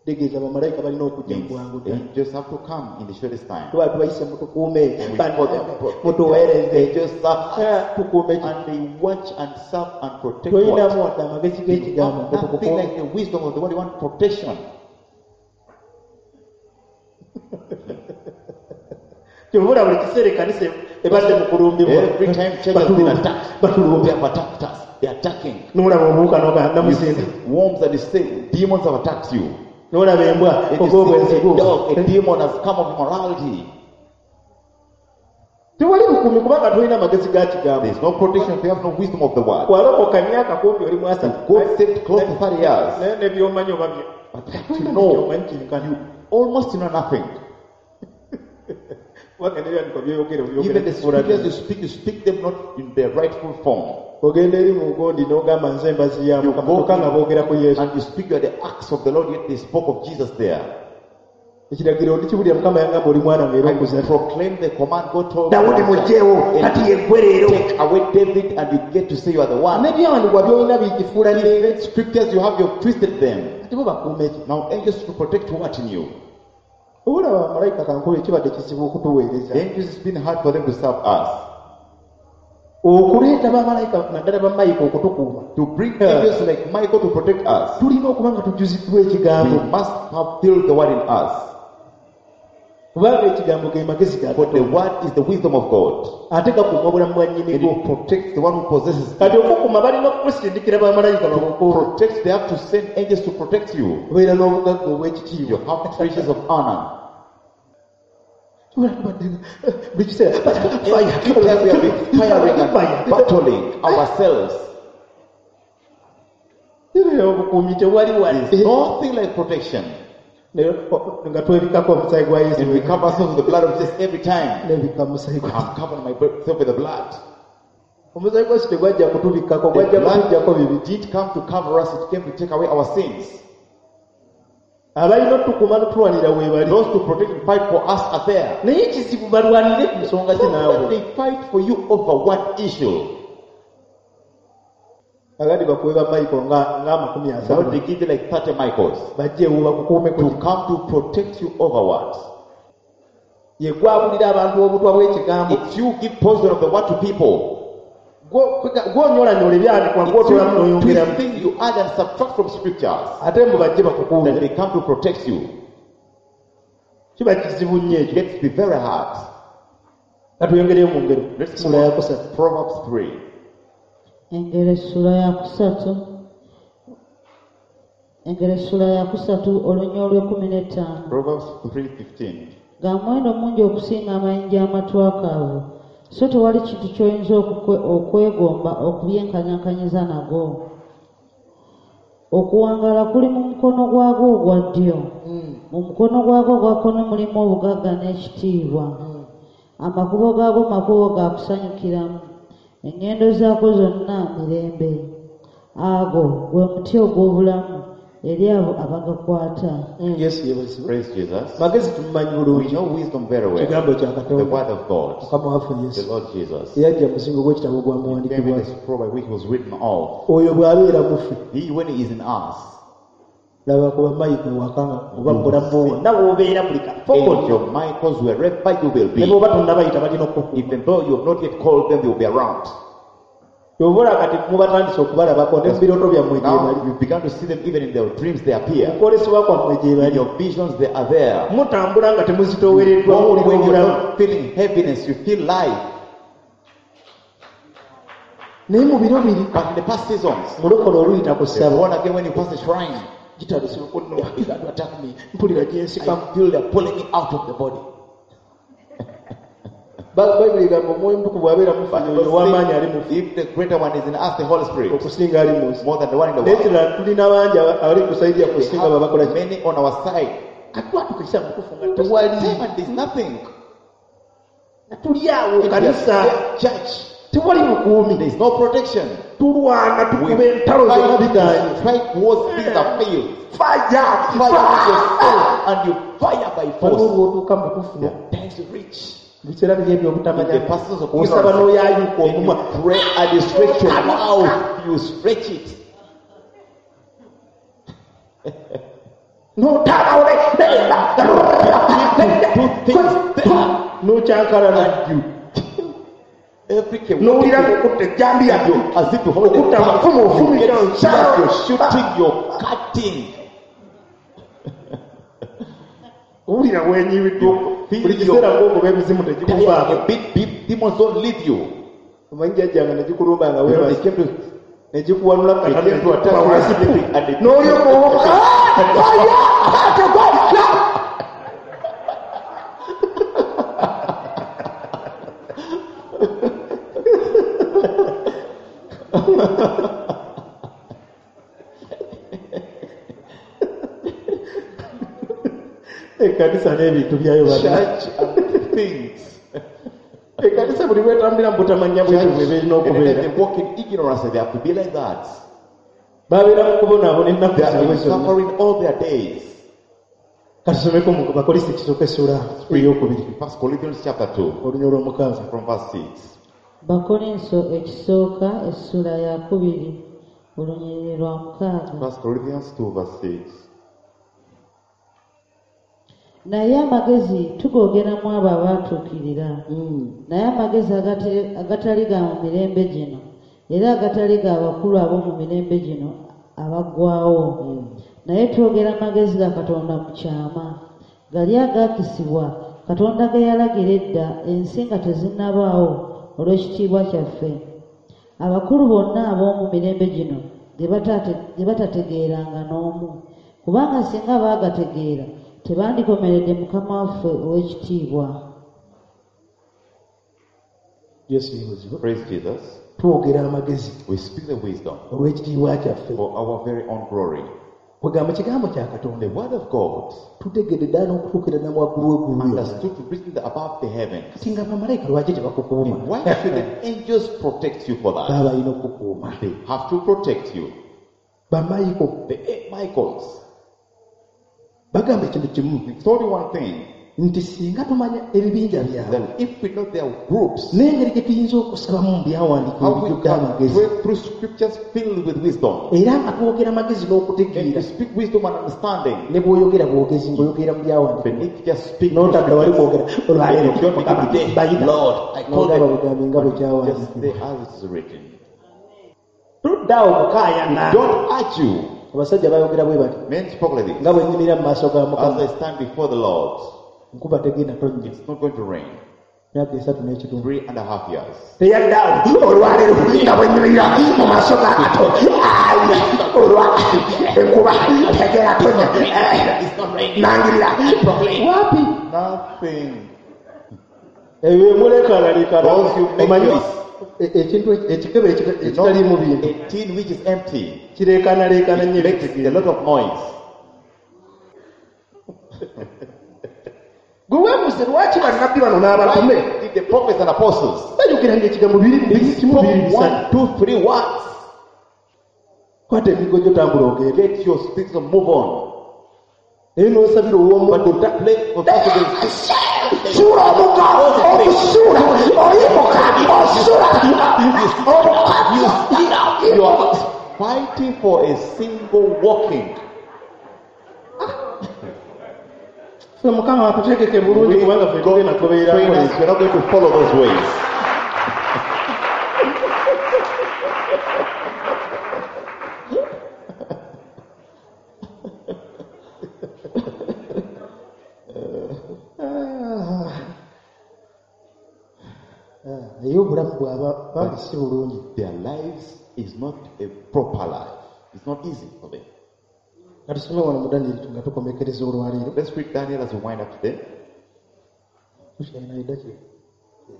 Tegeeza bamalayika balina okujja mu
Means
bwangu ddala.
angels have to come in the shortest time.
Tuba tubayise mutukuume
We call them
mutuweereze
Angels serve us,
tukuume ki
and they watch and serve and protect what?
toyinamu wadde amagezi
You
g'ekigambo
have nothing
mutukukuume.
like the wisdom of the world. You want protection.
Kyova buli kiseera ekkanisa ebadde mu kulumbibwa.
Every time church has been attacked,
Batulumbya.
they have attacked us. They are attacking.
N'olaba obuwuka n'ogamba
You
namuzinda.
see worms and you say demons have attacked you.
N'olaba embwa
If you
ogw'obwenzi
see a
guugo.
dog, a demon has come of immorality.
Tewali bukuumi kubanga tolina magezi ga kigambo.
There is no protection if you have no wisdom of the word.
Walokoka emyaka kumpi oli mu asatu.
God saved close to 30 years.
Naye ne by'omanyi oba bye.
But
Tolina
you know,
by'omanyi kyenkana.
you almost know nothing.
Kubanga n'ebyandikwa by'oyogera obyogera
Even the
kifuula
scriptures
byo.
you speak them not in their rightful form.
Ogenda eri mu gundi n'ogamba nze embazi ya
You
Mukama
go
kyokka nga boogera ku Yesu.
and you speak, you are the acts of the Lord, yet they spoke of Jesus there.
Ekiragiro ndikiwulira Mukama yangamba oli mwana wange era
I
okuzadde.
proclaim the command God told
Dawudi muggyeewo kati yeggwe leero.
Take away David and you get to say you are the one.
N'ebyawandiikibwa by'olina bikifuula ne
Even scriptures you have, you've twisted them.
kati bo bakuuma eki.
Now angels to protect what in you?
Olaba bamalayika kankube kibadde kizibu okutuweereza.
The angels, it's been hard for them to serve us.
Okuleeta bamalayika naddala bamayika okutukuuma.
To bring angels like Michael to protect us,
Tulina okuba nga tujjuziddwa
we
ekigambo.
must have filled the word in us.
Kubanga ekigambo ge magezi ga
For the
Katonda.
word is the wisdom of God.
Ate gakuuma obulamu bwa
And
nnyinigo.
it protects the one who possesses it.
Kati okukuuma balina okukusindikira bamalayika bakukuume.
Protects, they have to send angels to protect you.
Obeera n'obugagga
You
obw'ekitiibwa.
have treasures of honor.
Buli kiseera
Every time we have been firing and
fire.
battling ourselves.
Era obukuumi tewali
There's
wadde.
nothing like protection.
Naye, nga twebikako omusaayi gwa Yesu.
And we cover ourselves with the blood of Jesus every time.
Nebikka omusaayi gwa
I'm covering myself with the blood.
Omusaayi gwa Yesu tegwajja kutubikkako,
The
gwajja
blood
kutuggyako bibi.
did come to cover us, it came to take away our sins.
Abalina otukuuma n'otulwanira we bali.
Those to protect and fight for us are there.
Naye ekizibu balwanire ku nsonga ki naawe.
They fight for you over what issue?
Agandi bakuwe ba Michael nga amakumi
Now
asatu.
they give you like 30 Michaels
Bajje ewo bakukuume ku
to come to protect you over what?
Ye gwabulira abantu obutwa bw'ekigambo.
It's you give poison of the word to people.
Gw'onyolanyola ebyandikwa
It's
gw'otoolamu
you
n'oyongeramu.
twist things you add and subtract from scriptures.
Ate mbu bajje
That
bakukuume.
they come to protect you.
Kiba kizibu nnyo
It
ekyo.
gets to be very hard.
Katuyongereyo mu ngero.
Let's
Ssuula
move
ya
on.
kusatu.
Proverbs 3.
Engero essula ya kusatu Engero essula ya kusatu olunya olw'ekkumi n'ettaano.
Proverbs 3:15.
Ga muwendo mungi okusinga amayinja amatwakaavu, so tewali kintu ky'oyinza okwegomba okubyenkanyankanyiza nago. Okuwangaala kuli mu mukono gwagwo ogwa ddyo, mu mukono gwagwo ogwa kkono mulimu obugagga n'ekitiibwa. Amakubo gaagwo makubo ga kusanyukiramu, eŋŋendo zaagwo zonna mirembe. Ago gwe muti ogw'obulamu eri abo abagakwata.
Yesu yeebazibwe.
Praise Jesus.
Magezi tumumanyi
We
bulungi.
know wisdom very well.
Kigambo kya
The
Katonda.
word of God.
Mukama waffe
The
Yesu.
Lord Jesus.
Eyajja mu muzingo gw'ekitabo
Came in
gwamuwandiikibwa.
the scroll by which was written off.
Oyo bw'abeera mu ffe.
He, when he is in us,
Laba ku bamayika ewaka nga oba mu bulamu bwo wonna w'obeera buli kafo konna.
angel Michaels, wherever you will
Ne
be,
bw'oba tonnabayita balina okukuuma.
even though you have not yet called them, they will be around.
Oba olaba kati mubatandise okubalabako ne mu birooto byammwe gye
Now
bali.
you began to see them even in their dreams, they appear.
Mu kwolesebwa kwammwe gye
In
bali.
your visions, they are there.
Mutambula nga temuzitoowereddwa
When
muwulira
you're
obulamu.
not feeling heaviness, you feel life.
Naye mu biro biri
But in the past seasons,
mulokole oluyita ku
the
ssabo
born again, when you pass the shrine,
gitandise okunnowa.
began to attack me.
Mpulira gyensikamu.
I feel they're pulling me out of the body.
Bayibuli egamba omwoyo omutukuvu bw'abeera mu ffe
But
oyo ow'amaanyi ali mu ffe
if the greater one is in us, the Holy Spirit,
okusinga ali mu nsi.
more than the one in the
Naye
world.
kirala tulina bangi abali ku sayidi yaffe
We
okusinga babakola
have
ki?
many on our side.
Kati twatuuka ekiseera mutuufu nga tewali.
Time and there's nothing.
Nga tuli awo
In
kanisa
the church,
tewali bukuumi.
there's no protection.
Tulwana
We
tukuba entalo zonna bigaanye.
fight, strike wars, things are failed.
Fire!
Fire with yourself and you fire by
Waliwo
force.
lw'otuuka mu butuufu
There are times you reach.
mu biseera biri eby'obutamanya
In the persons of
osaba
ignorance.
n'oyayuka
And
omumwa
you pray and you stretch your mouth, you stretch it.
n'otaabawo
Do things there.
n'okyankalana
And you every
n'owulira ng'okutta ejjambiya
as if you hold the
Okutta
gun,
amafumu
you
ofumita
get
nsalo.
sharp, you're shooting, you're cutting.
owulira wenyiwiddwa
Feel
buli
your-
kiseera ng'okuba emizimu tegikuvaako
A bit, bit, demons don't leave you.
omanyi jjajjange ne gikulumba nga
You know, they
weebase
came to
ne gikuwanula
They came to attack you
wansi
sleeping and they
n'olyoka owoka Tegwajja. Ekkanisa n'ebintu byayo bana.
Church and things.
Ekkanisa buli lwetambulira mu butamanya bwebyo bwe berina
And then
okubeera.
they walk in ignorance and they have to be like that.
Babeera mu kubonaabona ennaku
They are
zaabwe
in
zonna.
suffering all their days.
Katusomeko mu Bakolinso ekisooka essuula ey'okubiri
First Corinthians chapter 2
olunya olw'omukaaga.
from verse 6.
Bakolinso ekisooka essula ya kubiri olunyiriri lwa mukaaga.
First Corinthians 2 verse 6.
Naye amagezi tugoogeramu abo abaatuukirira. Naye amagezi agatali ga mu mirembe gino era agatali ga bakulu ab'omu mirembe gino abaggwaawo. Naye twogera amagezi ga Katonda mu kyama, gali agaakisibwa Katonda ge yalagira edda ensi nga tezinnabaawo olw'ekitiibwa kyaffe. Abakulu bonna ab'omu mirembe gino ge batategeeranga n'omu, kubanga singa baagategeera tebandikomeredde Mukama waffe ow'ekitiibwa.
Yesu yeebazibwe.
Praise Jesus.
Twogera amagezi
We speak the wisdom
olw'ekitiibwa kyaffe.
for our very own glory.
Kwegamba kigambo kya Katonda
The word of God
tutegedde ddala n'okutuukira ddala waggulu w'eggulu yonna.
understood to reason above the heavens.
Kati nga bamalayika lwaki tebakukuuma?
Why should the angels protect you for that?
Baba balina okukuuma.
They have to protect you.
Bamayiko
The eight Michaels.
bagamba ekintu kimu
It's only one thing
nti singa tumanya ebibinja byabwe
that if we know their groups,
n'engeri gye tuyinza okusabamu mu byawandiikibwa
how we
ebijjudde
can
amagezi
pray through scriptures filled with wisdom,
era nga twogera amagezi
and
n'okutegeera
we speak wisdom and understanding.
ne bw'oyogera bwogezi ng'oyogera mu
But
byawandiikibwa
if you just speak
n'otadda wali kwogera olwaleero
You don't
Mukama,
begin today,
bayita
Lord, I call
n'ogamba
them.
bugambi nga bwe
Just
kyawandiikibwa
say as it is written.
tuddaawo kukaayana
Don't argue.
Abasajja bayogera bwe bati
Men spoke like this.
nga bwe nyimirira mu maaso ga
As
Mukama
I stand before the Lord,
nkuba tegenda tonnya
it's not going to rain.
myaka esatu n'ekitundu
3.5 years.
Teyaddaawo olwaleero nga bwe nyimirira mu maaso ga Katonda aya olwa enkuba tegenda tonnya nangirira wapi
Nothing.
ebyo byemuleekaanaleekaana
Those you make
omanyi
noise.
ekintu ekikebe
You know,
ekitaliimu bintu
a tin which is empty
kireekaanaleekaana nnyo
makes a lot of noise.
Gwe weebuuze lwaki bannabbi bano n'abatume
Why did the prophets and apostles
bayogeranga ekigambo biri biri kimu
spoke
biri bisatu
1, 2, 3 words?
Kwata emigo gyo tambula ogende
Get your sticks and move on.
Naye n'osabira
But
ow'omuddo
to play for Saturdays,
suula omugga ogusuula oyimuka osula omuka
you are fighting for a single walking.
Ffe Mukama atutegeke bulungi kubanga ffe tugenda tubeera
Train us, we're not going to follow those ways.
Naye obulamu bwaba bambi si bulungi.
Their lives is not a proper life. It's not easy for them.
Nga tusome wano mu Danyeri nga tukomekereza olwaleero.
Let's read Daniel as we wind up today.
Tukyalina eddakiika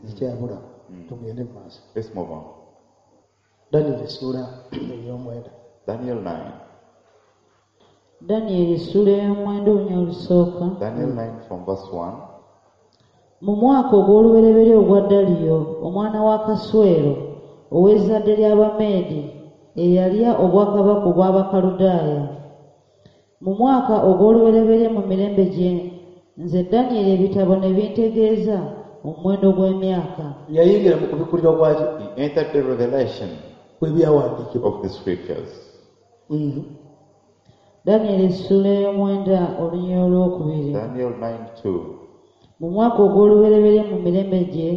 ezikyabula tugende mu maaso.
Let's move on.
Danyeri essuula ey'omwenda.
Daniel 9.
Danyeri essuula ey'omwenda olunya olusooka.
Daniel 9 from verse 1.
Mu mwaka ogw'olubereberye ogwa Daliyo omwana wa Kaswero ow'ezzadde ly'Abameedi eyalya obwakabaka obw'Abakaludaaya. Mu mwaka ogw'olubereberye mu mirembe gye nze Danyeri ebitabo ne bintegeeza omuwendo gw'emyaka.
Yayingira mu kubikkulirwa kwaki
He entered the revelation
kw'ebyawandiikibwa.
of the scriptures.
Danyeri essuula ey'omwenda olunya olwokubiri.
Daniel 9 2.
Mu mwaka ogw'olubereberye mu mirembe gye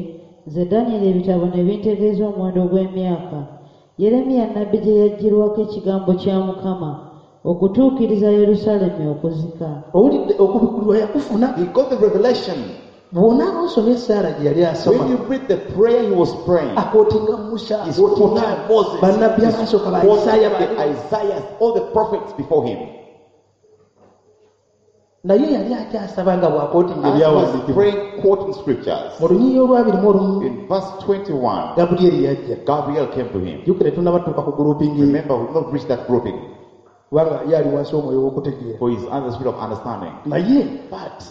nze Danyeri ebitabo ne bintegeeza omuwendo gw'emyaka Yeremiya nnabbi gye yaggyirwako ekigambo kya Mukama okutuukiriza Yerusaalemi okuzika.
Owulidde okubikkulirwa yakufuna.
He got the revelation.
Bw'onaaba osomye essaala gye yali asoma
When you read the prayer he was praying,
akootinga Musa
he's
akootinga
quoting Moses,
bannabbi
he's
abasooka ba
quoting
Isaaya
the Isaiah, all the prophets before him.
Naye yali akyasaba nga bw'akootinga
As he was
ebyawandiikibwa
praying, quoting scriptures,
mu lunyiriri olwabiri mu olumu
in verse 21,
Gabulyeri yajja.
Gabriel came to him.
Jjukira tetunnabatuuka ku grouping ye,
Remember, we've not reached that grouping,
kubanga ye ali wansi w'omwoyo w'okutegeera.
For he's under the spirit of understanding.
Naye
But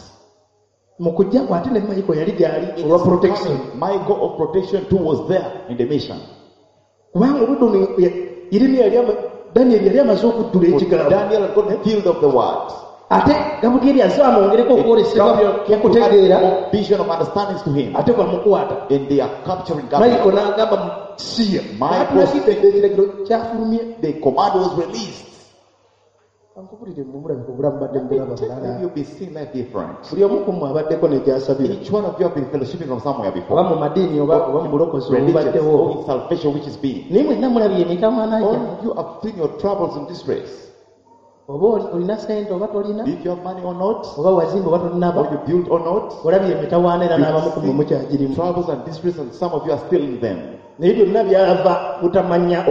mu kujja kwe ate ne Michael yali gy'ali
in
olwa
his
protection.
coming, Michael of protection too was there in the mission.
Kubanga obudde ono Yeremiya yali Daniel yali amaze okuddula
For
ekigambo.
Daniel had got filled of the word.
Ate Gabulyeri azze amwongereko okwolesebwa
Gabriel came to add
okutegeera
more vision of understandings to him.
ate bamukwata.
And they are capturing Gabriel.
Michael n'agamba siya.
Michael-
N'atulagidde ekiragiro kyafulumye.
The command was released.
Kankubulire mumulabika obulamu badde mubulaba bulala.
Maybe you'll be seeing life different.
Buli omu ku mmwe abaddeko ne gy'asabira.
Each one of you have been fellowshipping from somewhere before.
Oba mu madiini oba oba mu bulokozi
Religions
obubaddewo.
or in salvation which is being.
Naye mwenna mulabye emitawaana
All
gyammwe.
of you have seen your troubles and distress.
Oba olina ssente oba tolina,
If you have money or not,
oba wazimba oba tolinaba,
or you build or not,
olabye emitawaana era n'abamu ku mmwe
you
mukyagirimu.
troubles and distress, and some of you are still in them.
Naye byonna byava butamanya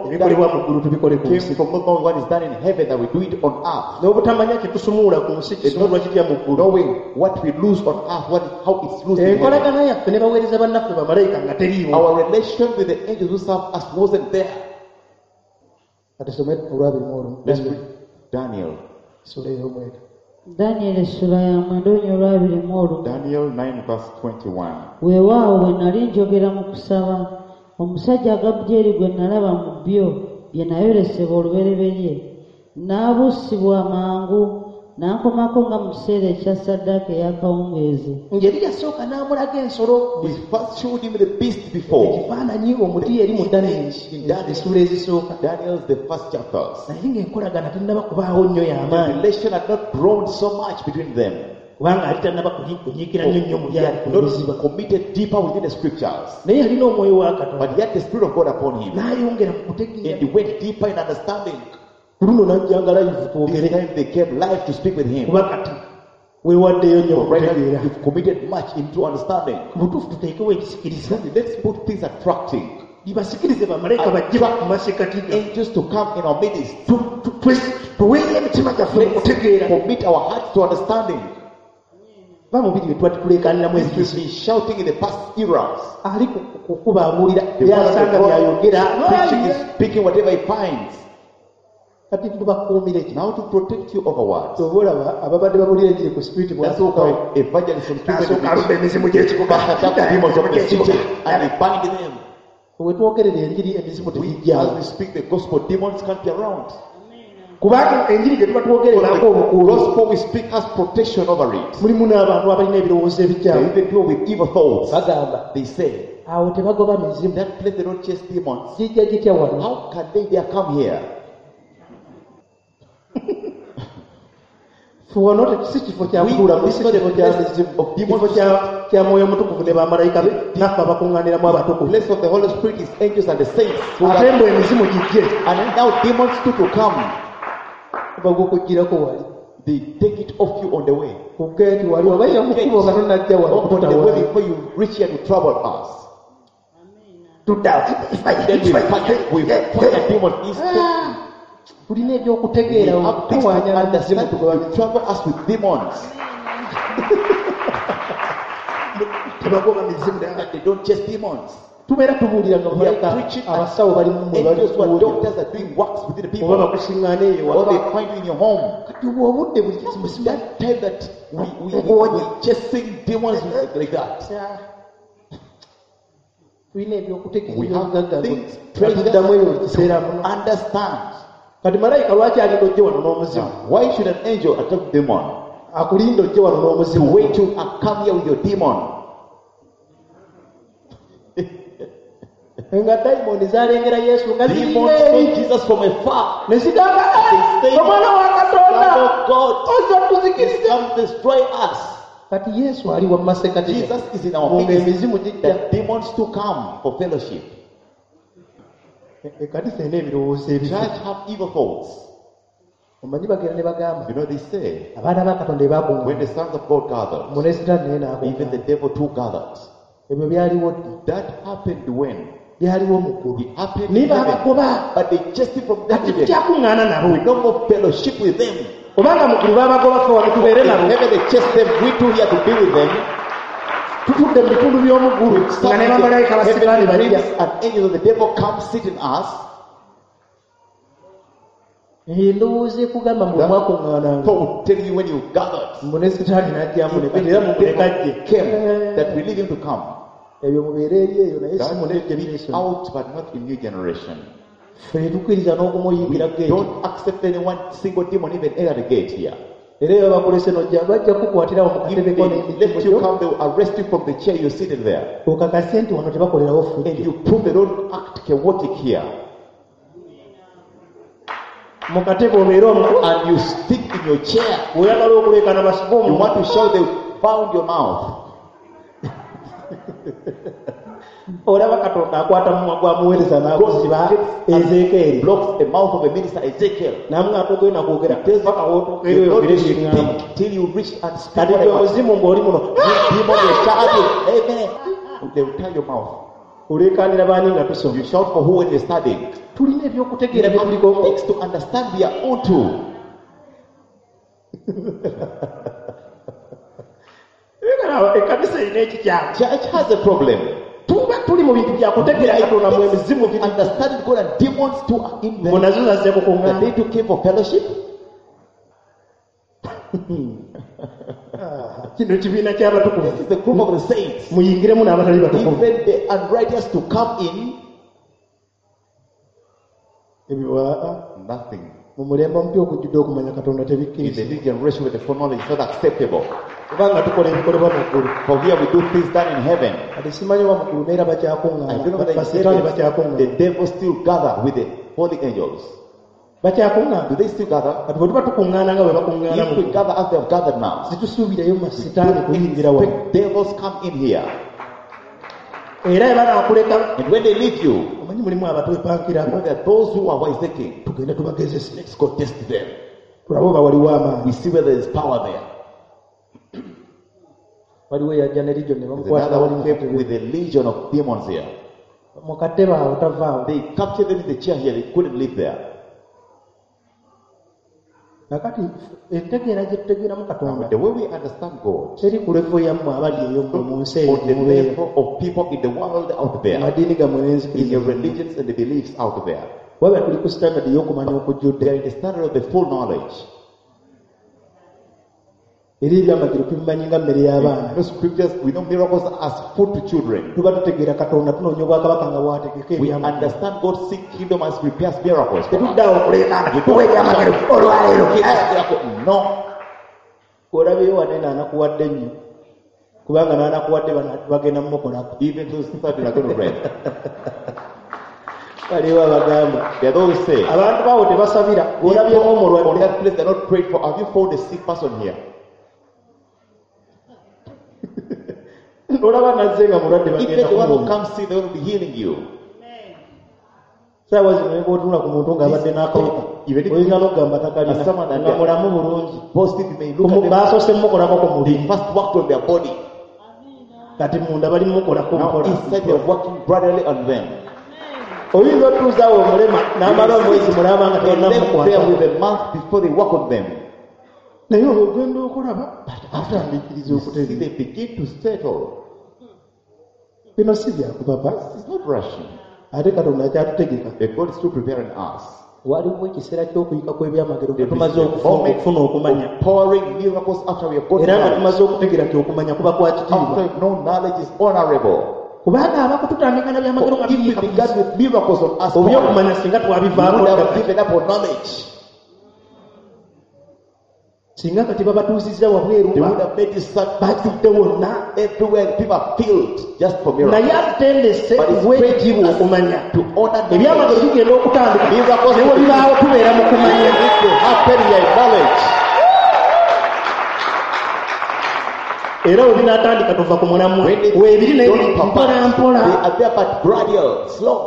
ebikolebwa mu ggulu tubikole ku
Came
nsi.
from not knowing what is done in heaven that we do it on earth.
N'obutamanya kye tusumulula ku nsi kisumululwa kitya mu ggulu.
Knowing what we lose on earth, how it's lost in heaven.
Enkolagana yaffe ne baweereza bannaffe bamalayika nga teriiwo.
Our relation with the angels who serve us wasn't there.
Kati tusome olwabiri mu olumu.
Let's read Daniel.
Ssuula ey'omwenda.
Danyeri essula ya mwenda olunya olwabiri mu olumu.
Daniel 9 verse 21.
Weewaawo bwe nali njogera mu kusaba, omusajja Gabulyeri gwe nalaba mu byo bye nayolesebwa olubereberye, n'abuusibwa mangu n'ankomako nga mu kiseera ekya ssaddaaka ey'akawungeezi.
Ngeri yasooka n'amulaga ensolo
He first showed him the beast before.
ekifaananyi omuti eri mu Danyeri essuula ezisooka.
Daniel's the first chapters.
Naye ng'enkolagana tennaba kubaawo nnyo
The
y'amaanyi
relation had not grown so much between them.
kubanga ali tannaba kunyiikira nnyo nnyo mu
He
byali
had
ku luziba.
not committed deeper within the scriptures.
Naye yalina omwoyo wa Katonda
But he had the Spirit of God upon him.
n'ayongera mu
And
kutegeera.
he went deeper in understanding.
Ku luno n'ajja nga live
This
twogere
time they came live to speak with him.
kuba kati weewaddeyo nnyo
But right now,
okutegeera.
you've committed much into understanding.
Mu butuufu tuteekewo ekisikiriza
Let's put things attracting.
libasikirize bamalayika bajje mu masekkati gaffe.
Angels to come in our midst.
Tuweeyo emitima gyaffe mu kutegeera.
Commit our hearts to understanding.
Ba mubiri bye twali tuleekaaniramu
This we've
ebintu.
been shouting in the past eras.
Ali kukuba abuulira
The one on
byasanga
the
byayogera.
road preaching is speaking whatever he finds.
Kati tubakuumire ki?
Now to protect you over what?
Oba olaba ababadde babuulira enjiri ku spirit
That's
bwasookawo.
why evangelists from
N'asooka alumba emizimu gy'ekibuga.
attack demons of the city and they bind them.
We twogerera enjiri emizimu
We,
tegijjaawo.
as we speak the gospel, demons can't be around.
Kubanga enjiri gye tuba twogererako
The
obukuumi
gospel we speak has protection over it.
mulimu n'abantu abalina ebirowoozo
There are
ebikyamu.
even people with evil thoughts.
Bagamba
They say,
awo tebagoba mizimu
that place they don't chase demons.
gijja gitya wano?
How can they dare come here?
Ffe wano si kifo kya
We-
kutuulamu, si kifo kya mizimu,
of demons.
kifo kya mwoyo mutukuvu ne bamalayika be naffe abakuŋŋaaniramu abatukuvu.
Place of the Holy Spirit is angels and the saints. who
Ate
are-
mbu emizimu gijje
And now demons too to come.
bagukugirako wali
They take it off you on the way.
ku geeti wali oba yo mu kkubo nga tonnajja wano
On the way
okututawaanya.
before you reach here to trouble us.
Tudda
Then we fire demons instantly.
Tulina
We
ebyokutegeera
have things to
okutawaanya n'emizimu
understand.
tugoba
You trouble us with demons.
tebagoba mizimu.
That they don't chase demons.
Tubeera tubuulira nga
We are
bamalayika
preaching
abasawo bali mu mmwe bali
Angels who are
kuwulira.
doctors are doing works within the
Oba
people.
bakusiŋŋaana eyo
Or they
waka.
find you in your home.
Kati obwo obudde buli kizibu si
That time that we chasing demons like that.
Tulina ebyokutegeera
We have
ebyobugagga
things,
tuddamu ebyo buli
treasures
kiseera
to
muno.
understand.
Kati malayika lwaki alinda ojje wano n'omuzimu?
Now, why should an angel attack demon?
Akulinda ojje wano
To
n'omuzimu.
wait till I come here with your demon.
Nga dayimooni zalengera Yesu nga
Demons
zirina
saw
eri
Jesus from afar.
ne zigamba
They say,
omwana wa Katonda
Son of God,
ojja
He's
tuzikirize.
come to destroy us.
Kati Yesu ali wa masekkati
Jesus is in our
nga
midst.
emizimu gijja.
That demons to come for fellowship.
Ekkanisa erina ebirowoozo ebibi.
Church have evil thoughts.
Omanyi bagenda ne bagamba
You know, they say,
abaana ba Katonda
when
ebaakuŋŋaana
the sons of God gathered,
mu ne Sitaani naye
even the
n'akuŋŋaana.
devil too gathered.
Ebyo byaliwo ddi?
That happened when?
Byaliwo mu ggulu.
It happened
Naye
in heaven.
baabagoba.
But they chased him from that
Kati
heaven.
tukyakuŋŋaana nabo.
We no more fellowship with them.
Obanga mu ggulu babagoba ffe wano tubeere
In
nabo.
heaven they chase them, we too here to be with them.
Tutudde mu bitundu by'omu ggulu
nga ne bamalayika ba sitaani
Heavenly
bajja.
prince and angels of the devil come sit in us.
Endowooza ekugamba mbu
That
mwakuŋŋaananga
thought will tell you when you gathered.
mbu ne sitaani n'ajjamu ne
Even
kati era
the
mumuleke
devil
ajje.
came, that we leave him to come.
Ebyo mubeere eri eyo naye si
That
mu new
let be
generation.
out, but not in new generation.
Ffe tukkiriza
We
n'okumuyingira geeti.
don't accept any one single demon even enter the gate here.
Era eyo bakulese n'ojja bajja kukukwatirawo mu
If
katebe ko
they
n'emiti
let you
gyo
come, they will arrest you from the chair you're sitting there.
okakase nti wano tebakolerawo
And
ffujjo.
you prove they don't act chaotic here.
Mu katebe obeere omu
And you stick in your chair.
bw'oyagala okuleekana basibe
You
omu
want to shout, they bound your mouth.
Olaba Katonda akwata mumwa gwa muweereza n'aguziba Ezeekeeri
Blocks the mouth of a minister Ezekiel.
n'amuga togenda kwogera paka w'otuuka
You
eri
don't
oyogere byeŋŋamba.
speak till you reach and speak
Kati
what I
gwe
want.
muzimu ng'oli muno
You demon will shout, amen. They will tie your mouth.
oleekaanira baani nga tusoma.
You shout for who when you're studying.
Tulina ebyokutegeera bye
We
tuliko.
have things to understand we are onto.
Ekkanisa erina ekikyamu.
Church has a problem.
Tuba tuli mu bintu byakutegeera Katonda mu emizimu biri.
Understanding God and demons too are in
Mbu
them.
nazo zazze
That
kukuŋŋaana.
they too came for fellowship.
Kino kibiina ky'abatukuvu.
This is the group of the saints.
Muyingiremu n'abatali batukuvu.
Even the unrighteous to come in,
Ebyo aa,
nothing.
mu mulembe omupya okujjudde okumanya Katonda
In the
tebikkirizibwa.
new generation with the full knowledge is not acceptable.
Kubanga tukola ebikolebwa mu ggulu.
For here we do things done in heaven.
Kati simanyi oba mu ggulu neera
I don't know
bakyakuŋŋaana,
whether in
basitaani
heaven
bakyakuŋŋaana.
the devil still gather with the holy angels.
Bakyakuŋŋaana.
Do they still gather?
Kati bwe tuba tukuŋŋaana nga bwe bakuŋŋaana
If
mu
we
ggulu,
gather as they have gathered now,
situsuubirayo masitaani kuyingira wano.
expect devils come in here.
Era bwe banaakuleka,
And when they leave you,
omanyi mulimu
you know
abatwepankirako,
there are those who are wise taking.
tugende tubagezese,
Let's go test them.
tulabe oba waliwo amaanyi.
We see whether there is power there.
Waliwo eyajja ne ligion ne
There's
bamukwatira
another
wali
one
mu
came
katebe.
with a legion of demons here.
Mu katebe awo tavaawo.
They captured them in the chair here. They couldn't live there.
Kakati entegeera gye tutegeeramu Katonda
The way we understand God,
teri ku level yammwe abali eyo mmwe mu nsi eyo
on
gye
the
mubeera.
level of people in the world out there,
Amadiini gammwe
in
n'enzikiriza
your
zammwe.
religions and the beliefs out there,
Wabula tuli ku standard ey'okumanya
they
okujjudde.
are in the standard of the full knowledge.
Era ebyamagero tubimanyi nga mmere y'abaana.
We know scriptures, we know miracles as food to children.
Tuba tutegeera Katonda tunoonya obwakabaka nga bw'ategeka
We
ebyamagero.
understand God seek kingdom as prepares miracles. For us.
Tetuddaawo okuleekaana
We
Tuwa
don't
ebyamagero olwaleero.
miracle. No.
Olabyeyo wanene anakuwadde nnyo kubanga n'anakuwadde bano bagenda mumukolako.
Even those that are going to read.
Waliwo abagamba
There are those who say,
abantu baawo tebasabira bw'olabyemu
on
omulwadde
that place they're not prayed for. Have you found a sick person here?
olaba nazze nga mulwadde
Even
bagenda
the one who
kumuwonya.
comes sick, they're going to be healing you.
Saawa zino ne bw'otunula ku muntu ng'abadde n'akawuka
Even if-
oyinza n'okugamba takalina
As someone that-
nga mulamu bulungi.
Positive, you may look at them.
Baasoose mumukolako ku
They
mubiri
first worked on their body.
kati munda bali mumukolako
Now
mpola.
inside they're working gradually on them.
Oyinza otuuzaawo omulema n'amala omwezi mulaba nga
They left there
tonna
with a month before they work on them.
naye ogenda okulaba atandikiriza
You see,
okutereera.
they begin to settle.
Bino si byakupapa
It's not rushing.
ate Katonda akyatutegeka.
The God is still preparing us.
Waliwo ekiseera ky'okuyika kw'ebyamagero nga
There is
tumaze
a moment
okufuna okumanya
of pouring miracles after we have got
era nga
knowledge.
tumaze okutegeera nti okumanya kuba kwa
After
kitiibwa
we've known knowledge is honorable.
kubanga abakututandika na byamagero nga
For if we
biyiika
began with miracles on us, pouring,
obyokumanya singa
we
twabivaako
would have
dda.
given up on knowledge.
Singa kati babatuuzizza wabweru
They would have made you start
bajjudde wonna
everywhere. People are filled just for miracles.
naye atutendese
But it's
tuwe ekitiibwa okumanya.
To honor
Ebyamagero
knowledge.
bigenda okutandika
Miracles
ne bwe bibaawo tubeera mu kumanya.
If they happen, we are in knowledge.
Era bwe binaatandika tuva ku mulamwa
When they
weebiri naye
don't
biri
pop
mpola
up,
mpola.
they are there but gradual, slow.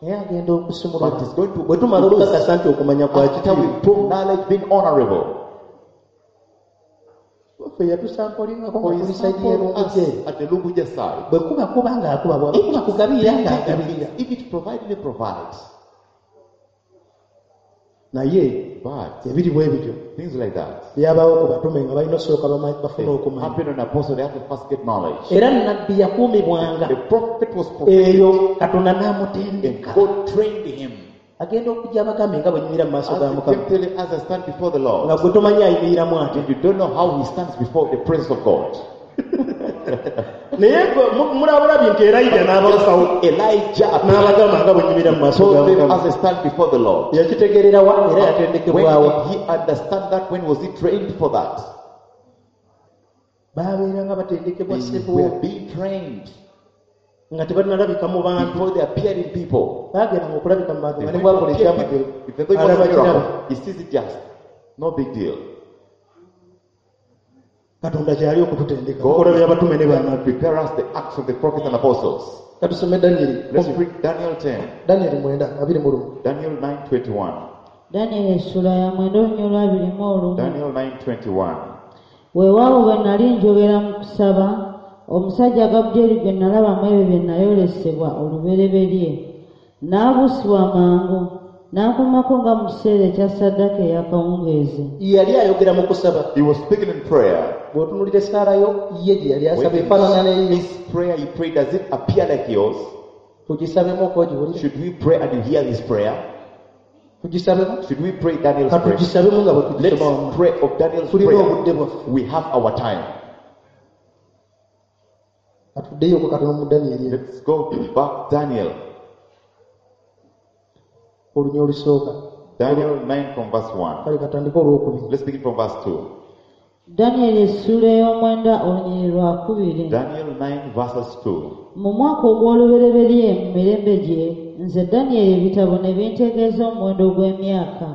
Naye agenda okusumulula
But it's going to
bwe tumala okukakasa nti okumanya kwa
After we
kitiibwa.
prove knowledge being honorable.
Ffe yatusampolingako
For
nga
he
tuli sayidi
sampled us
y'erunguje.
at the Lunguje side.
Bwe kuba kuba ng'akuba bw'aba kuba kugabirira ng'agabirira.
If it provides, it provides.
Naye
But
ebiri bwe bityo
things like that,
byabaawo ku batume nga balina osooka
they
bafune okumanya.
happen on apostle, they have to first get knowledge.
Era nabbi yakuumibwanga
The prophet was prophetic
eyo Katonda
and
n'amutendeka.
God trained him.
Agenda okujja abagambe nga bwe nyimira mu maaso
As
ga
he
Mukama
came telling us, I stand before the Lord.
nga gwe tomanyi ayimiriramu ati.
And you don't know how he stands before the presence of God.
Naye gwe mulabulabi nti Erayija n'abalukawo
Elijah appeared,
n'abagamba nga bwe nyimira mu maaso ga
told them
Mukama.
as I stand before the Lord.
Yakitegeererawa era
When
yatendekebwawa?
did he understand that? When was he trained for that?
Babeeranga batendekebwa
They
ssebo
were being trained
nga tebanalabika mu bantu.
before they appeared in people.
Bagendanga okulabika mu bantu
They
nga ne
went
bwakola
to appear
ekyamagero
people. If they was a
alaba kiraba.
miracle, he sees it just. No big deal.
Katonda kyali okututendeka
God
bikolwa by'abatume ne bannabbi.
prepare us the acts of the prophets and apostles.
Katusome Danyeri
Let's read Daniel 10,
Danyeri 9:21.
Daniel 9:21.
Danyeri essula ya 9 olunya olwa 21.
Daniel 9:21.
Weewaawo bwe nali njogera mu kusaba, omusajja Gabulyeri gwe nalaba mu ebyo bye nayolesebwa olubereberye, n'abuusibwa mangu, n'ankomako nga mu kiseera ekya ssaddaaka ey'akawungeezi.
Yali ayogera mu kusaba.
He was speaking in prayer.
Bw'otunuulira essaala yo ye gye yali asaba
When
efaanana n'eyiyo.
his prayer he prayed, does it appear like yours?
Tugisabemu okwogiwulira.
Should we pray and you hear his prayer?
Tugisabemu.
Should we pray Daniel's prayer?
Katugisabemu nga bwe tugisoma wamu.
Let's pray of Daniel's
Tulina
prayer.
obudde bwaffe.
We have our time.
Katuddeyoko katono mu Danyeri eno.
Let's go back Daniel.
Olunya olusooka.
Daniel 9 from verse 1.
Kale katandike olwokubiri.
Let's begin from verse 2.
Danyeri essuula ey'omwenda olunyiriri lwa 2.
Daniel 9 verses 2.
Mu mwaka ogw'olubereberye mu mirembe gye, nze Danyeri ebitabo ne bintegeeza omuwendo gw'emyaka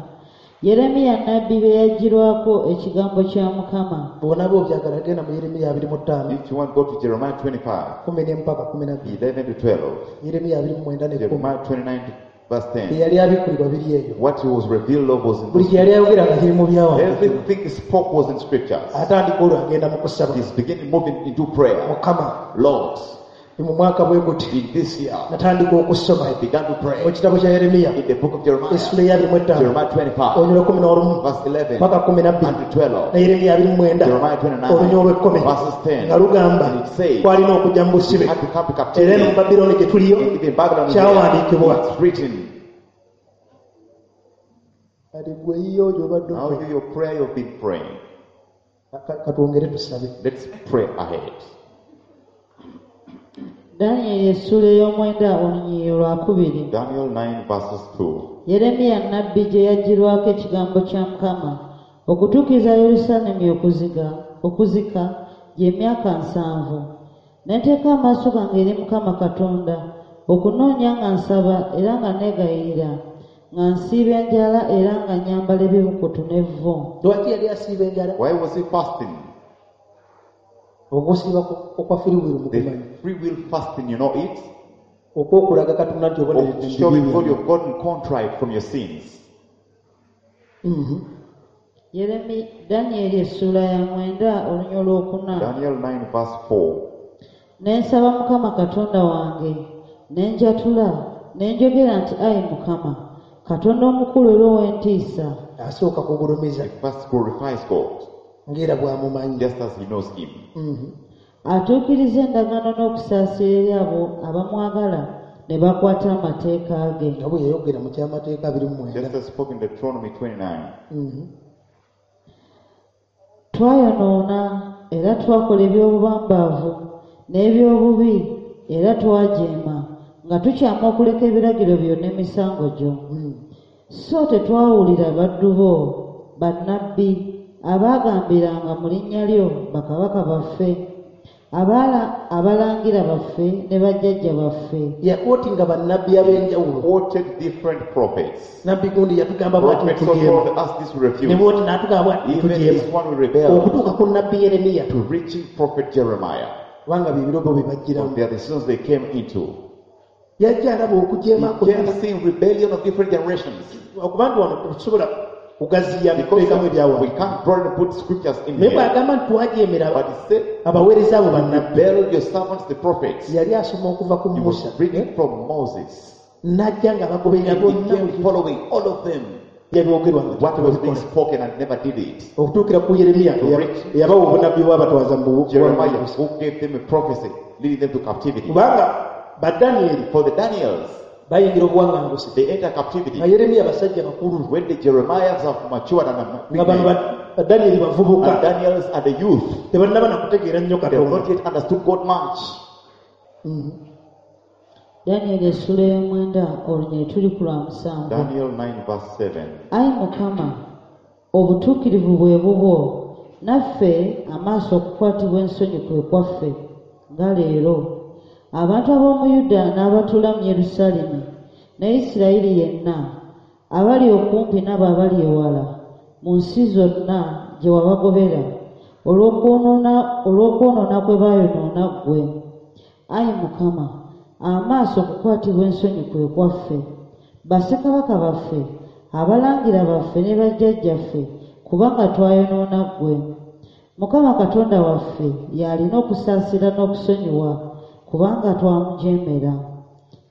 Yeremiya nnabbi bye yaggyirwako ekigambo kya Mukama.
Bw'onaaba obyagala genda mu Yeremiya 25
If you want, go to Jeremiah 25,
11 paka 12.
11 to 12.
Yeremiya 29 ne 10.
Jeremiah 29 to verse 10.
Eyali abikkulirwa biri eyo.
What he was revealed of was in
Buli
those
kye yali ayogera nga kiri mu byawandiikibwa.
Everything he spoke was in scriptures.
Atandika olwo agenda mu kusaba.
He's beginning moving into prayer.
Mukama,
Lord,
mu mwaka bwe guti
in this year,
natandika okusoma
I began to
mu
pray
kitabo kya Yeremiya
in the book of Jeremiah,
essula eya 25
Jeremiah 25,
olunya olw'11
verse 11
paka 12
and 12.
ne Yeremiya 29
Jeremiah 29,
olunya olw'ekkumi
verses 10.
nga lugamba
And it says,
kwalina okujja mu
We
busibe
had to come to
era eno mu
captivity.
Babiloni gye tuliyo
And even Babylon is
kyawandiikibwa.
there. It's written.
Kati gwe yiyo gy'obadde
Now
okola.
do your prayer you've been praying.
Katwongere tusabe.
Let's pray ahead.
Danyeri essuula ey'omwenda olunyiriri lwa 2.
Daniel 9 verses 2.
Yeremiya nnabbi gye yaggyirwako ekigambo kya Mukama okutuukiriza Yerusaalemi okuzika gy'emyaka 70. Ne nteeka amaaso gange eri Mukama Katonda okunoonya nga nsaba era nga neegayirira, nga nsiiba enjala era nga nnyambala ebibukutu n'evvu.
Lwaki yali asiiba enjala?
Why was he fasting?
Okusiiba okwa free will mukumanyi.
The free will fasting, you know it?
Okwokulaga Katonda nti
Of
oboneredde mu
showing
bibi
God
byange.
you've gotten contrite from your sins.
Danyeri essuula ya 9 olunya olwokuna.
Daniel 9 verse 4.
Ne nsaba Mukama Katonda wange, ne njatula, ne njogera nti ayi Mukama, Katonda omukulu era ow'entiisa,
Asooka kugulumiza
He first glorifies God,
ng'era bw'amumanyi.
just as he knows him.
Atuukiriza endagaano n'okusaasira eri abo abamwagala ne bakwata amateeka ge.
Nga bwe yayogera mu kyamateeka 29.
Just as spoken in Deuteronomy 29.
Twayonoona era twakola eby'obubambaavu n'eby'obubi era twajeema nga tukyama okuleka ebiragiro byo n'emisango gyo. So tetwawulira baddu bo bannabbi abaagambiranga mu linnya lyo bakabaka baffe, abalangira baffe ne bajjajja baffe.
Yakootinga bannabbi ab'enjawulo.
Quoted different prophets.
Nabbi gundi yatugamba bw'ati
Prophets
tujeema.
told us this we
Ne
refuse.
bw'oti n'atugamba bw'ati
Even
tujeema.
this one we rebel
Okutuuka ku nnabbi Yeremiya
to reaching prophet Jeremiah.
kubanga bye biro bo bye
But
bajjiramu.
they are the seasons they came into.
Yajja alaba okujeema
He
kwonna.
came seeing rebellion of different generations.
Okuba nti wano tetusobola kugaziya
Because
kuteekamu
we
ebyawandiikibwa.
can't broaden and put scriptures in
Naye
here.
bw'agamba nti twajeemera
But he said,
abaweereza abo bannabbi.
rebel your servants, the prophets.
Yali asoma okuva ku
He was
Musa
reading from Moses.
n'ajja nga bagoberera
He
bonna
became following all of them.
Byabyogerwa nga
What was being
tebabikola.
spoken and never did it.
Okutuukira ku Yeremiya eyabawa obunabbi bwabatwaza mu
Jeremiah,
buwanguzi.
who gave them a prophecy leading them to captivity.
Kubanga badaniyeri
For the Daniels,
bayingira obuwaŋŋanguse
they enter captivity.
nga Yeremiya basajja bakulu
When the Jeremiahs have matured and are
nga bano
big men,
badaniyeri bavubuka
and Daniels are the youth,
tebannaba nakutegeera nnyo
they have
Katonda.
not yet understood God much.
Danyeri essula ey'omwenda olunyiri tuli ku lwa 7.
Daniel 9, verse 7.
Ayi Mukama, obutuukirivu bwe bubwo, naffe amaaso okukwatibwa ensonyi kwe kwaffe nga leero. Abantu ab'omu Yuda n'abatuula mu Yerusaalemi ne Isirayiri yenna, abali okumpi n'abo abali ewala, mu nsi zonna gye wabagobera, olw'okwonoona kwe baayonoona ggwe. Ayi Mukama, amaaso okukwatibwa ensonyi kwe kwaffe, bassekabaka baffe, abalangira baffe ne bajjajjaffe, kubanga twayonoona ggwe. Mukama Katonda waffe y'alina okusaasira n'okusonyiwa, kubanga twamujeemera.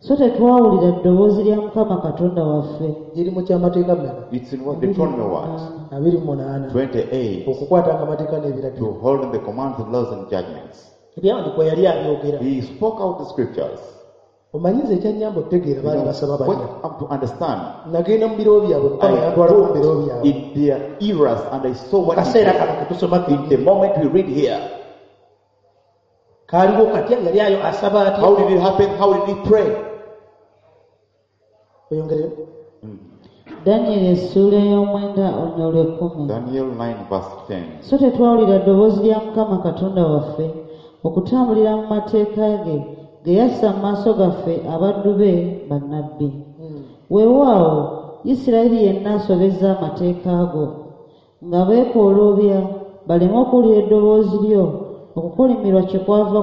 So tetwawulira ddoboozi lya Mukama Katonda waffe.
Giri mu kyamateeka mmeka?
It's in what Deuteronomy what?
28.
28.
Okukwatanga amateeka
To
n'ebiragiro.
hold on the commands and laws and judgments.
Ebyawandiikibwa yali abyogera.
He spoke out the scriptures.
Omanyiza ekyannyamba okutegeera
You
baali
know,
basaba
what
batya.
I'm to understand,
Nagenda mu biro byabwe Mukama
I
yantwalako mu biro
looked
byabwe.
in their eras and I saw what he
Kaseera
did.
kano ketusoma
In the moment we read here,
kaaliwo katya yali ayo asaba atya.
how did it happen? How did he pray?
Oyongereyo.
Danyeri essuula ey'omwenda olunyiriri olw'ekkumi.
Daniel 9, verse 10.
So tetwawulira ddoboozi lya Mukama Katonda waffe okutambulira mu mateeka ge ge yassa mu maaso gaffe abaddu be bannabbi. Weewaawo Isirayiri yenna asobezza amateeka go nga beekooloobya baleme okuwulira eddoboozi lyo okukolimirwa kyekwava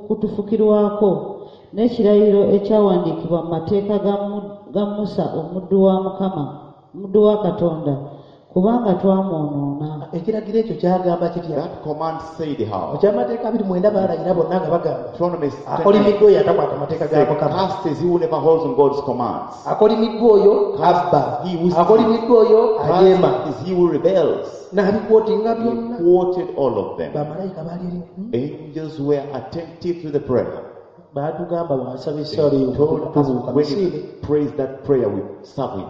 kutufukirwako n'ekirayiro ekyawandiikibwa mu mateeka ga Musa omuddu wa Mukama omuddu wa Katonda kubanga twamwonoona.
Ekiragiro ekyo kyagamba kitya?
That command said how?
Mu kyamateeka 29 baalayira bonna nga bagamba
Deuteronomy 10,
akolimiddwa oyo atakwata mateeka ga
said,
Mukama.
Cursed is he who never holds on God's commands.
Akolimiddwa oyo abba,
He who steals.
akolimiddwa oyo ajeema.
Cursed is he who rebels.
N'abikwotinga
He
byonna.
quoted all of them.
Bamalayika baali eri
Angels were attentive to the prayer.
baatugamba bw'asaba
They
essaala eyo
told us
tubuuka
when
misiire.
he prays that prayer, we serve him.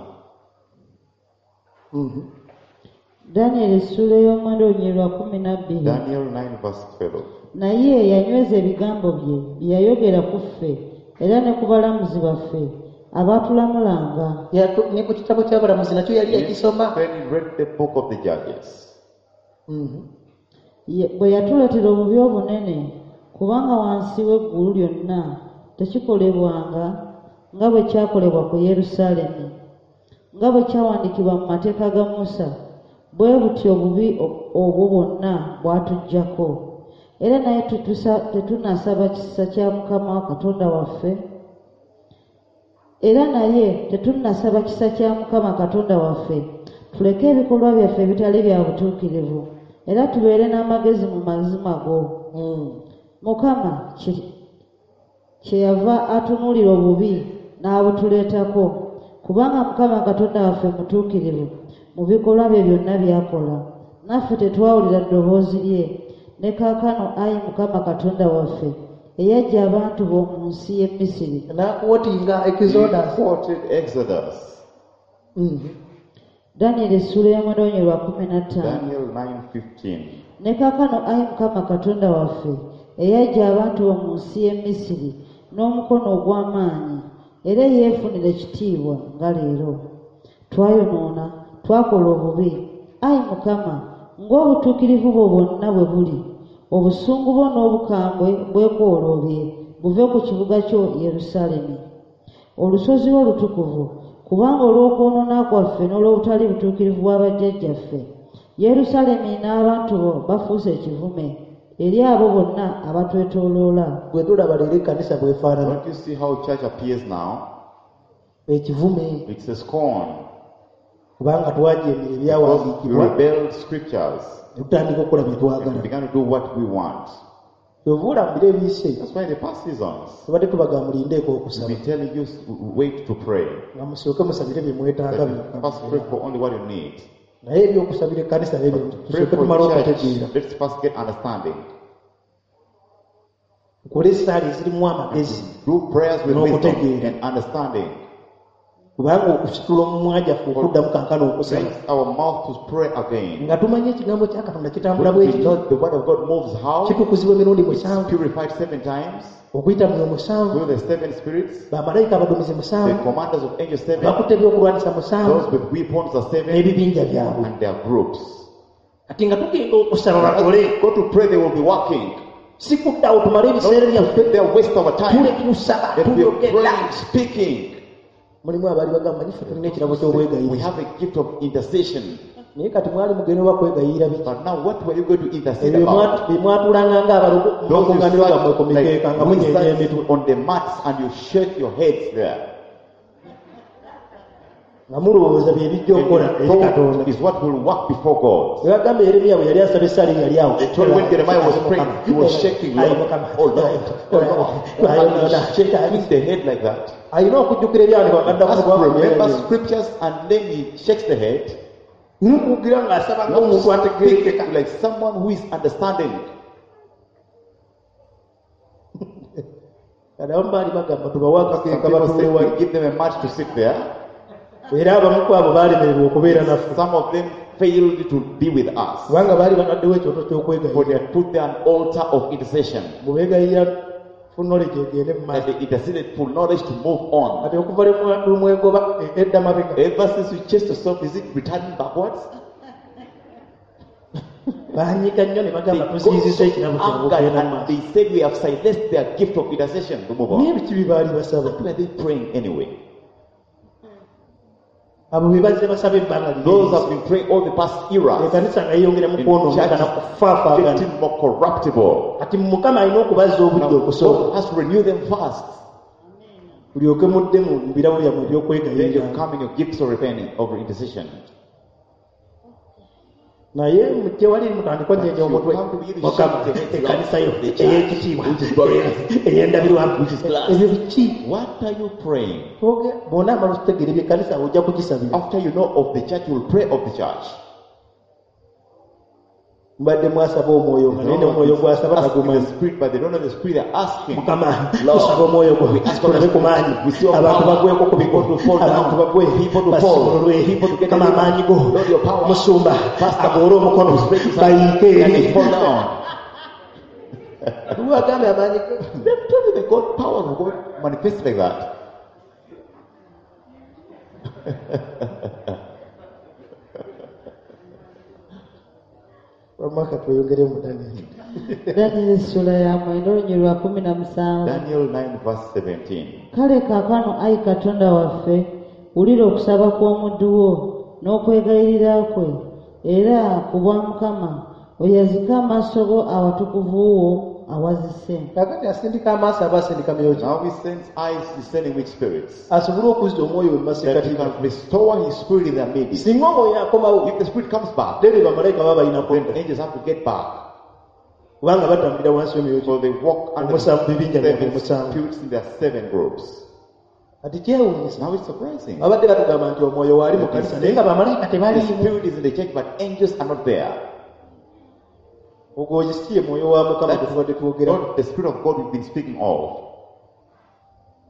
Danyeri essuula ey'omwenda olunyiriri lwa 12.
Daniel 9, verse 12.
Naye yanyweza ebigambo bye bye yayogera ku ffe era ne ku balamuzi baffe abaatulamulanga.
Ne ku kitabo ky'abalamuzi nakyo yali yakisoma.
Then he read the book of the Judges.
Bwe yatuleetera obubi obunene kubanga wansi w'eggulu lyonna tekikolebwanga nga bwe kyakolebwa ku Yerusaalemi nga bwe kyawandiikibwa mu mateeka ga Musa bwe butyo obubi obwo bwonna bwatujjako era naye tetunasaba kisa kya Mukama Katonda waffe era naye tetunnasaba kisa kya Mukama Katonda waffe tuleke ebikolwa byaffe ebitali bya butuukirivu era tubeere n'amagezi mu mazima go. Mukama kyeyava atunuulira obubi n'abutuleetako kubanga Mukama Katonda waffe mutuukirivu mu bikolwa bye byonna by'akola naffe tetwawulira ddoboozi lye ne kaakano ayi Mukama Katonda waffe eyaggya abantu bo mu nsi y'e Misiri.
N'akwotinga
He
Exodus.
quoted Exodus.
Danyeri essuula y'omwenda olunyiriri lwa 15.
Daniel 9, 15.
Ne kaakano ayi Mukama Katonda waffe eyaggya abantu bo mu nsi y'e Misiri n'omukono ogw'amaanyi era eyeefunira ekitiibwa nga leero. Twayonoona, twakola obubi. Ayi Mukama, ng'obutuukirivu bwo bwonna bwe buli, obusungu bwo n'obukambwe bwekooloobye buve ku kibuga kyo Yerusaalemi. Olusozi lwo olutukuvu, kubanga olw'okwonoona kwaffe n'olw'obutali butuukirivu bwa bajjajjaffe, Yerusaalemi n'abantu bo bafuuse ekivume eri abo bonna abatwetooloola.
Gwe tulaba leero ekkanisa bw'efaanana.
Don't you see how church appears now?
Ekivume.
It's a scorn.
Kubanga twajeemera
Because we
ebyawandiikibwa
rebelled scriptures
ne tutandika okukola bye
and we
twagala.
began to do what we want.
Kyova olaba mu biro ebiyise
That's why in the past seasons,
tubadde tubagamba mulindeeko
we've
okusaba
been telling you wait to pray.
nga musooke musabire bye mwetaaga
That you
byokka.
first pray for only what you need.
Naye ebyokusabira ekkanisa nebyo
Pray
tusooke
for
tumale
church.
okutegeera.
Let's first get understanding.
Tukole essaala ezirimu amagezi
Do prayers with wisdom
N'okutegeera.
and understanding.
Kubanga okusitula omumwa gyaffe okuddamu kankana okusaba
Raise our mouth to pray again.
nga tumanyi ekigambo kya Katonda kitambula
When
bwe
we
kityo
know the word of God moves how?
kitukuzibwa emirundi musanvu
Purified seven times
okuyita mu musanvu
through the seven spirits,
bamalayika abaduumizi
the
musanvu
commanders of angels seven,
bakutte ebyokulwanyisa musanvu
those with weapons are seven,
n'ebibinja byabwe
and their groups.
Kati nga tugenda okusaba bakole
Go to pray, they will be working.
Si kuddawo tumale ebiseera byaffe
They waste our
tule
time.
tusaba
That we are
tuyogera
praying, speaking.
Mulimu abaali bagamba manyi ffe tulina ekirabo
We
ky'obwegayirira
have a gift of intercession.
Naye kati mwali mugenda oba kwegayirira biki
But now, what were you going to intercede
ebyo
about?
bye mwatulanga ng'abalogo mu
Those you
makuŋŋaaniro gammwe
sat
ku mikeeka
like
nga munyeenya
wizards
emitwe
on the mats and you shake your heads there.
Nga mulowooza bye bijja
And
okukola
you
eri
thought
Katonda
is what will work before God.
Bwe bagamba Yeremiya bwe yali asaba essaala yali awo
They told when Jeremiah was praying, he was shaking.
Ayi
Lord,
Mukama,
oh Lord, oh Lord. And he's shaking the head like that.
Alina okujjukira ebyawandiikibwa nga
Has
adda
to remember
ku
scriptures and then he shakes the head.
nukugira ng'asaba ng'omuntu ategerekeka
Speak like someone who is understanding.
Kati abamu baali bagamba tubawe
Some
akakeeka
people
batuule
say
wali
we give them a mat to sit there.
Era abamu ku abo baalemererwa okubeera naffe
Some of them failed to be with us.
Kubanga baali bataddewo ekyoto
For
ky'okwegayirira
they had put there an altar of intercession.
Bwe beegayirira full knowledge egende mu
That
maaso
they interceded for knowledge to move on.
Kati okuva lwe lumwegoba e- edda mabega
Ever since you chased yourself, is it returning backwards?
Banyiga nnyo ne
They
bagamba
got
tuziyiziza
so
ekirabo kyabwe
angered
okugenda mu
and
maaso
they said we have silenced their gift of intercession to move
Naye
on.
biki bye baali basaba
What were they praying anyway?
Abo be bazze basaba ebbanga
Those
lirye
have been praying all the past eras.
Ekkanisa nga yeeyongera mu
In
kwonooneka na
church,
kufaafaagana
getting more corruptible.
Kati Mukama alina okubazza obudde
Now,
okusooka
God has to renew them first.
Tulyoke mudde mu birabo byammwe
Then you
ebyokwegayirira
come in your gifts of repenting, of intercession.
Naye mujje wali mutandike onyenye
You
omutwe
come to begin to
Mukama
shake the head
ekkanisa yo
of the church,
ey'ekitiibwa
which is glorious.
ey'endabirwamu
Which is glass.
Ebyo biki
What are you praying?
Bw'onaamala okutegeera ebyekkanisa ojja kugisabira
After you know of the church, you will pray of the church.
Mubadde mwasaba omwoyo nga naye n'omwoyo gwasaba
Asking the
tagumanyi
spirit, but they don't know the spirit they're asking.
Mukama
Lord,
tusaba omwoyo gwo
we ask for
tulabe
the
ku maanyi
We see your
abantu
power.
bagweko ku bigo
People to fall down.
abantu bagwe
People to fall.
basimululwe
People to get
Mukama
delivered.
amaanyi go
Lord, your power.
Musumba
Pastor,
agoole omukono
spread his hand
bayiike
and
eri
they fall down.
Lwagambe amaanyi go
They've told you the God power of God manifests like that.
Wamma tweyongere mu Daniel
Danyeri essula ya mwenda olunyiriri lwa kumi na musanvu
Daniel 9 verse 17.
Kale kaakano ayi Katonda waffe wulira okusaba kw'omuddu wo n'okwegayirira kwe era ku bwa Mukama oyazike amaaso go awatukuvu wo awazise
Kakati asindika amaaso aba asindika myoyo ki
Now he sends eyes, he's sending which spirits?
Asobole okuzza omwoyo we mu
That he
masekkati
can restore his spirit in their midst.
Singa omwoyo akomawo
If the spirit comes back,
then bamalayika baba balina
then
kudda
angels have to get back.
Kubanga batambulira wansi w'emyoyo
So they walk under the
Omusanvu, bibinja byabwe
seven
omusanvu.
spirits in their seven groups.
Kati kyewuunyisa
Now it's surprising.
Babadde batugamba nti omwoyo waali mu kanisa naye nga bamalayika
The
tebaliimu
spirit is in the church, but angels are not there.
Ogwo si ye mwoyo wa Mukama gwe tubadde twogerako
Not the spirit of God we've been speaking of.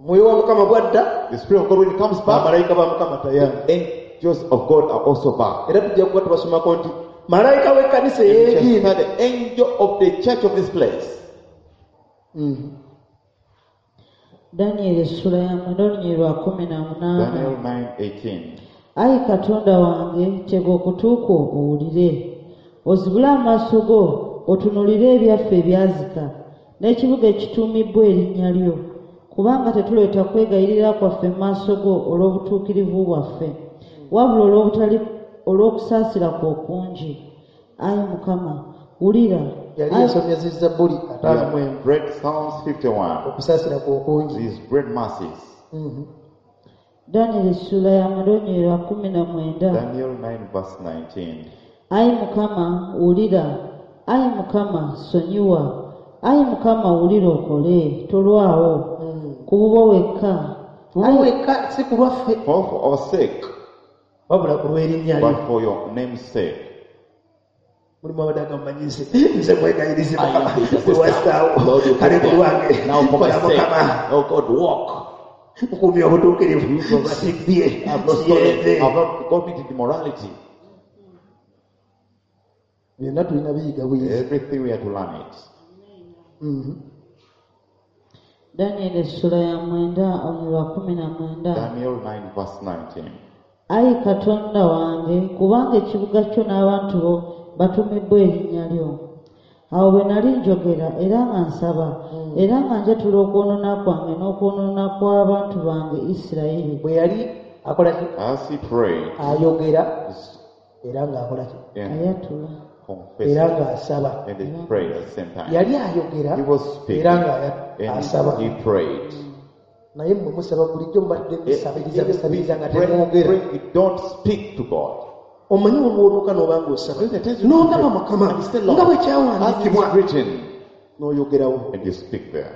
Omwoyo wa Mukama bwadda
The spirit of God when it comes back,
bamalayika ba Mukama tayari
angels of God are also back.
Era tujja kuba tubasomako nti malayika w'ekkanisa
And we shall
ey'egiina
find the angel of the church of this place.
Danyeri essula ya mwenda olunyiriri lwa kumi na munaana
Daniel 9:18.
Ayi Katonda wange tega okutu kwo owulire ozibule amaaso go otunuulire ebyaffe ebyazika n'ekibuga ekituumibbwa erinnya lyo kubanga tetuleeta kwegayirira kwaffe mu maaso go olw'obutuukirivu bwaffe wabula olw'obutali olw'okusaasira kwo okungi ayi Mukama wulira
Yali
Ayi-
yasomye zi Zabbuli
We
ataano mu emu
have read Psalms 51.
okusaasira kwe okungi
These great mercies.
Danyeri essula ya mwenda olunyiriri lwa kumi na mwenda
Daniel 9 verse 19.
Ayi Mukama wulira ayi Mukama sonyiwa Ayi Mukama, wulira okole, tolwawo ku bubwo wekka.
Tulwo wekka, si ku lwaffe,
For our sake,
wabula ku lw'erinnya lyo.
But for your name's sake.
Mulimu abadde agamba nze nze mwegayirizi
I am
Mukama
the intercessor.
Gwe wassaawo.
Lord, you
Kale
put
ku lwange
there. Now for my
kola
sake,
Mukama.
oh God, walk.
Nkuumye obutuukirivu, sibbye,
I have not stolen.
siyenze.
I have not committed immorality.
Byonna tulina biyiga buyizi.
Everything we have to learn it.
Danyeri essula ya 9 olunyiriri 19.
Daniel 9 verse 19.
Ayi Katonda wange, kubanga ekibuga kyo n'abantu bo batumibbwa erinnya lyo. Awo bwe nali njogera era nga nsaba era nga njatula okwonoona kwange n'okwonoona kw'abantu bange Isirayiri,
Bwe yali akola ki?
As he prayed
Ayogera era ng'akola ki?
and
ayatula
confessed
Era ng'asaba.
and he prayed at the same time.
Yali ayogera
He was speaking
era ng'asaba.
and he prayed.
Naye mmwe musaba bulijjo, mubadde musabiriza busabiriza nga
Pray,
temwogera.
pray, you don't speak to God.
Omanyi olwotuuka n'oba ng'osaba
When the times you
n'ogamba
pray,
Mukama
and you say, Lord,
nga bwe
as it
kyawandiikibwa
is written,
n'oyogerawo
and you speak there.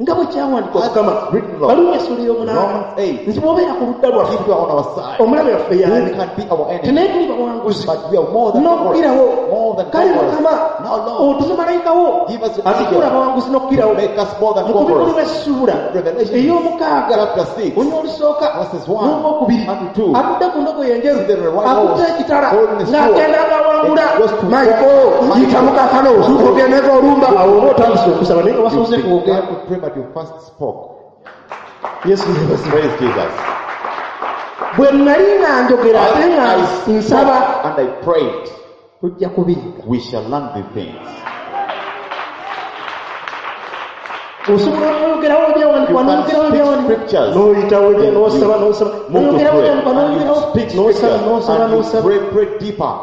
Nga bwe kyawandiikibwa
As
Mukama,
it's written, Lord.
Baluumi essula ey'omunaana,
Romans 8.
nti bw'obeera ku ludda lwaffe,
If you are on our side,
omulabe waffe
who
yaani?
can be our enemy?
Naye tuli bawanguzi
But we are more than
n'okukirawo.
conquerors. More than
Kale
conquerors.
Mukama,
Now, Lord,
otume malayika wo
give us your
atufuula
angel.
abawanguzi n'okukirawo.
Make us more than
Mu kubikulu
conquerors.
bw'essuula
Revelation
ey'omukaaga
chapter 6,
olunya olusooka
verses 1
n'olwokubiri,
and 2.
atudde ku ndogoyi enjeru,
See the white
akutte
horse,
ekitala,
holding the sword.
ng'agenda ng'awangula.
And goes to
Michael,
Michael.
yitamu kaakano ogendeko olumba.
Awo oba otandise okusaba naye nga
You
wasoose kwogera.
began to pray, but you first spoke.
Yesu yeebazibwe.
Praise Jesus.
Bwe nali nga njogera ate nga
I spoke
nsaba,
and I prayed.
tujja kubiyiga.
We shall learn the things.
Osobola okwogerawo ebyawandiikibwa
You can
n'oyogerawo
speak
ebyawandiikibwa
scriptures.
n'oyitawo ebyo
Then
n'osaba
you
n'osaba
move to
n'oyogerawo
pray.
ebyawandiikibwa
And you
n'oyogerawo
speak
n'osaba
scriptures.
n'osaba
And you
n'osaba.
pray, pray deeper.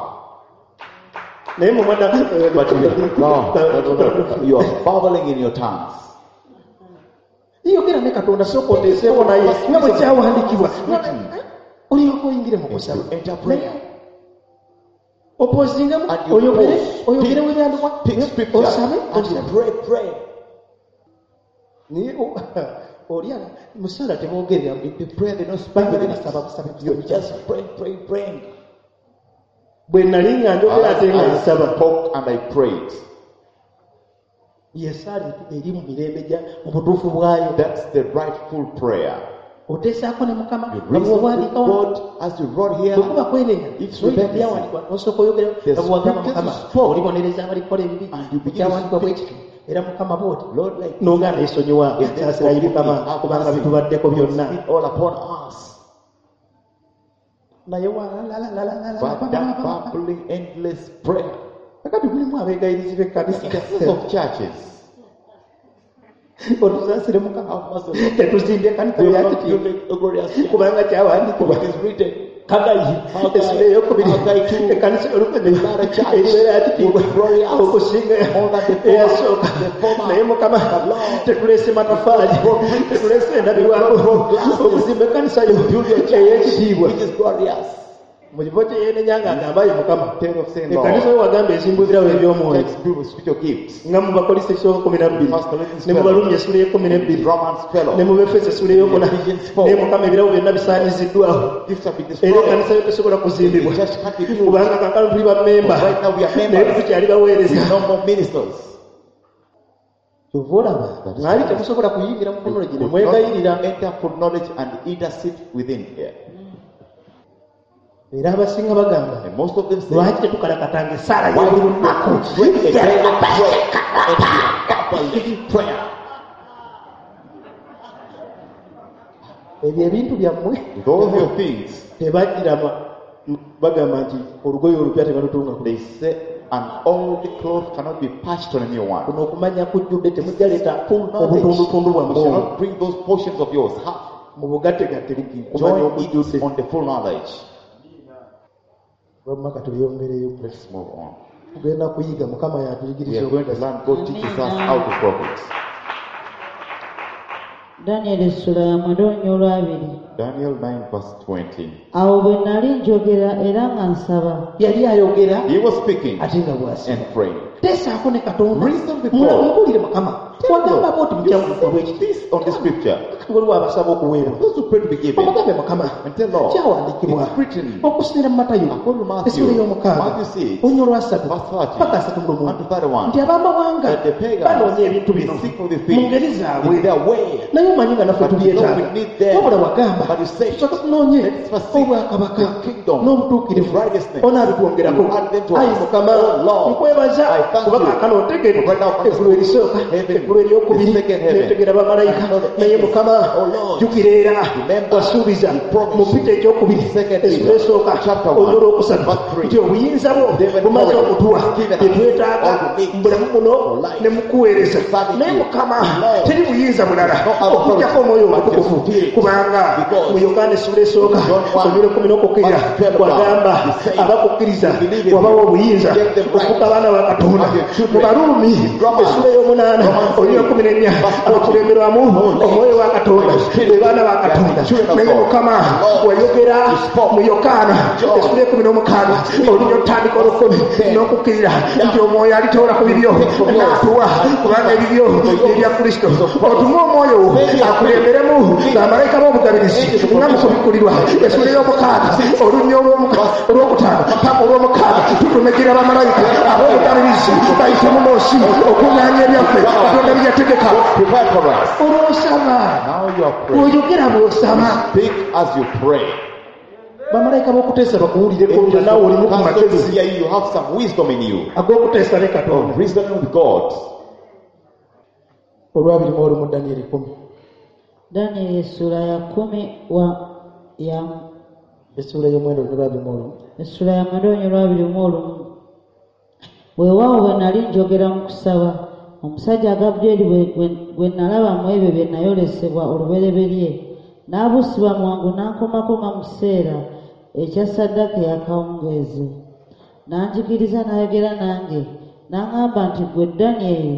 Naye mu mwana
But you, no. You are babbling in your tongues.
Yogera ne Katonda, sooka oteeseeko naye nga bwe kyawandiikibwa, olyoka oyingire mu kusaba.
You enter prayer.
Opozingemu
And you
oyogere
pause.
oyogere webyandikwa
Pick scriptures.
osabe
And you
osabe.
pray, pray.
Naye oli musaala teboogerera.
In the prayer, they don't speak
Bagenda
within it.
basaba busabe
You
busabe.
just pray, pray, praying.
Bwe nali nga njogera
As
ate nga
I
nsaba,
spoke and I prayed.
yesaala eri mu mirembe gya mu butuufu bwayo.
That's the rightful prayer.
Oteesaako ne Mukama
You
nga
reason with
bw'owandiika wano.
God as you wrote here.
Bwe kuba kwenenya,
If
n'oyita
repentance,
byawandiikibwa n'osooka oyogera
the
nga bw'ogamba
scriptures
Mukama
you spoke,
olibonereza abalikola ebibi
and you begin to
ekyawandiikibwa bwe
speak.
kityo era Mukama bw'oti
Lord, like
n'ogaana esonyiwa,
If they
saasirayi
forgive
Mukama
me, have
kubanga
mercy.
bitubaddeko byonna.
Speak all upon us.
Naye wa-
But that babbling, endless prayer.
Kakati mulimu abeegayirizi b'ekkanisa.
Intercessors of churches.
Otusaasire Mukama,
Have mercy on us.
tetuzimbye ekkanisa
We have not
byakitiibwa
built a glorious church.
kubanga kyawandiikibwa
It is written.
Kagayi
Haggai,
essula eyokubiri,
Haggai 2,
ekkanisa oluvannyuma
Another church
eribeera yakitiibwa
will be glorious
okusinga
more than the former,
eyasooka.
the former.
Naye Mukama,
But Lord,
tetuleese matafaali, tetuleese endabirwako
glasses.
okuzimba ekkanisa yo
Build your church,
ey'ekitiibwa.
which is glorious.
Mu kifo kye yeenenya nga agamba ye Mukama,
Instead of saying,
ekkanisa
Lord,
yo wagamba ezimbwa ebirabo eby'omwoyo
let's build with spiritual gifts.
nga mu Bakolisi ekisooka 12,
First Corinthians
ne mu Baluumi essula ey'e12,
Romans 12.
ne mu Befeso essula ey'okuna.
Ephesians 4.
Naye Mukama, ebirabo byonna bisaanyiziddwawo
Gifts have been
era
destroyed.
ekkanisa yo tesobola kuzimbibwa
The church can't be built.
kubanga kaakano tuli bammemba,
Right now we are
naye
members.
tukyali baweereza.
We are no more ministers.
Kyova olaba mwali temusobola kuyingira mu
You
knowledge ne
could
mwegayirira.
not enter full knowledge and intercede within here.
Era abasinga bagamba,
And most of them say,
lwaki tetukalakatanga essaala
why
y'obuli
do not
lunaku?
pray a daily prayer and be a prayer?
Ebyo ebintu byammwe
With all your things,
tebagirama bagamba nti olugoye olupya tebalutunga ku
they say an old cloth cannot be patched on a new one.
Kuno okumanya kujjudde, temujja leeta
Full knowledge.
obutundutundu
You
bwammwe
shall
obwo
not bring those portions of yours, half.
mu bugattegatte kumanya
Join
okujjudde.
it on the full knowledge.
Wamma katuyongereyo.
Let's move on.
Tugenda kuyiga, Mukama
We
yatuyigiriza
are going to
okugasa.
learn. God teaches us how to profit.
Danyeri essula ya mwenda olunya olwabiri.
Daniel 9, verse 20.
Awo bwe nali njogera era nga nsaba,
Yali ayogera
He was speaking
ate nga bw'asaba.
and praying.
Teesaako ne Katonda.
Reason with God.
Mubuulire Mukama. Wagamba bw'oti
You
mukyamukuba
said
ekiti.
this on the scripture.
Waliwo abasaba okuweebwa.
Those who pray to be given.
Omugambe Mukama.
And tell Lord,
Kyawandiikibwa.
it's written.
Okusinziira mu Matayo.
According to Matthew,
Essula ey'omukaaga.
Matthew 6,
Olunya olwasatu.
verse 30,
Paka asatu mu lumu.
and to 31.
Nti ab'amawanga
That the pagans,
banoonya ebintu bino
they seek for the
mu
things
ngeri zaabwe.
in their way.
Naye omanyi nga naffe
But you know
tubyetaaga.
we need them.
Wabula wagamba
But you say,
tusooke tunoonye
let's first seek
obwakabaka
the kingdom,
n'obutuukirivu
the righteousness.
onaabitwongerako.
You add them to
Ayi
us.
Mukama,
Oh Lord,
nkwebaza
I thank
kuba
you.
kaakano otegedde
Right now,
eggulu erisooka,
heaven,
eggulu eryokubiri,
the second heaven,
netegera bamalayika.
and all the
Naye
angels.
Mukama,
Oh Lord,
jjukira era
remember,
wasuubiza
you promised.
mu Peter ekyokubiri,
Second
essula
Peter,
esooka,
chapter 1,
olunya olwokusatu,
verse 3.
nti obuyinza bwo
David
bumaze
already
okutuwa
given us
bye twetaaga
all we need
mu bulamu buno
for life.
ne mu kuweereza.
Serving
Naye
you.
Mukama,
Lord,
teri buyinza bulala
no other
okuggyako omwoyo
authority but your
omutukuvu,
spirit.
kubanga
Because
mu Yokaana essula esooka
John 1,
olunya olw'ekkumi n'okukkirira
verse 12,
wagamba
you say,
abakukkiriza
you believe in
wabawa
him,
obuyinza
give them right
okufuuka abaana ba Katonda.
as your children.
Mu Baruumi
Romans,
essula ey'omunaana
Romans
olunya
8,
olw'ekkumi n'ennya
verse 14,
abakulemberwamu omwoyo wa Katonda
Your spirit,
be baana ba
they are
Katonda.
the children of
Naye
God.
Mukama,
Lord,
wayogera
you spoke.
mu Yokaana
John,
essula ekumi n'omukaaga olunya olutandika olw'ekkumi n'okukkirira nti omwoyo alitoola ku bibyo n'atuwa, kubanga ebibyo ebya Kristo. Otume omwoyo wo akulemberemu bamalayika b'obugabirizi nga mu kubikkulirwa essula ey'omukaaga olunya olwokutaano paka olw'omukaaga tutumekera bamalayika ab'obugabirizi bayite mu moosi okuŋŋaanya ebyaffe Katonda bye yategeka.
Prepared for us.
Olw'osaba
Now you are praying.
bw'oyogera bw'osaba
Speak as you pray.
bamalayika b'okuteesa bakuwulireko nga
Angels
naawe olimu ku
of counsel to
magezi
hear you. You have some wisdom in you.
ag'okuteesa ne Katonda.
Reasoning with God.
Olwabiri mu olumu Danyeri 10.
Danyeri essula ya kumi wa ya
Essuula ey'omwenda olunya lwabiri mu olumu.
Essula ya mwenda olunya olwabiri mu olumu. Weewaawo bwe nali njogera mu kusaba, omusajja Gabulyeri gwe nalaba mu ebyo bye nayolesebwa olubereberye, n'abuusibwa mangu n'ankomako nga mu kiseera ekya ssaddaaka ey'akawungeezi. N'anjigiriza n'ayogera nange, n'aŋŋamba nti, ggwe Danyeri,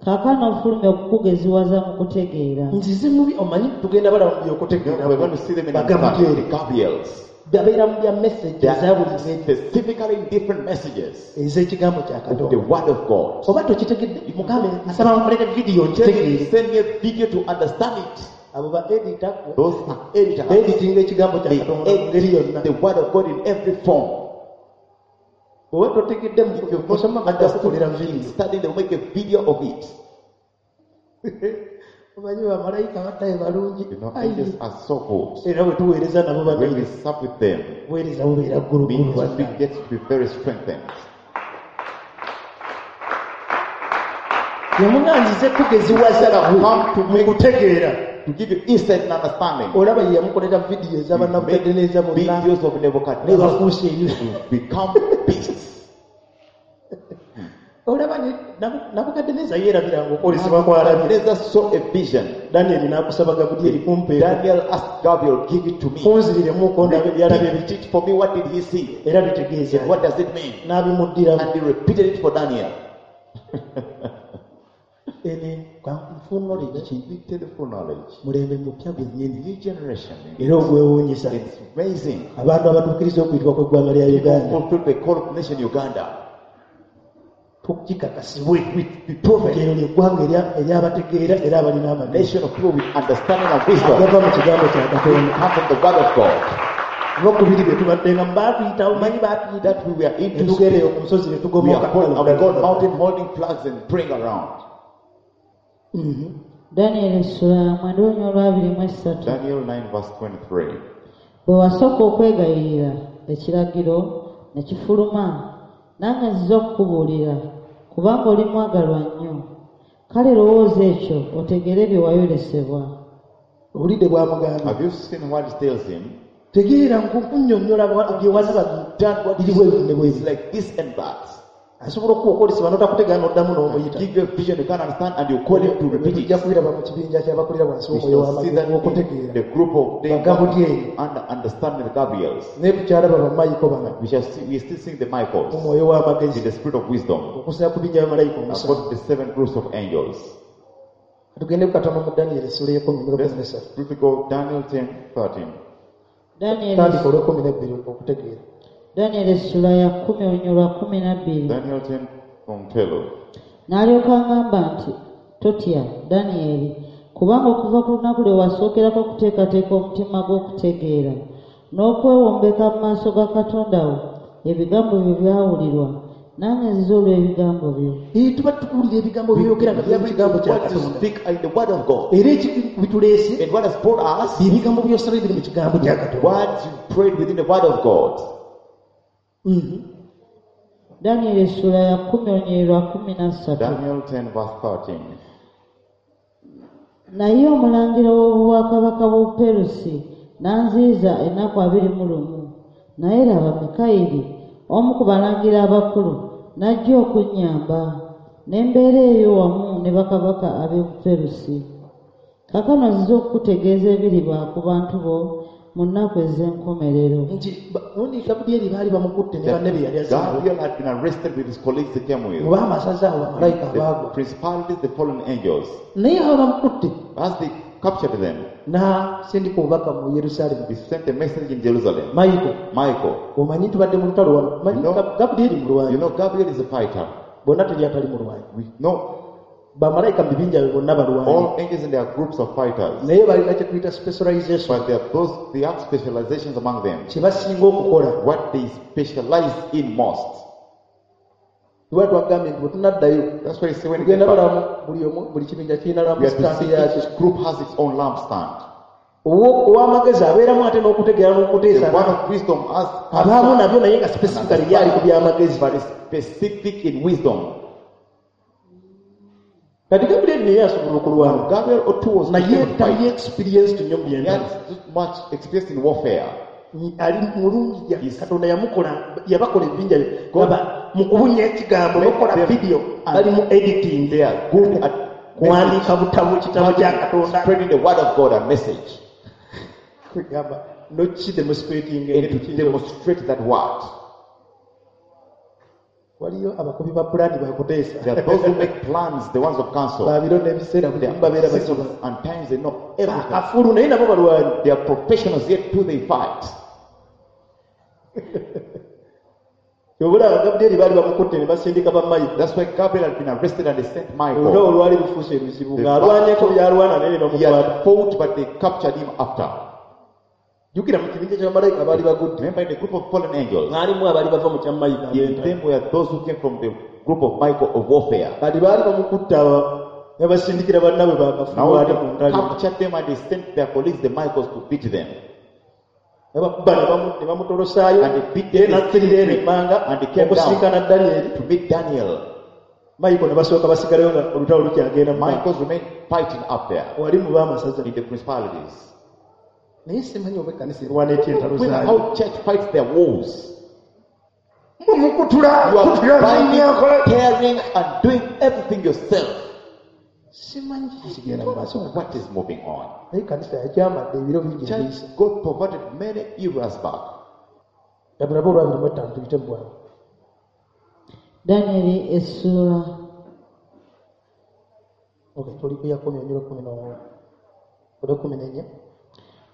kaakano nfulumye okukugeziwaza mu kutegeera.
Nzize mubi omanyi tugenda balaba mu by'okutegeera.
We're going to see them in
Bagabulyeri.
the Gabriels.
Babeera mu bya message
They
eza
are
buli ngeri
specifically different messages
ez'ekigambo kya
of the
Katonda.
word of God.
Oba tokitegedde mugambe nsaba nkolere vidiyo
Tell me,
nkitegeere.
send me a video to understand it.
Abo ba edita
Those are editors.
beeditinga ekigambo kya
They
Katonda mu ngeri
edit
yonna.
the word of God in every form.
Bw'oba totegedde
If you've
musoma
not
bajja kukolera
understood,
vidiyo.
study, they'll make a video of it.
Omanyi bamalayika baddayo balungi.
You know,
Ayi.
angels are so good.
Era bwe tuweereza nabo
When we
banene
serve with them,
buweereza bubeera ggulugulu
ministry
bannange.
gets to be very strengthened.
Yamuŋŋanzize kugeziwaza
Come to
mu
make
kutegeera.
to give you insight and understanding.
Olaba ye yamukolera vidiyo
You
ez'abannabukaddeneeza
make
bonna
videos of Nebuchadnezzar
nebafuusa ebyo.
to become beasts.
Olaba Nabukaddeneeza yeerabiranga okwolesebwa kw'alabye.
Nebuchadnezzar saw a vision.
Danyeri n'akusaba Gabulyeri kumpeera.
Daniel asked Gabriel, give it to me.
Kunziriremuko ndabe byalabye
Repeat
biki
it for me. What did he see?
era bitegeeza.
What does it mean?
N'abimuddiramu.
And he repeated it for Daniel.
Ene full knowledge ki?
We tell the full knowledge.
Mulembe mupya gwennyini
New generation.
era ogwewuunyisa.
It's amazing.
Abantu abatuukiriza okuyitibwa kw'eggwanga lya
People
Uganda
fulfill the call of nation Uganda.
tukikakasibwe
Be proven.
nti eryo lyeggwanga eryabategeera era abalina amagezi
Nation of people with understanding and wisdom.
agava mu kigambo kya Katonda.
Come from the word of God.
Olwokubiri bye tubaddenga baatuyita omanyi baatuyita
That we were
ne
into
tugenda eyo ku nsozi ne
we
tugomoka.
are called, and we go mountain holding flags and praying around.
Danyeri essula ya mwenda olunya olwabiri mu esatu.
Daniel 9 verse 23.
Bwe wasooka okwegayirira ekiragiro ne kifuluma, nange nzize okukubuulira, kubanga oli mwagalwa nnyo. Kale lowooza ekyo otegeere bye wayolesebwa.
Obulidde bwamugamba
Have you seen what it tells him?
tegeera nkunnyonnyola bye walaba
Done what
biri bweru ne
is
bweru.
like this and that.
Asobola okuwa okwolesebwa n'otakutegeera n'oddamu n'omuyita.
Give you a vision you can't understand and you call him to repeat
Tujja
it.
kubiraba mu kibinja ky'abakulira wansi
We
w'omwoyo
shall see
w'amagezi
that in
w'okutegeera.
the group of them
Bagabulyeri.
under understanding the Gabriels.
Naye tukyalaba bamayiko bano
We shall see, we still seeing the
mu
Michaels
mwoyo
in
w'amagezi
the spirit of wisdom.
okusinza ku binja bamalayika omusanvu.
According to the seven groups of angels.
Tugende katono mu Daniyeli essula y'ekumi
Let's
n'olwekumi
briefly go Daniel 10, 13.
Danyeri
tandika olwekumi n'ebbiri okutegeera.
Danyeri essula ya 10 olunyiriri lwa 12.
Daniel 10 from 12.
N'alyoka agamba nti totya Danyeri, kubanga okuva ku lunaku lwe wasookerako okuteekateeka omutima gw'okutegeera n'okwewombeka mu maaso ga Katonda wo, ebigambo byo byawulirwa, nange nzize olw'ebigambo byo.
Ee, tuba tukuwulira ebigambo by'oyogera nga byava kigambo kya
What you
Katonda.
speak in the word of God.
Era bituleese
And what has brought us,
bye bigambo by'osaba ebiri mu kigambo kya Katonda.
what you prayed within the word of God.
Danyeri essula ya 10 olunyiriri lwa 13.
Daniel 10, verse 13.
Naye omulangira w'obwakabaka bw'Obuperusi n'anziyiza ennaku 21. Naye laba Mikayiri, omu ku balangira abakulu, n'ajja okunnyamba, ne mbeera eyo wamu ne bakabaka ab'Obuperusi. Kaakano nzize okukutegeeza ebiriba ku bantu bo mu nnaku ez'enkomerero.
Nti gundi Gabulyeri baali bamukutte ne banne be yali azze nabo.
Gabriel had been arrested with his colleagues he came with.
Mu baamasaza awo bamalayika
The
abaagwa.
principalities, the fallen angels.
Naye abo bamukutte
As they captured them,
n'asindika obubaka mu Yerusaalemi.
he sent a message in Jerusalem.
Mayiko,
Michael,
omanyi tubadde mu lutalo wano. Omanyi
You know-
Gabulyeri
you
mulwanyi.
know Gabriel is a fighter.
Bonna teri atali mulwanyi.
We know
Bamalayika mu bibinja bye bonna balwanyi.
all angels in their groups of fighters.
Naye balina kye tuyita specialization
But there are those, they have specializations among them.
kye basinga okukola.
What they specialize in most.
Lwa twagambye nti bwe tunaddayo
That's why you see when you get
tugenda
back,
balamu buli omu buli kibinja kirina
we have to
lampstand
see
yakyo.
each group has its own lampstand.
Ow'amagezi abeeramu ate n'okutegeera
The
n'okuteesa
one of wisdom has
abaamu nabyo naye nga specifically ye ali ku by'amagezi.
but is specific in wisdom.
Kati Gabulyeri naye asobola okulwana
Gabriel too was
naye
able to
tali
fight.
experienced nnyo mu
He
byentalo.
had too much experience in warfare.
Ali mulungi ya-
Yes.
Katonda yamukola yabakola ebibinja bye gaba mu kubunya ekigambo n'okukola
Them
vidiyo
and
bali mu editing
They are good at
kuwandiika butabo kitabo kya Katonda
spreading the word of God and message
kugamba nokidemonstrating
and to demonstrate that word.
Waliyo abakubi ba pulaani bakuteesa
There are those who make plans, the ones of counsel.
babiro n'ebiseera buli
There
kimu babeera
are
bakiba
seasons and times they know everything.
akafulu naye nabo balwanyi.
They are professionals, yet do they fight.
Kyobulaba Gabulyeri baali bamukutte ne basindika bamayiko.
That's why Gabriel had been arrested and they sent
Olutalo
Michael.
olwali lufuuse luzibu
The
ng'alwanyeko byalwana naye ne
He
bamukwata.
had fought, but they captured him after.
Jjukira mu kibinja ky'abamalayika abaali bagudde
Remember, in the group of fallen angels,
mwalimu abaali bava mu kya Mayiko
in
ab'entalo.
them were those who came from the group of Michael of warfare.
Kati baali bamukutte aba ne basindikira bannaabwe bakafubu
Now
ate
they
mu ntalo.
captured them and they sent their colleagues, the Michaels, to beat them.
Ne bakuba ne bamutolosaayo
And they beat
ye
them
n'akkirira eno emmanga
And they came down.
okusinkana Danyeri.
to meet Daniel.
Mayiko ne basooka basigalayo nga olutalo lukyagenda mu maaso.
Michaels remained fighting up there
Wali mu baamasaza.
in the principalities.
Naye simanyi oba ekkanisa erwana etya entalo
When
zaayo.
how church fights their wars.
Mumukutula
You are
kutula
binding,
zinyakola.
tearing, and doing everything yourself.
Simanyi kikigenda mu maaso.
What is moving on?
Naye ekkanisa yakyamadde ebiro bingi ebiyise.
Church got perverted many eras back.
Tabulabe olwabiri mu ttaano tuyite mu bwangu.
Danyeri essuula
Okay, tuli ku ya 10 olunyiriri olw'ekumi n'ennya.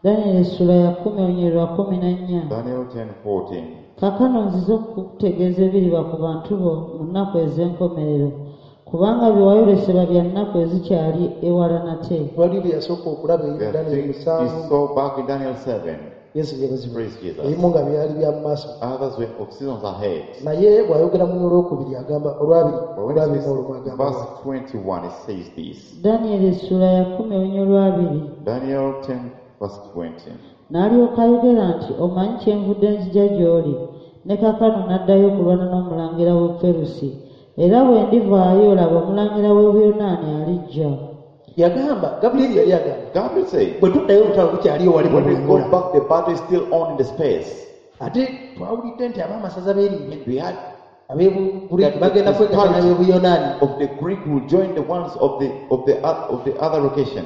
Danyeri essuula ya 10 olunyiriri lwa 14.
Daniel 10 14.
Kaakano nzize okukutegeeza ebiriba ku bantu bo mu nnaku ez'enkomerero, kubanga bye wayolesebwa bya nnaku ezikyali ewala nate.
Waliwo bye yasooka okulaba eri
The
Danyeri
things he
7.
saw back in Daniel 7.
Yesu yeebazibwe.
Praise Jesus.
Ebimu nga byali bya mu maaso.
Others were of seasons ahead.
Naye bw'ayogera mu olwokubiri agamba olwabiri
But when
olwabiri
it
n'olumu
says,
agamba
verse 21, it says this.
Danyeri essuula ya 10 olunyiriri lw'abiri.
Daniel 10, verse 20.
N'alyoka ayogera nti omanyi kyenvudde nzija gy'oli ne kaakano n'addayo okulwana n'omulangira w'Obuperusi era bwe ndivaayo laba omulangira w'Obuyonaani alijja.
Yagamba Gabulyeri yali agamba
Gabriel said,
bwe tuddayo olutalo lukyaliyo wali
when we go
bulungula.
back, the battle is still on in the space.
Ate twawulidde nti ab'amasaza b'erinya
We had
ab'Ebugiriki bagenda kwegatta n'ab'Ebuyonaani.
of the Greek will join the ones of the other location.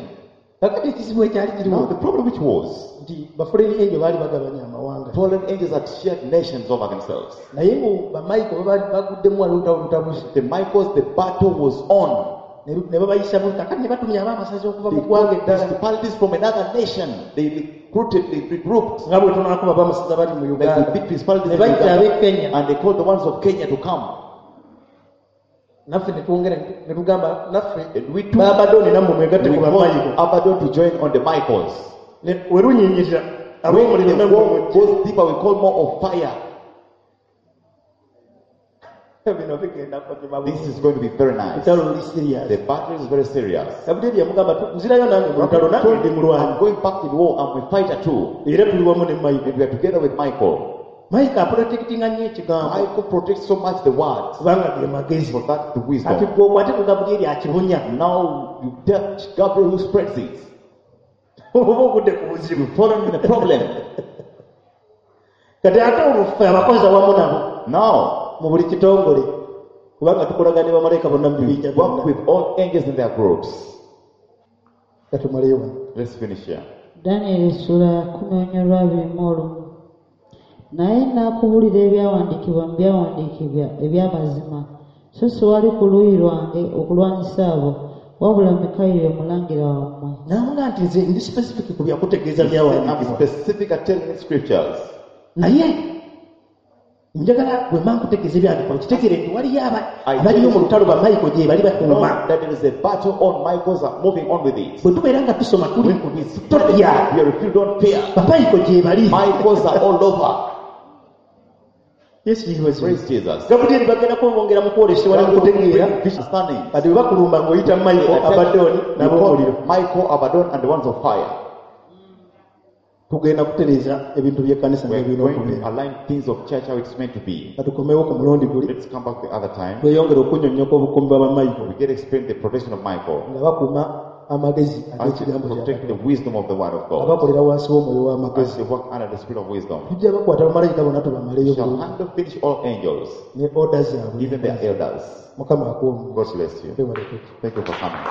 Kakati ekizibu ekyali
Now
kiriwo
the problem which was
nti bafuleni enjo baali bagabanya amawanga
fallen angels had shared nations over themselves.
naye mu bamayiko baguddemu wali olutalo lutabuse.
The Michaels, the battle was on.
Ne babayisa mu kakati ne batumya ab'amasaza okuva
They
mu ggwanga
called
eddala
principalities from another nation. They recruited, they regrouped.
Nga bwe tunaakuba ab'amasaza bali mu
Like
Uganda
the big principalities
ne
in
bayita
Uganda.
ab'e Kenya
And they called the ones of Kenya to come.
Naffe ne twongera ne tugamba naffe
And we too,
baabadoni nammwe mwegatte
we
ku
called
bamayiko
Abaddon to join on the Michaels.
Ne- we lunyinyirira
When
ab'omuliro
the
nammwe
war
mujje.
goes deeper, we call more of fire.
Bino bigenda kunyuma
This is going to be very nice.
lutalo luli serious
The battle is very serious.
Gabulyeri yamugamba "Tu- nzirayo nange mu lutalo nange ndi mulwanyi
I'm going back in war. I'm a fighter too.
Era tuli wamu ne Mayiko
And we are together with Michael.
Mayiko aprotectinga nnyo ekigambo
Michael protects so much the word.
Kubanga ge magezi
For that, the
kati
wisdom.
gwe okwate ku Gabulyeri akibunya
Now you touch Gabriel who spreads it.
Oba ogudde ku buzibu
You've fallen in a problem.
Kati ate olwo ffe abakozi awamu nabo
Now
mu buli kitongole kubanga tukolagana ne bamalayika bonna mu bibinja
we work
byonna
with all angels in their groups.
Katumaleyo wano.
Let's finish here.
Danyeri essuula ya 10:21. Naye nnaakubulira ebyawandiikibwa mu byawandiikibwa eby'amazima so siwali ku luuyi lwange okulwanyisa abo wabula Mikayiri omulangira wammwe.
Namuga nti nze ndi specific ku byakutegeeza
I'm
byawandiikibwa
specific at telling scriptures.
Naye njagala bwe mba nkutegeeza ebyawandiikibwa kitegeere nti waliyo aba-
I
abaliyo mu lutalo bamayiko gye bali
Know
bakuuma
that there is a battle on. Michaels are moving on with it.
Bwe tubeera nga tusoma tuli
When we
totya
study, we if you don't fear.
Bamayiko gye bali.
Michaels are all over.
Yesu yeebazibwe.
Praise Jesus.
Gabulyeri bagenda kubongera mu kwolesebwa ne mu kutegeera
Vision standing.
Kati bwe bakulumba ng'oyita Mayiko Abadoni
We
n'ab'omuliro
call Michael, Abaddon, and the ones of fire.
Tugenda kutereeza ebintu by'ekkanisa
We are
ng'ebirina
going to
okubeera
align things of church how it's meant to be.
katukomewo ku mulundi guli
Let's come back the other time.
Tweyongere okunnyonnyoka obukuumi bwa bamayiko
We get explained the protection of Michael.
Nga bakuuma amagezi
As they
ag'ekigambo kya
protect the
Katonda
wisdom of the word of
nga
God.
bakolera wansi w'omwoyo
As
w'amagezi
they work under the spirit of wisdom.
Tujja bakwata bamalayika bonna tubamaleyo
Shall
bulungi
handle finish all angels,
ne oda zaabwe
even their elders.
Mukama akuwa
God bless you.
omukisa.
Thank you for coming.